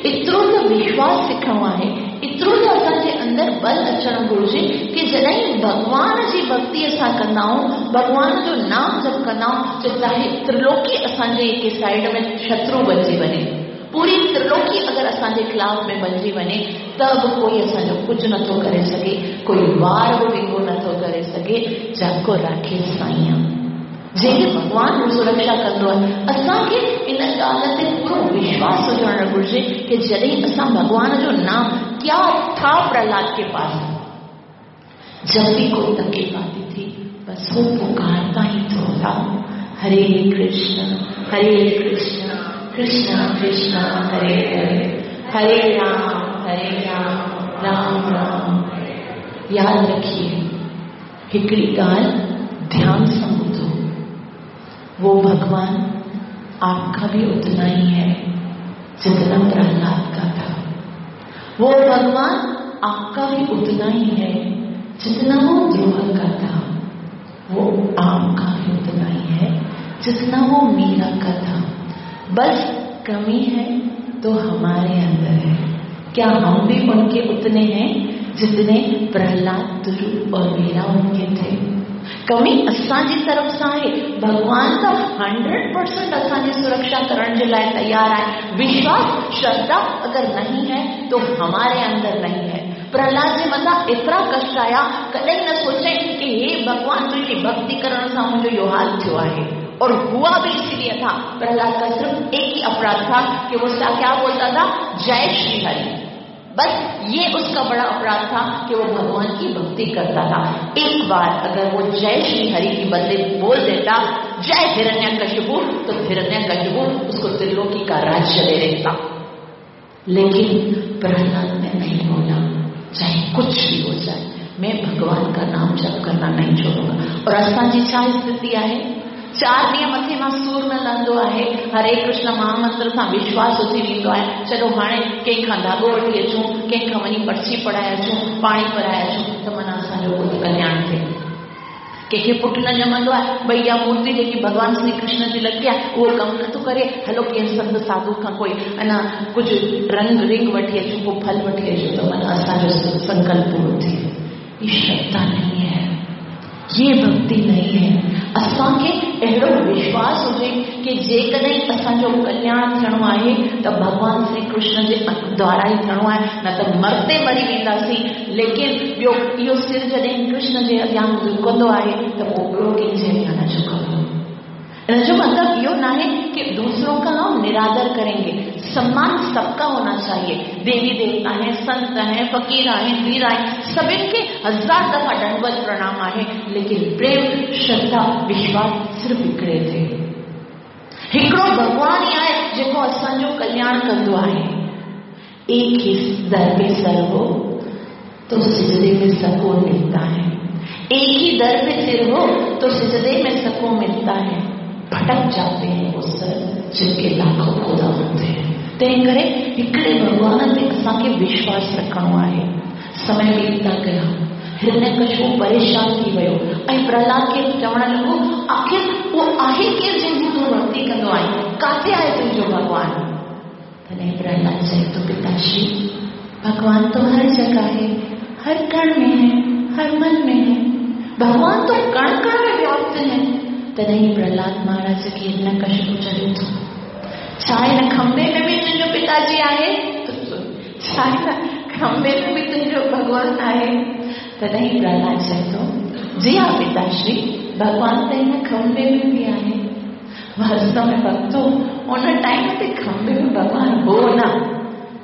एतिरो त विश्वास सिखणो आहे, एतिरो त असांजे अंदरि बल अचणु घुरिजे की जॾहिं भॻवान जी भक्ति असां कंदा आहियूं, भॻवान जो नाम जप कंदा आहियूं, त चाहे त्रिलोकी असांजे हिकु साइड में शत्रु बणिजी वञे, पूरी त्रिलोकी अगरि असांजे ख़िलाफ़ में बणिजी वञे, त बि कोई असांजो कुझु नथो करे सघे, कोई वार बि विंगो नथो करे सघे। जाको राखे साईं, जंहिंखे भॻवान सुरक्षा कंदो आहे। असांखे इन ॻाल्हि ते पूरो विश्वास हुजणु घुरिजे की जॾहिं असां भॻवान जो नाम, क्या था प्रहलाद के पास, जब भी कोई तकलीफ आती थी बस वो पुकारता ही तो था, हरे कृष्ण हरे कृष्ण कृष्ण कृष्ण हरे हरे, हरे राम हरे राम राम राम। याद रखिए, हिकिड़ी ॻाल्हि ध्यान सां ॿुधो, वो भगवान आपका भी उतना ही है जितना प्रहलाद का था। वो भगवान आपका भी उतना ही है जितना वो ध्रुव का था। वो आपका भी उतना ही है जितना वो मीरा का था। बस कमी है तो हमारे अंदर है। क्या हम भी उनके उतने हैं जितने प्रहलाद, ध्रुव और मीरा उनके थे? कमी असांजी तरफ़ सां आहे। भॻवान त हंड्रेड परसेंट असांजी सुरक्षा करण जे लाइ तयारु आहे। विश्वास, श्रद्धा अगर नहीं है तो हमारे अंदर नहीं है। प्रहलाद जे मथां एतिरा कष्ट आया, कॾहिं न सोचे कि हे भॻवान, तुंहिंजी भक्ति करण सां मुंहिंजो इहो हाल थियो आहे। और हुआ भी इसीलिए था। प्रहलाद का सिर्फ एक ही अपराध था कि वो क्या बोलता था, जय श्री हरि। बस ये उसका बड़ा अपराध था कि वो भगवान की भक्ति करता था। एक बार अगर वो जय श्री हरि की बदले बोल देता जय हिरण्यकशिपु, तो हिरण्यकशिपु उसको त्रिलोकी का राज्य दे देता। लेकिन प्रहलाद ने नहीं बोला, चाहे कुछ भी हो जाए मैं भगवान का नाम जप करना नहीं छोड़ूंगा। और असांजी छा स्थिति आहे? चार ॾींहं मथे मां सूर न लहंदो आहे, हरे कृष्ण महामंत्र सां विश्वास उथी वेंदो आहे, चलो हाणे कंहिंखां धाॻो वठी अचूं, कंहिंखां वञी पर्ची पढ़ाए अचूं, पाणी भराए अचूं, त माना असांजो कोई कल्याण थिए। कंहिंखे पुट न ॼमंदो आहे, भई इहा मूर्ति जेकी भॻवान श्री कृष्ण जी लॻी आहे उहो कमु नथो करे, हलो कंहिं संत साधू खां कोई अञा कुझु रंग रिंग वठी अचूं, को फल वठी अचूं, त माना असांजो संकल्प पूरो थिए। ये श्रद्धा नहीं है, ये भक्ति नहीं है। असांखे अहिड़ो विश्वास हुजे की जेकॾहिं असांजो कल्याण थियणो आहे त भॻवान श्री कृष्ण जे द्वारा ई थियणो आहे, न त मरते मरी वेंदासीं। लेकिन ॿियो इहो सिर जॾहिं कृष्ण जे अॻियां झुकंदो आहे त पोइ ॿियो कंहिंजे अॻियां न झुकंदो। इन जो मतिलबु इहो न आहे कि दूसरों का हम निरादर करेंगे, सम्मान सबका होना चाहिए। देवी देवता हैं, संत हैं, फकीर हैं, वीर हैं, सभिनि खे हज़ार दफ़ा दंडवत प्रणाम आहे, लेकिन प्रेम श्रद्धा विश्वास सिर्फ़ हिकिड़े ते। हिकिड़ो भॻवान ई आहे जेको असांजो कल्याण कंदो आहे। एक ही दर पे सर हो तो सिजदे में सुकून मिलता है, एक ही दर पे सिर हो तो सिजदे में सुकून मिलता है। भटक जाते हैं वो सर जिनके लाखों खुदा होते हैं। तंहिं करे हिकिड़े भॻवान ते असांखे विश्वास रखिणो आहे। समय बीतता गया, हिरण्यकशिपु परेशान थी वियो ऐं प्रहलाद खे चवण लॻो, आख़िर उहो आहे केरु जंहिंजी तूं भक्ति कंदो आहीं, किथे आहे तुंहिंजो भॻवान? तॾहिं प्रहलाद चए थो, पिताश्री भगवान तो हर जगह है, हर कण में है, हर मन में है, भगवान तो कण कण में व्याप्त है। तॾहिं प्रहलाद महाराज खे हिरण्यकशिपु चवे थो, छा हिन खंभे में बि तुंहिंजो पिताजी आहे? छा हिन खंभे में बि तुंहिंजो भॻवान आहे? तॾहिं प्रहलाद चए थो, जी हा पिताश्री, भॻवान त हिन खंभे में बि आहे। वास्तव में भक्तो, उन टाइम ते खंभे में भगवान हो ना,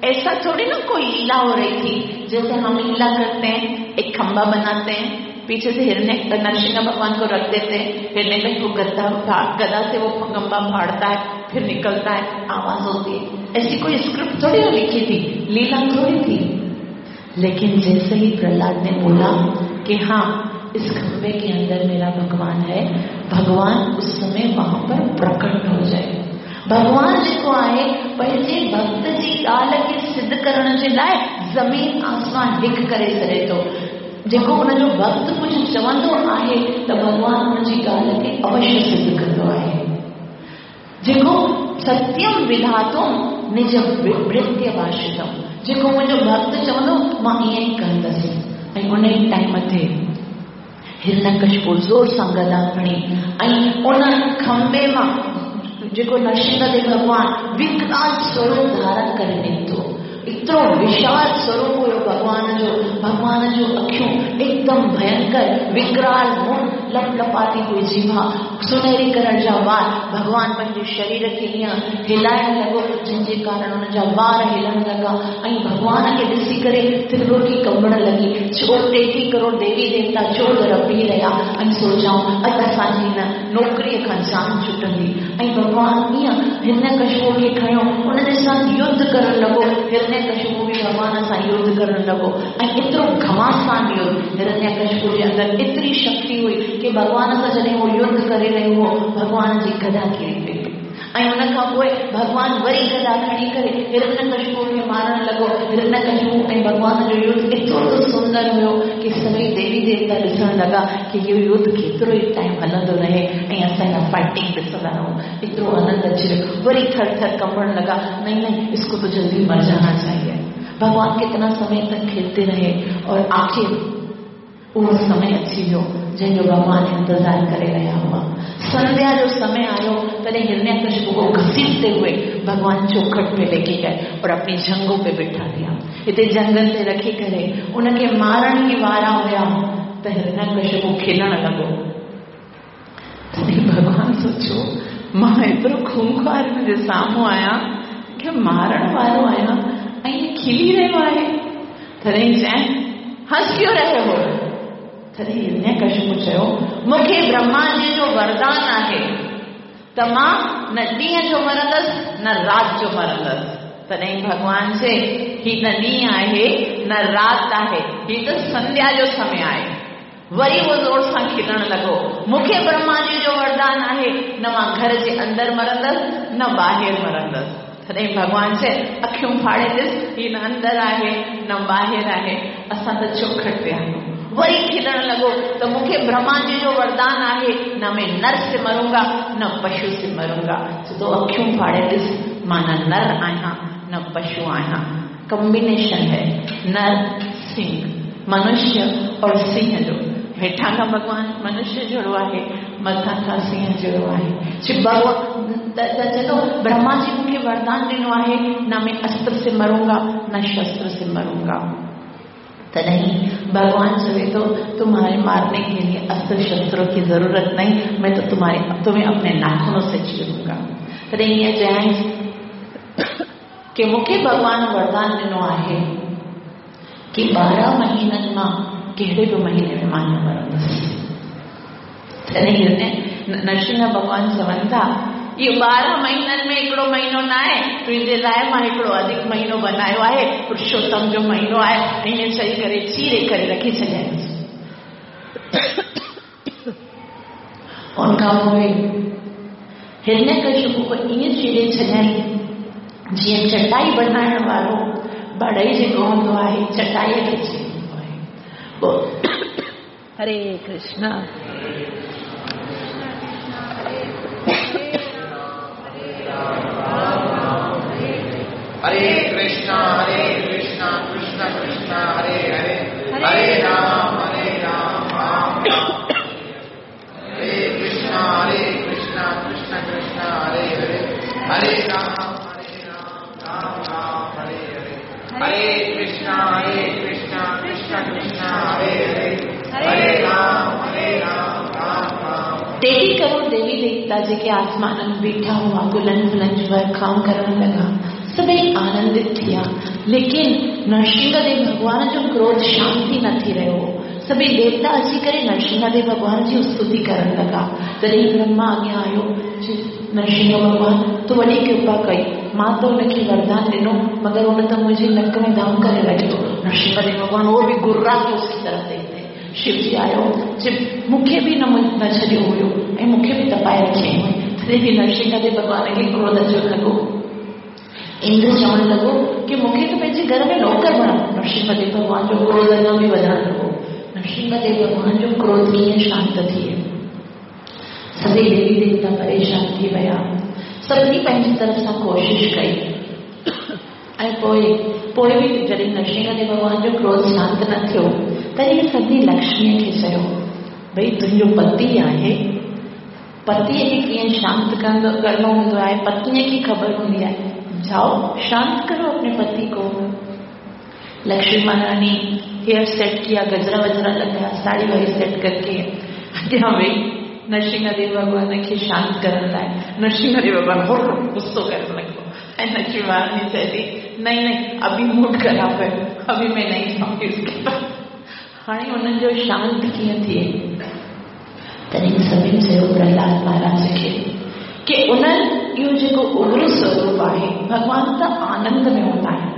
ऐसा थोड़ी ना कोई लीला हो रही थी जैसे हम लीला करते हैं, एक खंभा बनाते हैं, पीछे से हिरण्य नरसिंह भगवान को रख देते हैं, हिरण्यकशिपु गद्दा गदा से वो खंभा फाड़ता है, फिर निकलता है, आवाज होती है। ऐसी कोई स्क्रिप्ट थोड़ी ना लिखी थी, लीला थोड़ी थी। लेकिन जैसे ही प्रहलाद ने बोला कि हाँ इस खंभे के अंदर मेरा भगवान है, भगवान उस समय वहां पर प्रकट हो जाए। भगवान जेको आहे पंहिंजे भक्त जी ॻाल्हि खे सिद्ध करण जे लाइ ज़मीन आसमान हिकु करे छॾे थो। जेको हुनजो भक्त कुझु चवंदो आहे त भॻवान हुनजी ॻाल्हि खे अवश्य सिद्ध कंदो आहे। जेको सत्यम विधातुम निज भृत्य भाषितम, जेको मुंहिंजो भक्त चवंदो मां ईअं ई कंदसि। ऐं उन ई टाइम ते हिरण्यकशिपु ज़ोर सां गदा खणी ऐं उन खंभे मां जेको नरसिंहदेव भॻवान विकराल स्वरूप धारण करे निकितो। एतिरो विशाल स्वरूप हुयो भॻवान जो, भॻवान जो अखियूं एकदम भयंकर विकराल मुंहुं, लपलपाती हुई जीभा, सुनहरी कलर जा वार। भॻवान पंहिंजे शरीर खे ईअं हिलाइण लॻो जंहिंजे कारण हुनजा वार हिलण लॻा ऐं भॻवान खे ॾिसी करे त्रिलोकी कंबण लॻी। चो टेटीह करोड़ देवी देवता चौधर बीह रहिया ऐं सोचाऊं अॼु असांजी हिन नौकरीअ खां जान छुटंदी। ऐं भॻवान ईअं हिरण्यकशिपु खे खयो, हुनजे सां युद्ध करण लॻो। हिरण्यकशिपु बि भॻवान सां युद्ध करण लॻो ऐं एतिरो घमासान युद्ध, हिरण्यकशिपु जे अंदरि एतिरी शक्ति हुई कि भॻवान सां जॾहिं उहो युद्ध करे रहियो हो, भॻवान जी गदा किरी पई ऐं हुन खां पोइ भॻवान वरी गदा खणी करे हिरण्यकशिपु खे मारण लॻो। हिरण्यकशिपु ऐं भॻवान जो युद्ध एतिरो त सुंदर हुयो कि सभई देवी देवता ॾिसण लॻा कि इहो युद्ध केतिरो ई टाइम हलंदो रहे ऐं असां इहा फाइटिंग ॾिसंदा रहूं। एतिरो आनंद अची वियो, वरी थर थर कंबण लॻा, नहीं नहीं इसको तो जल्दी मर जाना चाहिए। भगवान कितना समय तक खेलते रहे और आखिर उहो समय अची वियो जंहिंजो भॻवान इंतज़ार करे रहिया हुआ। संध्या जो समय आयो तॾहिं हिरण्यकशिपु को घसीटते हुए भगवान चौखट पे लेके गए और अपनी जंघों पे बिठा दिया। हिते जंघनि ते रखी करे उनखे मारण ई वारा हुया त हिरण्यकशिपु खिलण लॻो। तॾहिं भॻवान सोचियो, मां एतिरो खूंखार हुनजे साम्हूं आहियां, मूंखे मारण वारो आहियां ऐं खिली रहियो आहे। तॾहिं चयईं, हंस क्यों रहे हो? तॾहिं हिरण्यकशिपु चयो, मूंखे ब्रह्मा जी जो वरदान आहे त मां न ॾींहं जो मरंदसि न राति जो मरंदसि। तॾहिं भॻवान चए, ही न ॾींहुं आहे न राति आहे, ही त संध्या जो समय आहे। वरी उहो ज़ोर सां खिलण लॻो, मूंखे ब्रह्मा जी जो वरदान आहे, न मां घर जे अंदरि मरंदसि न ॿाहिरि मरंदसि। तॾहिं भॻवान चए, अखियूं फाड़े ॾिस, ही न अंदरि आहे न ॿाहिरि आहे, असां त चौखट ते आहियूं। वरी खिलण लॻो त मूंखे ब्रह्मा जी जो वरदान आहे, न मैं नर से मरूंगा न पशु से मरूंगा। तो अखियूं फाड़े ॾिस, मां न नर आहियां न पशु आहियां। कॉम्बिनेशन है नर सिंह, मनुष्य और सिंह जो। हेठां खां भॻवान मनुष्य जहिड़ो आहे, मथां खां सिंह जहिड़ो आहे। भॻवान त चलो ब्रह्मा जी मूंखे वरदान ॾिनो आहे, न मैं अस्त्र से मरूंगा न शस्त्र से मरूंगा। तॾहिं भगवान चवे थो, तुम्हारे मारने के लिए अस्त्र शस्त्रों की जरूरत नहीं, मैं तो तुम्हारे तुम्हें अपने नाखूनों से चीरूंगा। तॾहिं ईअं चयईं की मूंखे भॻवान वरदान ॾिनो आहे की ॿारहं महीननि मां कहिड़े बि महीने में मां न मरंदुसि। तॾहिं नरसिंह भॻवान चवनि था, इहो ॿारहं महीननि में हिकिड़ो महीनो न आहे, तुंहिंजे लाइ मां हिकिड़ो अधिक महीनो बनायो आहे, पुरुषोत्तम जो महीनो आहे। ईअं चई करे चीरे करे रखी छॾियईंसि। उन खां पोइ हिरण्यकशिपु ईअं चीरे छॾियईं जीअं चटाई बनाइण वारो बड़ई जेको हूंदो आहे, चटाईअ खे चीरंदो आहे। पोइ हरे कृष्णा। हरे कृष्णा हरे कृष्णा कृष्ण कृष्ण हरे हरे, हरे राम हरे राम राम राम। हरे कृष्णा हरे कृष्णा कृष्ण कृष्ण हरे हरे, हरे राम हरे राम राम राम हरे हरे। हरे कृष्णा हरे कृष्णा कृष्ण कृष्ण हरे हरे, हरे राम हरे राम राम राम। टेढ़ी करोड़ देवी देवता जेके आसमाननि में बीठा हुआ, गुलनि फुलनि जी वरखाऊं करण लॻा, सभई आनंदित थिया। लेकिन नरसिंहदेव भॻवान जो क्रोध शांति न थी रहियो। सभई देवता अची करे नरसिंहदेव भॻवान जी स्तुति करण लॻा। तॾहिं ब्रह्मा अॻियां आयो, नरसिंह भॻवान तूं वॾी कृपा कई, मां त हुनखे वरदान ॾिनो, मगर हुन त मुंहिंजे नक में दम करे रखियो। नरसिंहदेव भॻवान उहो बि गुर्रा के उसकी तरफ़ देखते। शिवजी आयो, मूंखे बि न न छॾियो हुयो ऐं मूंखे बि तपाए रखियईं। तॾहिं बि नरसिंहदेव भॻवान खे क्रोध अचण लॻो। इंद्र चवण लॻो की मूंखे त पंहिंजे घर में नौकर बणाओ। नरसिंहदेव भॻवान जो क्रोध अञा बि वधणु लॻो। नरसिंहदेव भॻवान जो क्रोध कीअं शांत थिए? सभई देवी देवता परेशान थी विया। सभिनी पंहिंजी तरफ़ सां कोशिश कई ऐं पोइ पोइ बि जॾहिं नरसिंहदेव भॻवान जो क्रोध शांत न थियो, तॾहिं सभिनी लक्ष्मीअ खे चयो, भई तुंहिंजो पति आहे, पतीअ खे कीअं शांत कंदो करिणो हूंदो आहे, पत्नीअ खे ख़बर हूंदी आहे, जाओ शांत करो अपने पति को। लक्ष्मी महारानी हेयर सेट किया, गजरा वजरा लगाया, साड़ी वाड़ी सेट करके अॻियां वई नरसिंहदेव भॻवान खे शांत करण लाइ। नरसिंहदेव भॻवान गुस्सो करण लॻो ऐं लक्ष्मी महारानी चए थी, नहीं नहीं अभी मूड ख़राब है, अभी मैं नहीं जाऊंगी उसके पास। हाणे हुननि जो शांत कीअं थिए? तॾहिं सभिनी चयो प्रहलाद महाराज खे की उन्हनि इहो जेको उग्र स्वरूप आहे, भॻवान त आनंद में हूंदा आहिनि,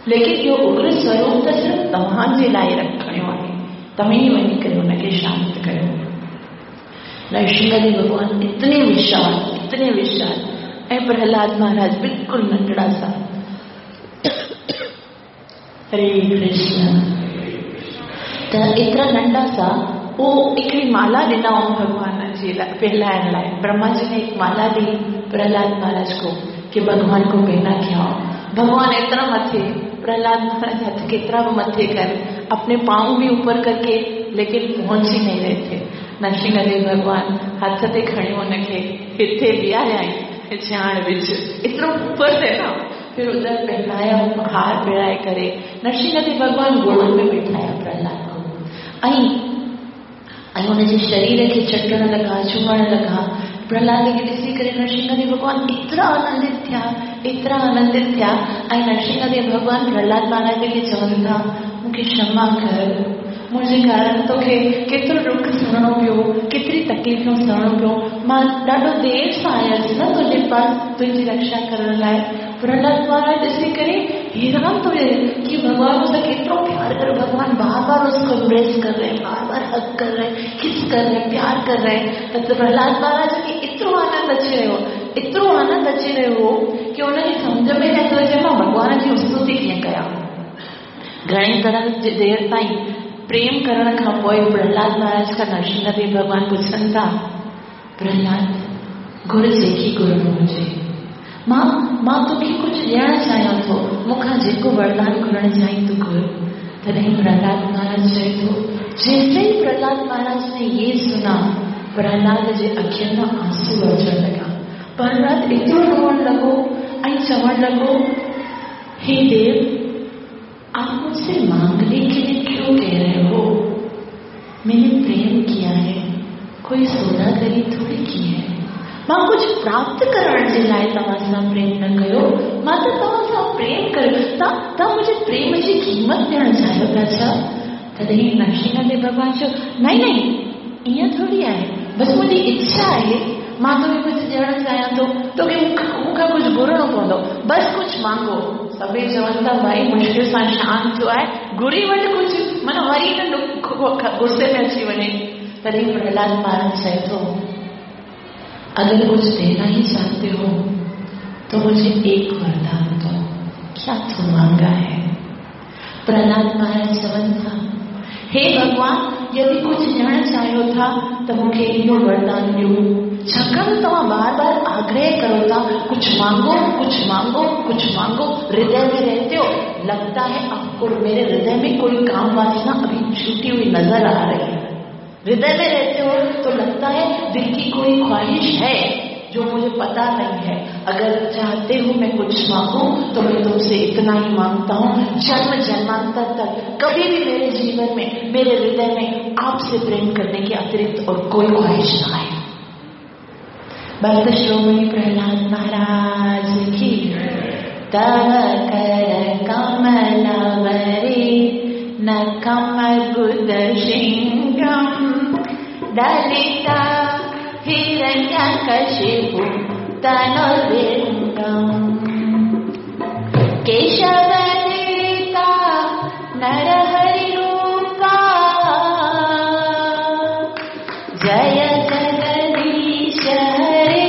लेकिन इहो उग्र स्वरूप त सिर्फ़ तव्हांजे लाइ रखणो आहे, तव्हीं ई वञी करे हुनखे शांत कयो। नरसिंहदेव भॻवान इतने विशाल, इतने विशाल ऐं प्रहलाद महाराज बिल्कुलु नंढड़ा सा। हरे कृष्ण। त एतिरा नंढा सा, उहो हिकिड़ी माला ॾिनऊं भॻवान जे लाइ पहलाइण लाइ। ब्रह्मा जी ने एक माला दी प्रहलाद महाराज को कि भगवान को पहना के आओ। भगवान एतिरा मथे, प्रहलाद महाराज हथ केतिरा बि मथे कर, अपने पाँव भी ऊपर करके, लेकिन पहुंच ही नहीं रहे थे। नरसिंहदेव भगवान हथ ते खणी हुनखे हिते बीहारियाईं, जान विझ, एतिरो ऊपर थे ना। फिर उधर पहनाया, हार पहराए करे नरसिंहदेव भगवान गोद में बिठाया प्रहलाद को ऐं ऐं हुनजे शरीर खे चटण लॻा, चुमण लॻा। प्रहलाद खे ॾिसी करे नरसिंहदेव भॻवान एतिरा आनंदित थिया एतिरा आनंदित थिया। ऐं नरसिंहदेव भॻवान प्रहलाद महाराज खे चवनि था, मूंखे क्षमा कर, मुंहिंजे कारण तोखे केतिरो ॾुख सहणो पियो, केतिरी तकलीफ़ूं सहणो पियो। मां ॾाढो देरि सां आयसि न तुंहिंजे पास तुंहिंजी रक्षा करण लाइ। प्रहलाद महाराज ॾिसी करे हैरान थो थिए कि भगवान मुझसे केतिरो प्यार करे, भगवान बार बार उसको एम्ब्रेस कर रहे हैं, बार बार हग कर रहे हैं, किस कर रहे हैं, प्यार कर रहे हैं। त प्रहलाद महाराज खे एतिरो आनंद अची रहियो, एतिरो आनंद अची रहियो हो कि हुनखे सम्झ में नथो अचे मां भॻवान जी स्तुति कीअं कयां। घणे तरह जे देरि ताईं प्रेम करण खां पोइ प्रहलाद महाराज खां नरसिंहदेव भॻवान पुछनि था, प्रहलाद घुर जेकी घुरणो हुजे, मां मां तोखे कुझु ॾियणु चाहियां थो, मूंखां जेको वरदान घुरणु चाहीं तूं घुर। तॾहिं प्रहलाद महाराज चए थो, जैसे ही प्रहलाद महाराज ने ये सुना, प्रहलाद जे अखियुनि मां आंसू अचणु लॻा। प्रहलाद एतिरो रोअणु लॻो ऐं चवणु लॻो, हे देव, आप मुझसे मांगने के लिए क्यों कह रहे हो? मैंने प्रेम किया है, कोई सौदागरी थोड़ी की है। मां कुझु प्राप्त करण जे लाइ तव्हां सां प्रेम न कयो, मां त तव्हां सां प्रेम कयो, तव्हां मुंहिंजे प्रेम जी क़ीमत ॾियणु चाहियो था छा? तॾहिं नरसिंहदेव भॻवान चयो, नहीं नहीं, ईअं थोरी आहे, बसि मुंहिंजी इच्छा आहे, मां तोखे कुझु ॾियणु चाहियां थो, तोखे मूंखां कुझु घुरणो पवंदो, बसि कुझु मांगो। सभई चवनि था, भाई मुश्किल सां शांत थियो आहे, घुरी वठि कुझु, माना वरी न गुस्से में अची वञे। तॾहिं प्रहलाद महाराज चए थो, अगर कुछ देना ही चाहते हो तो मुझे एक वरदान दो, क्या तू मांगा है? प्रहलाद महाराज चवनि था, हे भगवान, यदि कुझु ॾियणु चाहियो था त मूंखे इहो वरदान ॾियो, छाकाणि तव्हां बार बार आग्रह करो था, कुझु मांगो, कुझु मांगो, कुझु मांगो, हृदय में रहते हो, लगता है आपको मेरे हृदय में कोई काम वासना अभी छूटी हुई नजर आ रही है। हृदय में रहते हो तो लगता है दिल की कोई ख्वाहिश है जो मुझे पता नहीं है। अगर चाहते हो मैं कुछ मांगू तो मैं तुमसे इतना ही मांगता हूँ, जन्म जन्मांतर तक कभी भी मेरे जीवन में, मेरे हृदय में आपसे प्रेम करने के अतिरिक्त और कोई ख्वाहिश ना आए। भक्त श्रोमणी प्रहलाद महाराज की। तव कर कमलवरे नखमर्बुद शृंगम दलिता हिरण्यकशिपु तनुर्भृंगम केशवनिता नरहरिरूपा जय जगदीश हरे,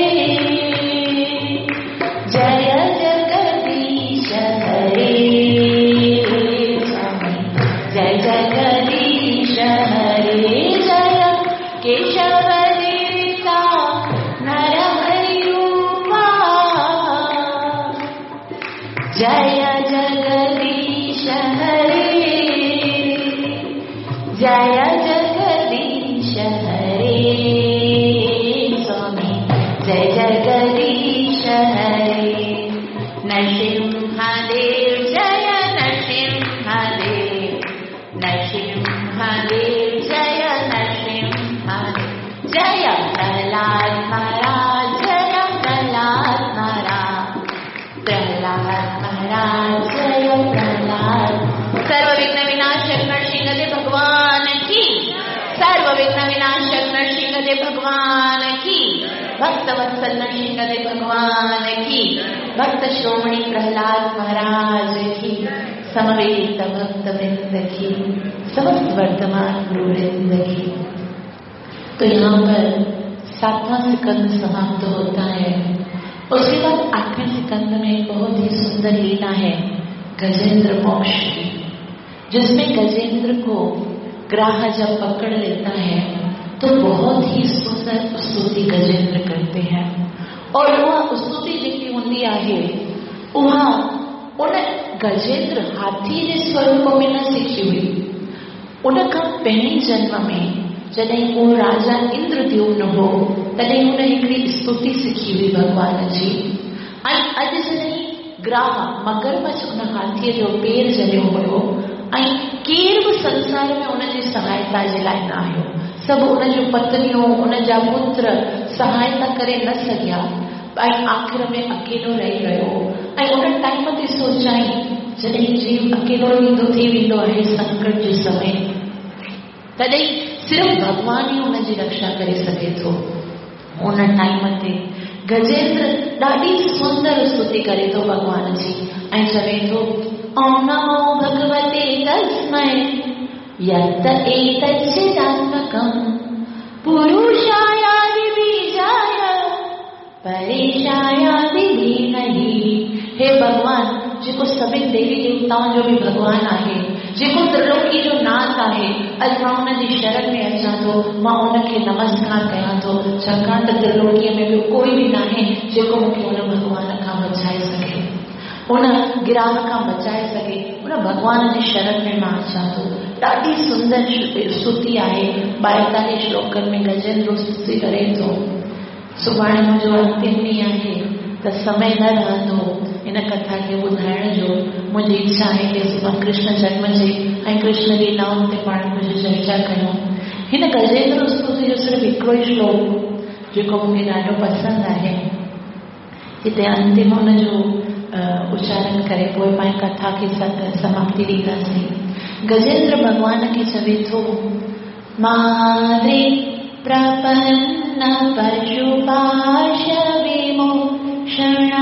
जय जगदीश हरे, जय जगदीश हरे, जय केशवनिता नरहरिरूपा जय जगदीश हरे, जय जगदीश हरे, स्वामी जय जगदीश हरे। नरसिंहदेव जय नरसिंहदेव, नरसिंहदेव जय नरसिंहदेव, जय प्रहलाद महाराज, जय प्रहलाद महाराज, प्रहलाद महाराज जय प्रहलाद। सर्व विघ्न विनाशक नरसिंहदेव भगवान की, सर्व विघ्न विनाशक नरसिंहदेव भगवान की, भक्त वत्सल नरसिंहदेव भगवान की, भक्त श्रोमणी प्रहलाद महाराज की, समवेत भक्त वृंद की, समस्त वर्तमान गुरु वृंद की। तो यहाँ पर सातवां स्कंद समाप्त होता है। उसके बाद आठवें स्कंद में बहुत ही सुंदर लीला है गजेंद्र मोक्ष की, जिसमें गजेंद्र को ग्राह जब पकड़ लेता है तो बहुत ही सुंदर स्तुति गजेंद्र करते हैं। और उहा स्तुति जेकी हूंदी आहे उहा उन गजेंद्र हाथी जे स्वरूप में न सिखी हुई। उन खां पहिरीं जन्म में जॾहिं उहो राजा इंद्रद्युम्न हो तॾहिं हुन हिकिड़ी स्तुति सिखी हुई भॻवान जी। ऐं अॼु जॾहिं ग्राह मगरमच्छ उन हाथीअ जो पेर जलियो हुयो ऐं केरु बि संसार में उनजी सहायता जे लाइ न आयो, सभु उन जूं पत्नियूं उन जा पुत्र सहायता करे न सघिया। ऐं आख़िर में अकेलो रही वियो। ऐं उन टाइम ते सोचाई जॾहिं जीव अकेलो ईंदो थी वेंदो आहे संकट जे समय, तॾहिं सिर्फ़ भॻवान ई उनजी रक्षा करे सघे थो। उन टाइम ते गजेंद्र ॾाढी सुंदर स्तुति करे थो भॻवान जी ऐं चवे थो ओम नमो भगवते तस्मै यत् एतच्चिदात्मकं पुरुषायादिबीजाय परेशायादि धीमहि। हे भॻवान, जेको सभिनी देवी देवताउनि जो बि भॻवान आहे, जेको त्रिलोकी जो नाथ आहे, अॼु मां उनजी शरण में अचां थो, मां उनखे नमस्कार कयां थो, छाकाणि त त्रिलोकीअ में ॿियो कोई बि नाहे जेको मूंखे उन भॻवान खां बचाए सघे, उन गिराह खां बचाए सघे। उन भॻवान जी शरण में मां अचां थो। ॾाढी सुंदर स्तुति आहे। ॿाएतालीह श्लोकनि में गजेंद्र स्तुति करे थो। सुभाणे मुंहिंजो अंतिम ॾींहुं आहे त समय न रहंदो इन कथा खे ॿुधाइण जो। मुंहिंजी इच्छा आहे की सुभाणे कृष्ण जन्म जे ऐं कृष्ण लीलाउनि ते पाण कुझु चर्चा कयूं। हिन गजेंद्र स्तुति जो सिर्फ़ु हिकिड़ो ई श्लोक जेको मूंखे ॾाढो पसंदि आहे, हिते अंतिम हुनजो उच्चारण करे पोइ पाण कथा खे समाप्ति ॾींदासीं। गजेंद्र भॻवान खे चवे थो, माद्री प्रपन्न पशुपाश विमोक्षणाय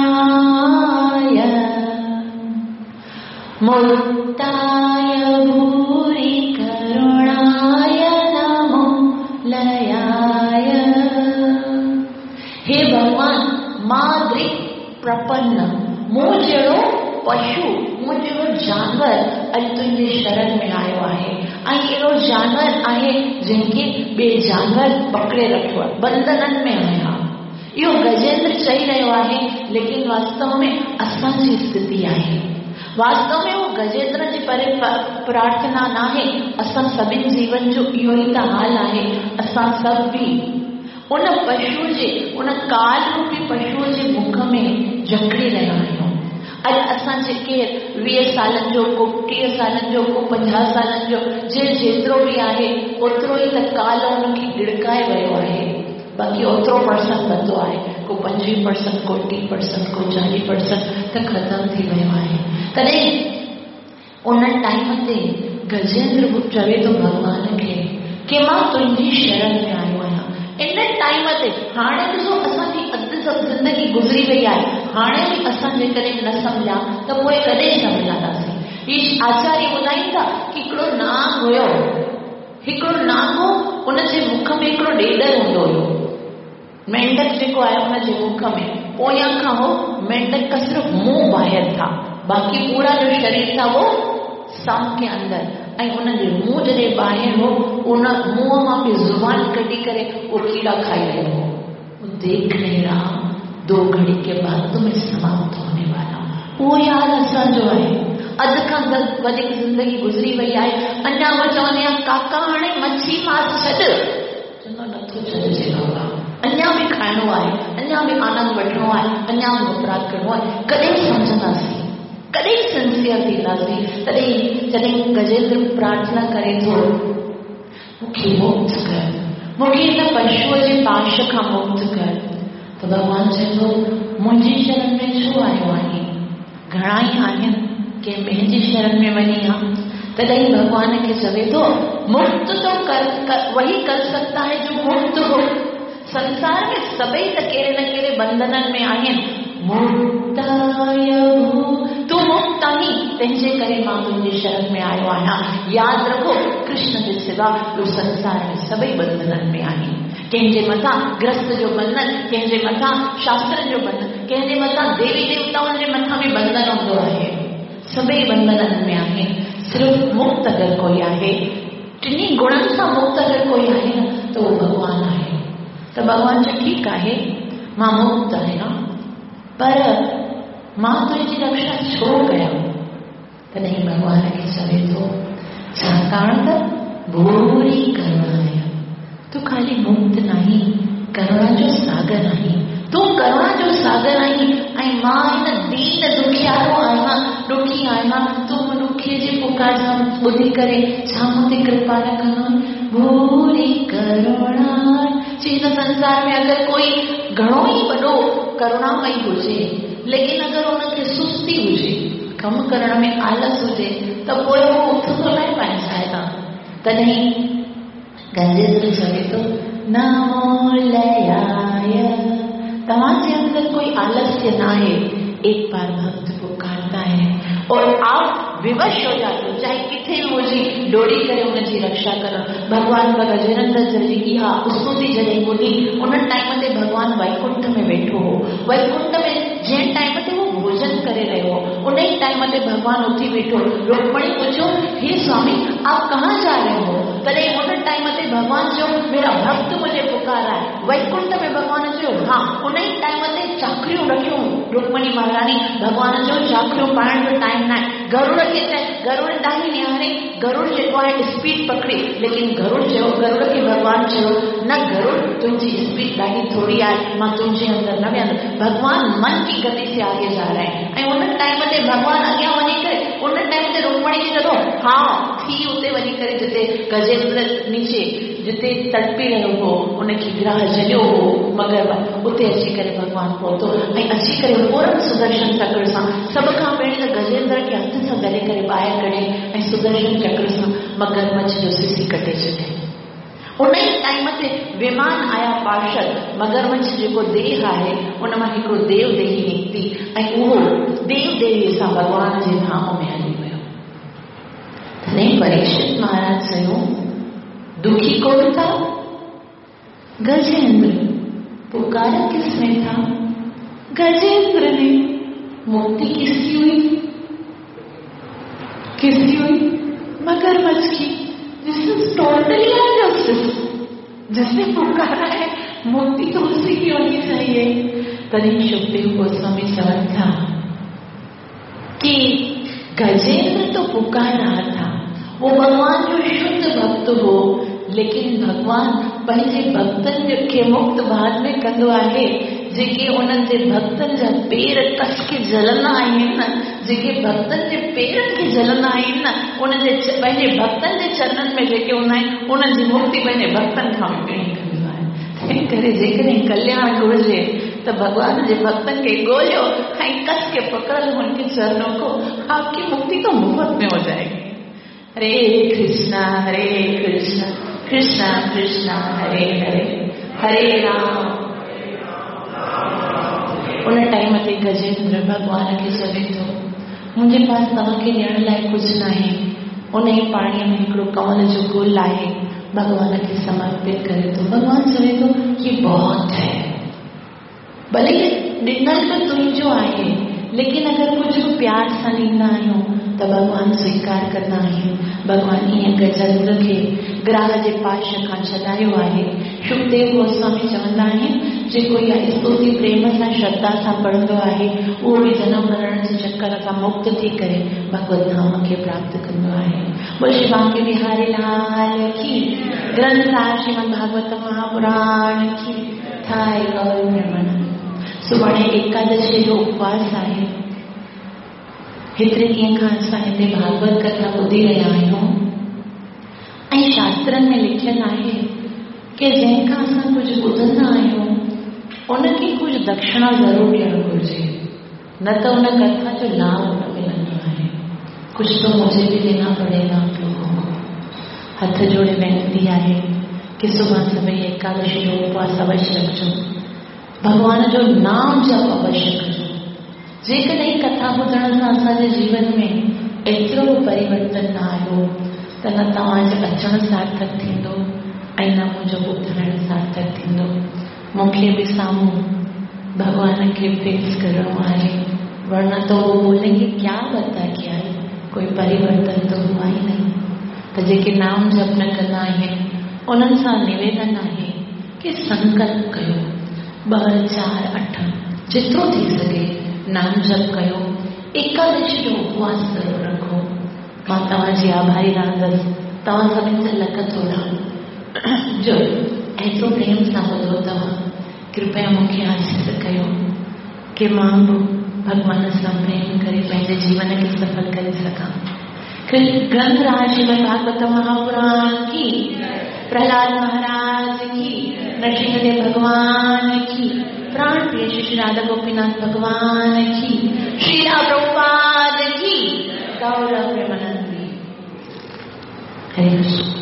मुक्ताय भूरि करुणाय नमो लयाय। हे भॻवान, माद्री प्रपन्न, मूं जहिड़ो पशु, मूं जहिड़ो जानवर अॼु तुंहिंजे शरण में आयो आहे ऐं अहिड़ो जानवर आहे जंहिंखे ॿिए जानवर पकड़े रखियो आहे, बंधननि में आहियां। इहो गजेंद्र चई रहियो आहे, लेकिन वास्तव में असांजी स्थिति आहे। वास्तव में उहो गजेंद्र जी परे प्रार्थना न आहे, असां सभिनी जीवन जो इहो ई त हाल आहे। असां सभु बि उन पशु जे, उन काल रूपी पशुअ जे मुख में जकड़ी रहिया आहियूं। अॼु असां जेके वीह सालनि जो, को टीह सालनि जो, को पंजाह सालनि जो, जे जेतिरो बि आहे ओतिरो ई त काल हुनखे गिड़काए वियो आहे। बाक़ी ओतिरो परसेंट बंदो आहे, को पंजवीह परसेंट, को टीह परसेंट, को चालीह परसेंट त ख़तमु थी वियो आहे। तॾहिं उन टाइम ते गजेंद्र चवे थो भॻवान खे की मां तुंहिंजी शरण में आयो आहियां। इन टाइम ते हाणे ॾिसो असांजी अधु सभु ज़िंदगी गुज़री वई आहे, हाणे बि असां जेकॾहिं न सम्झा त पोइ कॾहिं सम्झंदासीं। ही आचार्य ॿुधाइनि था की हिकिड़ो नांग हुयो, हिकिड़ो नांग हो, उनजे मुख में हिकिड़ो ॾेॾर हूंदो हुयो। मेंढक जेको आहे हुनजे मुख में पोयां खां हो मेंढक का सिर्फ़ मुंहुं ॿाहिरि था, बाक़ी पूरा जो शरीर था वो सांप के अंदर। ऐं हुनजे मुंहुं जॾहिं ॿाहिरि हो, उन मुंहं मां बि ज़ुबान कढी करे उहो कीड़ा खाई रहियो हो। देख नहीं रहा, दो घड़ी के बाद तो मैं समाप्त होने वाला हूं। उहो ई हाल असांजो आहे। अधु खां वधीक ज़िंदगी गुज़री वई आहे, अञा उहो चवंदी आहियां काका हाणे मच्छी मांस छॾ, चवंदो नथो छॾिजे बाबा, अञा बि खाइणो आहे, अञा बि आनंद वठिणो आहे, अञा बि अपराध करिणो आहे। कॾहिं सम्झंदासीं, कॾहिं सिंसियर थींदासीं। तॾहिं जॾहिं गजेंद्र प्रार्थना करे थो, मूंखे मुक्त कर, मूंखे हिन पशुअ जे पाश खां मुक्त कर, त भॻवान चए थो मुंहिंजी शरण में छो आयो आहीं? घणा ई आहिनि, कंहिं ॿिए जी शरण में वञी हा। तॾहिं भॻवान खे चवे थो मुक्त तो कर, कर वही कर सकता है जो मुक्त हो। संसार में सभई त कहिड़े न कहिड़े बंधननि में आहिनि। मुक्ताय तूं मुक्त आहीं, तंहिंजे करे मां तुंहिंजी शरण में आयो आहियां। यादि रखो, कृष्ण जे सिवा ॿियो संसार में सभई बंधननि में आहिनि। कंहिंजे मथां ग्रस्त जो बंधन, कंहिंजे मथां शास्त्रनि जो बंधन, कंहिंजे मथां देवी देवताउनि जे मथां बि बंधन हूंदो आहे। सभई बंधननि में आहिनि। सिर्फ़ मुक्त अगरि कोई आहे, टिन्ही गुणनि सां मुक्त अगरि कोई आहे न, त उहो भॻवानु आहे। त भॻवानु चयो ठीकु आहे, मां मुक्त आहियां, पर मां तुंहिंजी रक्षा छो कयां? तॾहिं भॻवान खे चवे थो, छाकाणि त भूरी करुणा आहियां, तूं ख़ाली मुक्त न आहीं, करुणा जो सागर आहीं। तूं करुणा जो सागर आहीं ऐं मां हिन दीन दुखियारो आहियां, ॾुखी आहियां। तूं ॾुखीअ जी पुकार सां ॿुधी करे छा मूं ते कृपा न कंदो? भूरी करुणा चिदात्मकं हिन संसार में अगरि कोई घणो ई वॾो करुणामयी हुजे, लेकिन अगरि उनखे सुस्ती हुजे, कमु करण में आलस हुजे, त पोइ उहो उथंदो न आहे पंहिंजी जाइ तां। तॾहिं गजेंद्र चवे थो नमो लयाय, तव्हांजे अंदरि कोई आलस्य न आहे। एक बार भक्त पुकारता है और आप विवश हो जाते हो, चाहे किथे बि हुजे, डोड़ी करे उनजी रक्षा करण। भॻवान गजेंद्र जी इहा स्तुति जॾहिं ॿुधी, उन टाइम ते भॻवान वैकुंठ में वेठो हो। वैकुंठ में जंहिं टाइम ते उहो भोजन करे रहियो हो, उन ई टाइम ते भॻवान उथी वेठो। रुक्मणी पुछियो, हे स्वामी आप कहाँ जा रहे हो? तॾहिं उन टाइम ते भॻवान चयो, मेरा भक्त मुझे पुकारा है। वैकुंठ में भॻवान चयो हा। उन ई टाइम ते चाकरियूं रखियूं रुक्मणी महारानी। भॻवान चयो चाकरियूं पाइण जो टाइम न आहे। गरुड़ खे चए, गरुड़ ॾांहुं निहारे, गरुड़ जेको आहे स्पीड पकड़ी, लेकिन गरुड़ चयो, गरुड़ खे भॻवान चयो न गरुड़ तुंहिंजी स्पीड ॾाढी थोरी आहे, मां तुंहिंजे अंदरि न वेहंदुसि। भॻवान मन की गति से आगे जा रहा है। ऐं उन टाइम ते भॻवान अॻियां वञी करे उन टाइम ते रुक्मणी खे चयो हा थी उते वञी करे जिते गजेंद्र नीचे जिते तड़पी रहियो हो, उनखे ग्राह जलियो हो, मगर उते अची करे भॻवान पहुतो। ऐं अची करे फ़ौरन सुदर्शन चक्र सां सभ खां पहिरीं त गजेंद्र खे हथ सां दले करे ॿाहिरि कढे ऐं सुदर्शन चक्र सां मगरमच्छ जो सिसी कटे छॾे। उन ई टाइम ते विमान आया पार्षद, मगरमच्छ जेको देह आहे उन मां हिकिड़ो देव देही निकिती ऐं उहो देव देवी सां भॻवान जे धाम में हली वियो। तॾहिं परीक्षित महाराज चयो, दुखी कौन था? गजेंद्र। पुकारा किसने था? गजेंद्र ने। मुक्ति किसकी हुई? किसकी हुई? मगरमच्छ की। This is totally injustice. जिसने पुकारा है मुक्ति तो उसी की होनी चाहिए। तॾहिं सुखदेव गोस्वामी चवनि था कि गजेंद्र तो पुकार रहा था, वो भगवान जो शुद्ध भक्त हो, लेकिन भगवान पंहिंजे भक्तनि खे मुक्त बाद में कंदो आहे। जेके उन्हनि जे भक्तनि जा पेर कस के जलंदा आहिनि, जेके भक्तनि जे पेरनि खे जलंदा आहिनि, उन्हनि जे पंहिंजे भक्तनि जे चरणनि में जेके हूंदा आहिनि, उन्हनि जी मुक्ति पंहिंजे भक्तनि खां बि पहिरीं कंदो आहे। तंहिं करे जेकॾहिं कल्याण घुरिजे त भॻवान जे भक्तनि खे ॻोल्हियो ऐं कस के पकड़ लो उनके चरणों को, आपकी मुक्ति तो मुफ्त में हो जाएगी। हरे कृष्णा हरे कृष्णा कृष्णा कृष्णा हरे हरे हरे राम। उन टाइम ते गजेंद्र भॻवान खे चवे थो, मुंहिंजे पास तव्हांखे ॾियण लाइ कुझु न आहे। उन ई पाणीअ में हिकिड़ो कंवल जो गुल आहे, भॻवान खे समर्पित करे थो। भॻवान चवे थो ये बहुत है, भले ॾिनल त तुंहिंजो आहे, लेकिन अगरि कुझु प्यार सां ॾींदा आहियूं त भॻवान स्वीकार कंदा आहिनि। भॻवान ईअं गजेंद्र खे ग्राह जे पाश खां छॾायो आहे। सुखदेव गोस्वामी चवंदा आहिनि जेको इहा स्तुति प्रेम सां श्रद्धा सां पढ़ंदो आहे, उहो बि जनम मरण जे चक्कर खां मुक्त थी करे भगवत धाम खे प्राप्त कंदो आहे। बोल श्री बांके बिहारी लाल की, ग्रंथ श्रीमद् भागवत महापुराण की। थाए गौर ब्रह्मण। सुभाणे एकादशी जो उपवास आहे। हेतिरे ॾींहं खां असां हिते भागवत कथा ॿुधी रहिया आहियूं ऐं शास्त्रनि में लिखियलु आहे की जंहिंखां असां कुझु ॿुधंदा आहियूं उनखे कुझु दक्षिणा ज़रूरु ॾियणु घुरिजे, न त उन कथा जो लाभ न मिलंदो आहे। कुझु तो मुझे भी देना पड़ेगा आप लोगों को। हथ जोड़े विनती आहे कि सुभाणे सभई एकादशी जो उपवास अवश्य रखिजो, भॻवान जो नाम जप अवश्य कजो। जेकॾहिं कथा ॿुधण सां असांजे जीवन में एतिरो परिवर्तन न आयो त न तव्हांजो अचणु सार्थक थींदो ऐं न मुंहिंजो ॿुधाइणु सार्थक थींदो। मूंखे बि साम्हूं भॻवान खे फेस करिणो आहे, वरना तो वो बोलेंगे क्या बता के आई, कोई परिवर्तन तो हुआ ही नहीं। त जेके नाम जप न कंदा आहिनि उन्हनि सां निवेदन आहे कि संकल्प कयो, ॿ चारि अठ जेतिरो थी सघे नाम जप कयो, एकादशी जो उपवास ज़रूरु रखो। मां तव्हांजी आभारी रहंदसि, तव्हां सभिनी जा लख थोरा जो एतिरो प्रेम सां ॿुधो तव्हां। कृपया मूंखे आशीष कयो कि मां बि भॻवान सां प्रेम करे पंहिंजे जीवन खे सफल करे सघां। ग्रंथ राज श्रीमद् भागवत महापुराण की, प्रहलाद महाराज की। नरसिंहदेव भगवान की, प्राण प्रिय श्री राधा गोपीनाथ भगवान की, श्रीला प्रभुपाद की, गौरव प्रेमानंद। हरे कृष्ण।